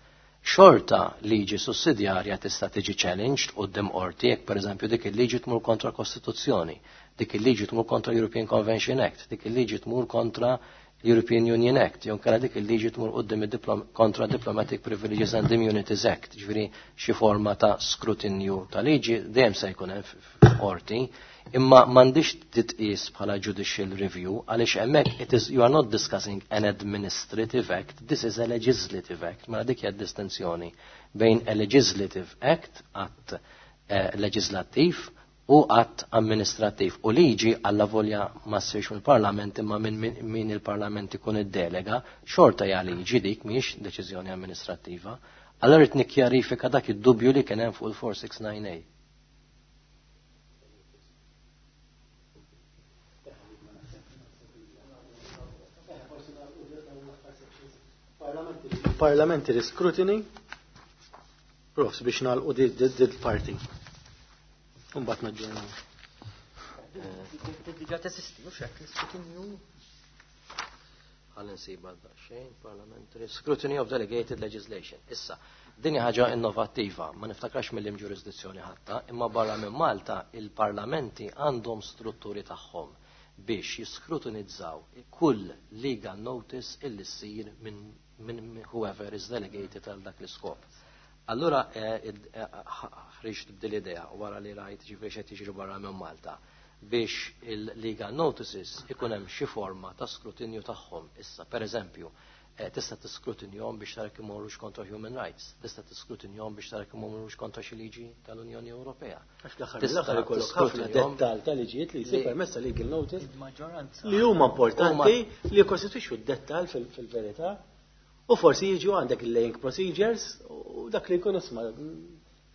Xorta liġi sussidjarja tista' tiġi challenged quddiem qorti jekk pereżempju dik il-liġi tmur kontra Kostituzzjoni, dik il-liġi tmur kontra European Convention Act, dik il-liġi tmur kontra European Union Act, jew inkella dik il-liġi tmur quddiem kontra Diplomatic Privileges and Immunities Act, ġifieri xi forma ta' skrutinju ta' liġi dejjem se jkun hemm f'qorti, imma m'għandix titqies bħala judicial review għaliex hemmhekk it is you are not discussing an administrative act, this is a legislative act. Mela dik hija distinzjoni bejn a legislative act, att eh, leġislattiv, u att amministrattiv. U liġi alla volja ma ssirx mill-Parlament imma minn min il-Parlament ikun iddelega, xorta hija liġi dik mhijiex deċiżjoni amministrattiva. Allora rid nikkjarifika dak id-dubju li kien hemm fuq il-four six nine A. Parliamentary scrutiny, profs biex nagħlqu dil parti. Imbagħad naġġornaw. Diġà teżisti, u x'hekk l-iskrutinju. Ħalli nsiba daqsxejn, parliamentary scrutiny of delegated legislation. Issa, Din hija ħaġa innovattiva, ma niftakrax mill ġurisdizzjoni ħatta, imma barra minn Malta il-parlamenti għandhom strutturi tagħhom biex jiskrutinizzaw kull legal notice illi ssir minn min whoever is delegated għal dak l-iskop. Allura eh, eh, ħriġt b'dil idea wara li rajt ġifieri x'qed jiġri barra minn Malta biex il-legal notices ikun hemm xi forma ta' skrutinju tagħhom issa. Per eżempju, eh, tista' tiskrutinjhom biex tara kemm imorrux kontra human rights, tista' tiskrutinjhom biex tara kemm imorrux kontra xi liġi tal-Unjoni Ewropea. Għax fl-aħħar mill-aħħar ikollok ħafna dettal ta' liġijiet li jsir permezz ta' legal notice Il-maġġoranza. li huma importanti li jikkostitwixxu d-dettal fil-verità u forsi jiġu għandek il-laying procedures u dak li jkun isma'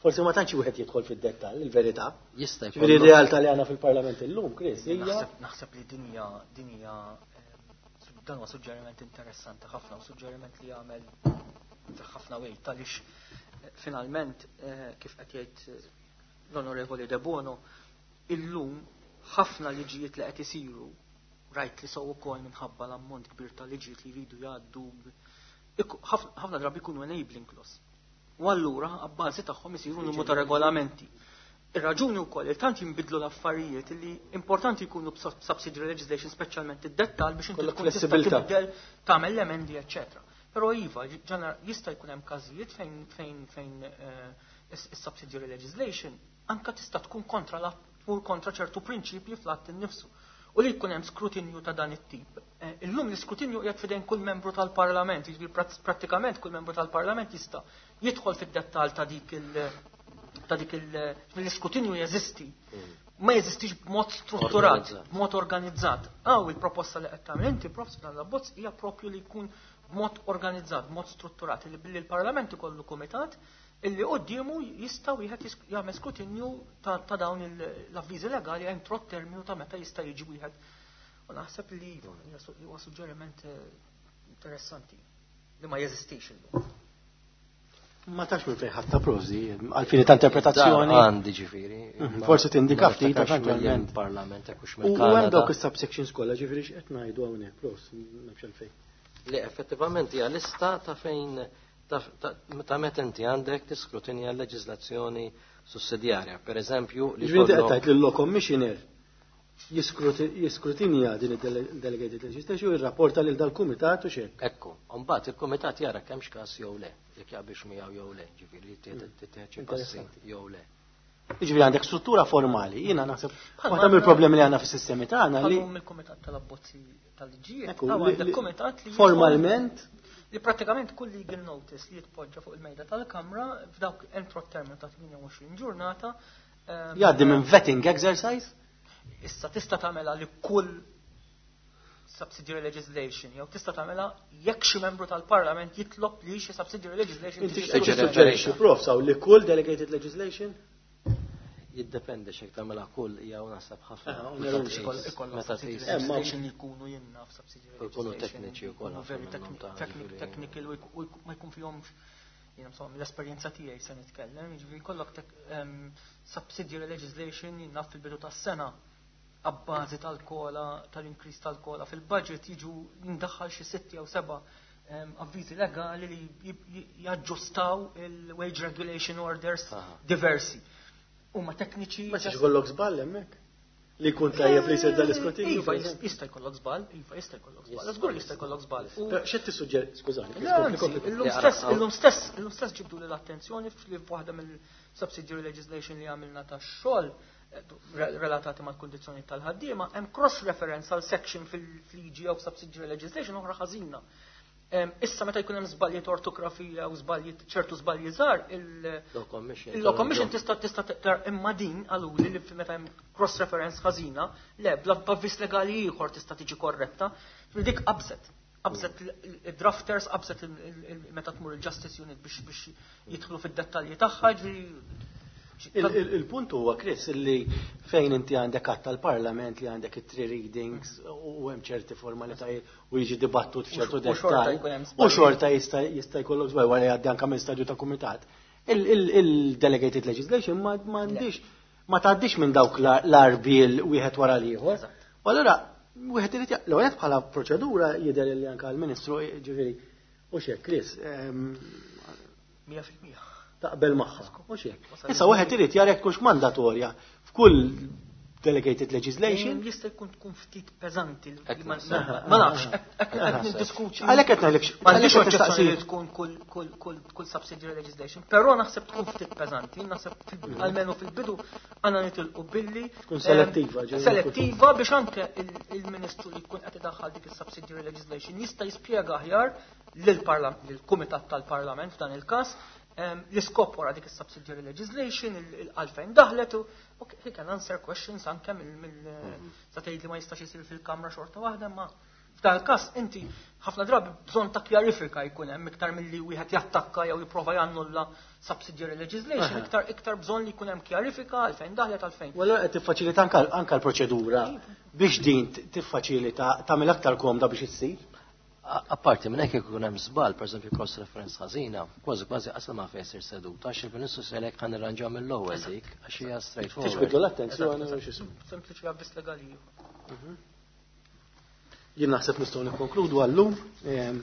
forsi ma tantx wieħed jidħol fid-dettall, il-verità. Jista' Ġifieri jkollok r-realtà li għandna fil-Parlament illum, Chris, hija Naħseb naħseb li dinja dinja eh, dan huwa suġġeriment interessanti ħafna u suġġeriment li jagħmel ħafna weight għaliex eh, finalment eh, kif qed jgħid eh, l-Onorevoli De Bono illum ħafna liġijiet li qed isiru rajt li sew ukoll minħabba l-ammont kbir ta' liġijiet li jridu jgħaddu iku- ħafna ħafna drabi jkunu enabling clause. U allura abbażi tagħhom isiru numru ta' regolamenti. Ir-raġuni wkoll il tant jinbidlu l-affarijiet li importanti jkunu b'subsidiary legislation speċjalment id-dettal biex inti Kollok tkun tista' flessibilità. tibdel tagħmel l-emendi eċċetera. Però iva, ġener jista' jkun hemm każijiet fejn fejn fejn eh, is- is-subsidiary legislation anka tista' tkun kontra la tmur kontra ċertu prinċipji fl-att innifsu. U li jkun hemm skrutinju ta' dan it-tip. Eh, Illum l-iskrutinju qiegħed f'idejn kull membru tal-Parlament, jiġifieri prat- prattikament kull membru tal-Parlament jista' jidħol fid-dettall ta' dik il- ta' dik il- l-iskrutinju jeżisti. Ma jeżistix b'mod strutturat, Organizzat. b'mod organizzat. Aw il-proposta li qed tagħmel inti prof dan l-abbozz hija propju li jkun b'mod organizzat, b'mod strutturat, li billi l-Parlament ikollu kumitat illi quddiemu jista' wieħed jis- jagħmel skrutinju ta' ta' dawn il- l-avviżi legali entro terminu ta' meta jista' jiġi wieħed. U naħseb li iva, hija su- huwa suġġeriment eh, interessanti li ma jeżistix illum. ma tafx minn fejn ħadd prożi għal-fini ta' interpretazzjoni. Dar Għandi ġifieri. Mhm, ma- forsi tindika ma ftit, niftakarx eventualment. mill-Parlament hekk hux U u hemm mill-Kanada. dawk is-subsections kollha ġifieri x'qed ngħidu hawnhekk, pros, nafx għalfejn. Li effettivament hija lista ta' fejn ta' ta' ta' meta inti għandek tiskrutinja l-leġiżlazzjoni sussidjarja. Per eżempju, li Ġifieri inti qed kollok- tgħid lil law commissioner jiskruti- jiskrutinja din id-delegated legislation u jirrapporta lil dal-kumitat u xejn. Ekku, mbagħad il-kumitat jara kemm x'każ jew le, jekk jaqbilx miegħu jew le, ġifieri tittieħed xi passi Interessanti. jew le. Jiġifieri għandek struttura formali, jiena naħseb Bħalma waħda għandna- mill-problemi li għandna fis-sistemi tagħna li Bħalma mill-kumitat tal-abbozzi tal-liġijiet, Ekku, hawn li- għandek li- kumitat li formalment li pratikament kull legal notice li jitpoġġa fuq il-mejda tal-Kamra f'dawk entro terminu ta' tmienja u għoxrin ġurnata ehm, jgħaddi minn vetting exercise. Issa tista' tagħmilha li kull subsidiary legislation jew tista' tagħmilha jekk xi membru tal-Parlament jitlob li xi subsidiary legislation Inti tiġi x'qed Tiġi tissuġġerixxi prof saw li kull delegated legislation? Jiddependi x'jekk tagħmilha kull jew naħseb ħafna. Ah, Meta onerużi. tqis- Ikoll- ikollok Meta subsidiary tqis Eh, ma- legislation li jkunu jenna f'subsidiary U jkunu legislation, tekniċi wkoll jkunu ħafna very minnhom techni- ta' technic- ġifieri. technical u jku- u jku- ma jkun fihomx jiena insomma l-esperjenza tiegħi se nitkellem, jiġifieri jkollok tek- em, subsidiary legislation jiena fil-bidu tas-sena abbażi tal-COLA, tal-increase tal-COLA fil-budget jiġu jindaħħal xi sitt jew seba' em, avviżi legali li jib- j- jaġġustaw il-wage regulation orders Aha. diversi. Huma tekniċi. Ma tistax ikollok żball hemmhekk. Li jkun tajjeb li jsir dal-iskrutinju. Iva, jista' jkollok żball, iva, jista' jkollok żball. Żgur jista' jkollok żball. U- Però x'qed tissuġġeri, skużani, Le, kompli, anzi, kompli, kompli. Illum Le, stess, ara, illum stess, illum stess ġibdu l-attenzjoni fli waħda mill-subsidiary legislation li għamilna ta' xogħol eh, re- relatati mal-kondizzjoni tal-ħaddiema, hemm cross reference għal section fil-liġi jew subsidiary legislation oħra ħażina. Em, Issa meta jkun hemm żbalji ta' ortografija u żbalji ċertu żbalji żgħar, il- Law Commission. il-Law Commission tista' tista' taqra imma din qaluli li meta hemm cross reference ħażina, le bla b'avviż legali ieħor tista' tiġi korretta. Ġifieri dik qabżet. Qabżet il-drafters, qabżet il- il- il- meta tmur il-Justice Unit biex biex jidħlu fid-dettalji tagħha, ġifieri Il- il- Il-punt huwa, Chris, li fejn inti għandek att tal-Parlament li għandek it-three readings u hemm ċerti formalitajiet u jiġi dibattut f'ċertu U xorta dettall. jkun hemm U żbalji. xorta jista' jista' jkollok żball wara jgħaddi anke minn stadju ta' kumitat. Il-delegated legislation ma m'għandix ma tgħaddix minn dawk l-arbil wieħed wara l-ieħor. Eżatt. U allura wieħed irid ja- l-ewwel bħala proċedura jidher li anke l-Ministru ġifieri u xek, Chris, ehm, Mija fil-mija. Taqbel magħha. Mhux hekk. Issa wieħed irid jara jekk tkunx mandatorja f'kull delegated legislation. Jista' jkun tkun ftit peżanti li Hekk ma naħseb. ma nafx, hekk qed niddiskuti. Għalhekk qed ngħidlek M'għandix għalhekk qed oġġezzjoni li nistaqsi. tkun kull kull kull kull subsidiary legislation, però naħseb tkun ftit peżanti, naħseb fil- almenu fil-bidu għandna nitilqu billi Tkun selettiva, ehm, ġifieri. Selettiva biex anke il- il-Ministru li jkun qed idaħħal dik is-subsidiary legislation jista' jispjega aħjar lill-Parlament, lill-Kumitat tal-Parlament f'dan il-każ, ehm, l-iskop wara dik is-subsidiary legislation, il- il- għalfejn daħlet u ok, he can answer questions anke mill mill sa tgħid li ma jistax isir fil-Kamra xorta waħda, ma f'dan il-każ inti ħafna drabi bżonn ta' kjarifika jkun hemm iktar milli wieħed jattakka jew jipprova jannulla subsidiary legislation, iktar iktar bżonn li jkun hemm kjarifika għalfejn daħlet, għalfejn. U allura qed tiffaċilita anka anka l-proċedura biex din tiffaċilita, tagħmel aktar komda biex issir. A- Apparti minn hekk, jekk ikun hemm żball, pereżempju cross reference ħażina, kważi kważi qasam ma fejn jsir seduta għax il-Ministru se jgħidlek ħa nirranġaw mill-ewwel dik għax hija straightforward. Tiġbidlu l-attenzjoni u x'ismu. Sempliċi avviż legali ieħor. Jien naħseb nistgħu nikkonkludu għallum. Ehm,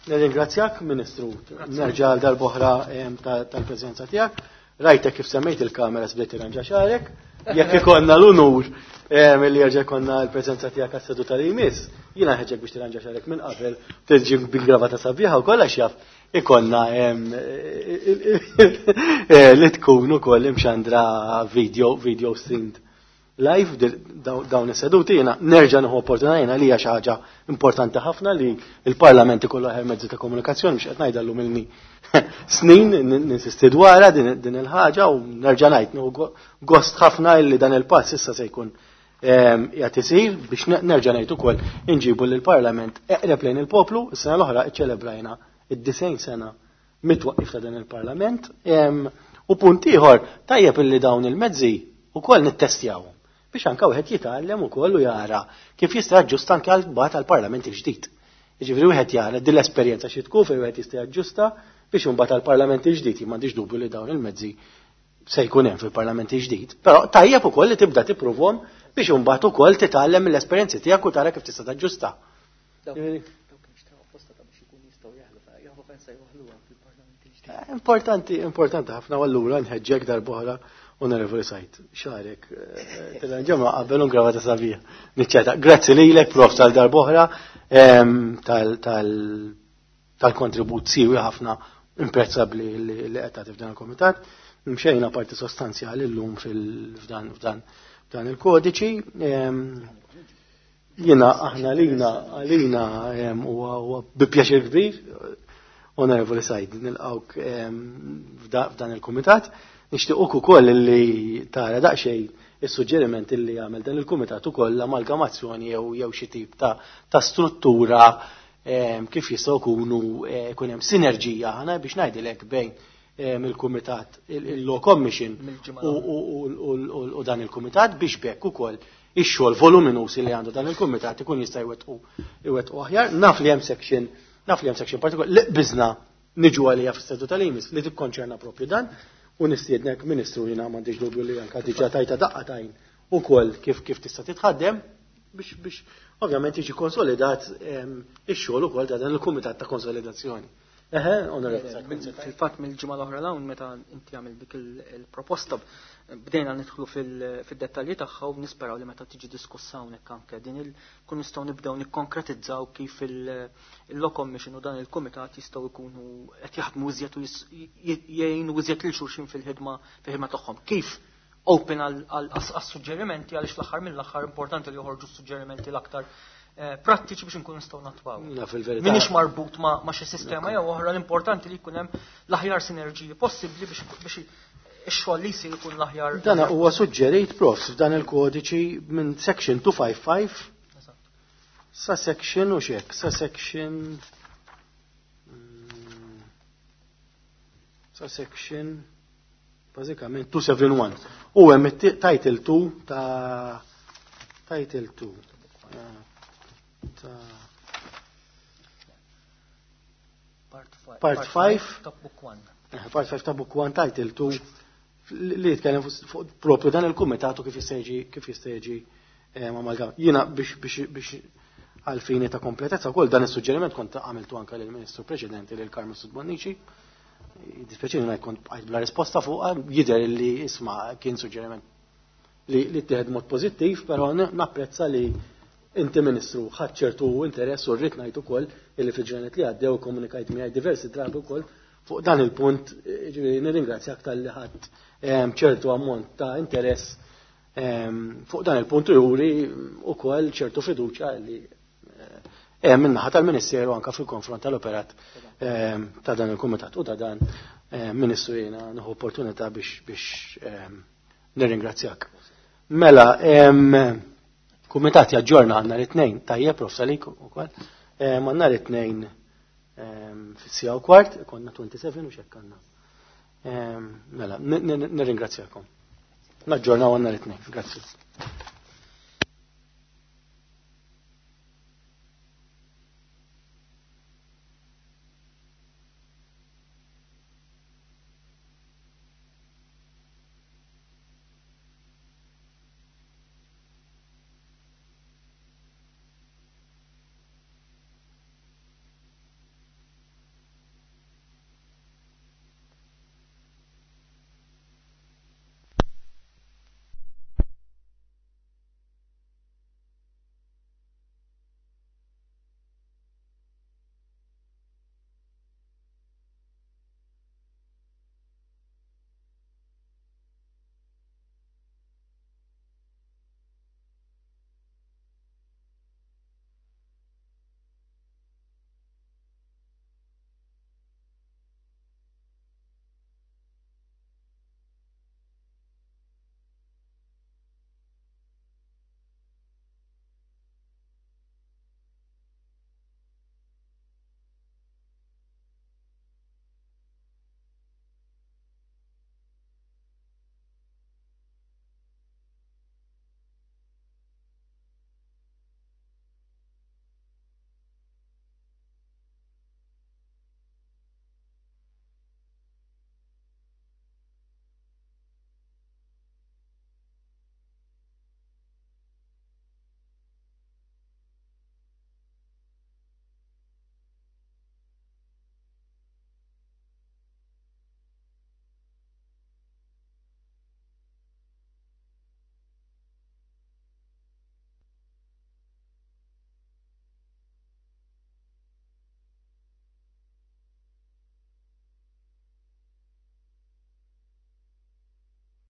Nirringrazzjak, Ministru, nerġa' għal darb'oħra ehm, ta- tal-preżenza tiegħek. Rajtek kif semmejt il-kamera bdejt tirranġa xagħrek. Jekk ikollna l-unur ehm, li jerġa' jkollna l-preżenza tiegħek għas-seduta li jmiss, jiena ħeġġek biex tirranġa xagħrek minn qabel, tiġi bil-gravata sabiħa u kollha x'jaf ikollna ehm, eh, li tkun ukoll imxandra video video streamed live di- daw- dawn is-seduti. Jiena nerġa' nieħu opportunità, jiena li hija xi ħaġa importanti ħafna li l-Parlament ikollu aħjar mezzi ta' komunikazzjoni, biex qed ngħidha ilni snin ninsisti dwarha din din il-ħaġa u nerġa' ngħid nieħu go- gost ħafna li dan il-pass issa se jkun ehm, qiegħed isir biex ne- nerġa' ngħid ukoll inġibu lill-Parlament eqreb lejn il-poplu. Is-sena l-oħra iċċelebrajna id-disgħin sena mit-twaqqif ta' dan il-Parlament. Ehm, u punt ieħor, tajjeb illi dawn il-mezzi ukoll nittestjawhom biex anka wieħed jitgħallem ukoll u jara kif jista' jaġġusta anke għal bat għall-Parlament il-ġdid. Jiġifieri wieħed jara din l-esperjenza xi tkun fejn wieħed jista' jaġġusta biex imbagħad għall-Parlament il-ġdid. Jien m'għandix dubju li dawn il-mezzi se jkun hemm fil-Parlament il-ġdid, però tajjeb ukoll li tibda tippruvhom biex imbagħad ukoll titgħallem mill-esperjenzi tiegħek u tara kif tista' taġġusta. Dawk dawk nixtraw apposta ta' biex ikun jistgħu jaħlu, jaħlu fejn se joħluha fil-Parlament il-ġdid. Eh, Importanti, importanti ħafna, u allura nħeġġek darb'oħra, Onorevoli Said, xagħrek, tirranġa qabel un gravata sabiħa. Niċċeta. Grazzi lilek, Prof, tal darb'oħra, ehm, tal- tal- tal-kontribut siwi ħafna, imprezzabbli li li qed tagħti f'dan il-komitat. Mxejna parti sostanzjali llum fil- f'dan f'dan f'dan il-kodiċi. Ehm, Jiena aħna lina għalina ehm, huwa huwa bi pjaċir kbir, Onorevoli Said, nilqawk ehm, f'da- f'dan il-kumitat. Nixtiequk ukoll li tara daqsxejn is-suġġeriment li għamel dan il-kumitat ukoll, l-amalgamazzjoni jew jew xi tip ta' ta' struttura ehm, kif jistgħu jkunu eh, jkun hemm sinerġija ħana biex ngħidilek bejn ehm, il-kumitat il-Law Commission Mill-ġimgħa u, u, u, u, u dan il-kumitat biex bekk ukoll ix-xogħol voluminus li għandu dan il-kumitat ikun jista' jwettqu jwettqu aħjar. Naf li hemm section naf li hemm section partikolari li qbiżna niġu għalija fis-seduta li jmiss li tikkonċerna propju dan u nistiednek, Ministru, jiena m'għandix dubju li anka diġà tajta daqqa t'għajn ukoll kif kif tista' titħaddem biex biex ovvjament jiġi konsolidat ehm, ix-xogħol ukoll ta' dan il-kumitat ta' konsolidazzjoni. Eħe, Onorevoli. Fil-fatt mill-ġimgħa l-oħra 'l hawn, meta inti għamil dik il- il-proposta, bdejna nidħlu fil- fid-dettalji tagħha u nisperaw li meta tiġi diskussa hawnhekk anke din il kun nistgħu nibdew nikkonkretizzaw kif il-Law Commission u dan il-kumitat jistgħu jkunu qed jaħdmu iżjed u jis- j- jgħinu iżjed lil xulxin fil-ħidma fil-ħidma tagħhom. Kif open għal suġġerimenti, għaliex fl-aħħar mill-aħħar importanti li joħorġu suġġerimenti l-aktar eh, prattiċi biex nkunu nistgħu nattwaw. Naf il-verità. Minix marbut ma, ma xi sistema jew oħra, l-importanti li jkun hemm l-aħjar sinerġiji possibbli biex biex ix-xogħol li jsir ikun l-aħjar. Dan huwa suġġerit, Profs, f'dan il-kodiċi minn section two fifty-five Eżatt. sa section u xek, sa section mm, sa section bażikament two seventy-one. U hemm it- title two ta' title two eh, ta' Part five. Part five. Ta' book one. eh, part five ta' book one title two li jitkellem fuq fuq propju dan il-kumitat u kif jista' jiġi kif jista' jiġi eh, amalgam. Jiena biex biex biex għal fini ta' kompletezza wkoll dan is-suġġeriment kont għamiltu anke lill-Ministru preċedenti, lil Carmen Mifsud Bonnici. Dispjaċini ma jkun bqajt bla risposta fuqha, jidher li isma' kien suġġeriment li li ttieħed mod pożittiv, però napprezza li inti, Ministru, ħadt ċertu interess u rrid ngħid ukoll illi fil-ġranet li għaddew komunikajt miegħi diversi drabi wkoll fuq dan il-punt, ġifieri nirringrazzjak talli ħadt ċertu ammont ta' interess fuq dan il-punt u juri ukoll ċertu fiduċja li hemm min-naħa tal-Ministeru anka fil-konfront tal-operat ta' dan il-kumitat u ta' dan. Ministru, jiena nieħu opportunità biex biex nirringrazzjak. Mela, kumitat jaġġorna għandna l-tnejn, tajjeb, Prof Salik ukoll, għandna l-tnejn fis-siegħa u kwart, konna twenty-seven u xekk għandna. Mela, nirringrazzjakom. Naġġornaw għandna l-tnejn. Grazzi.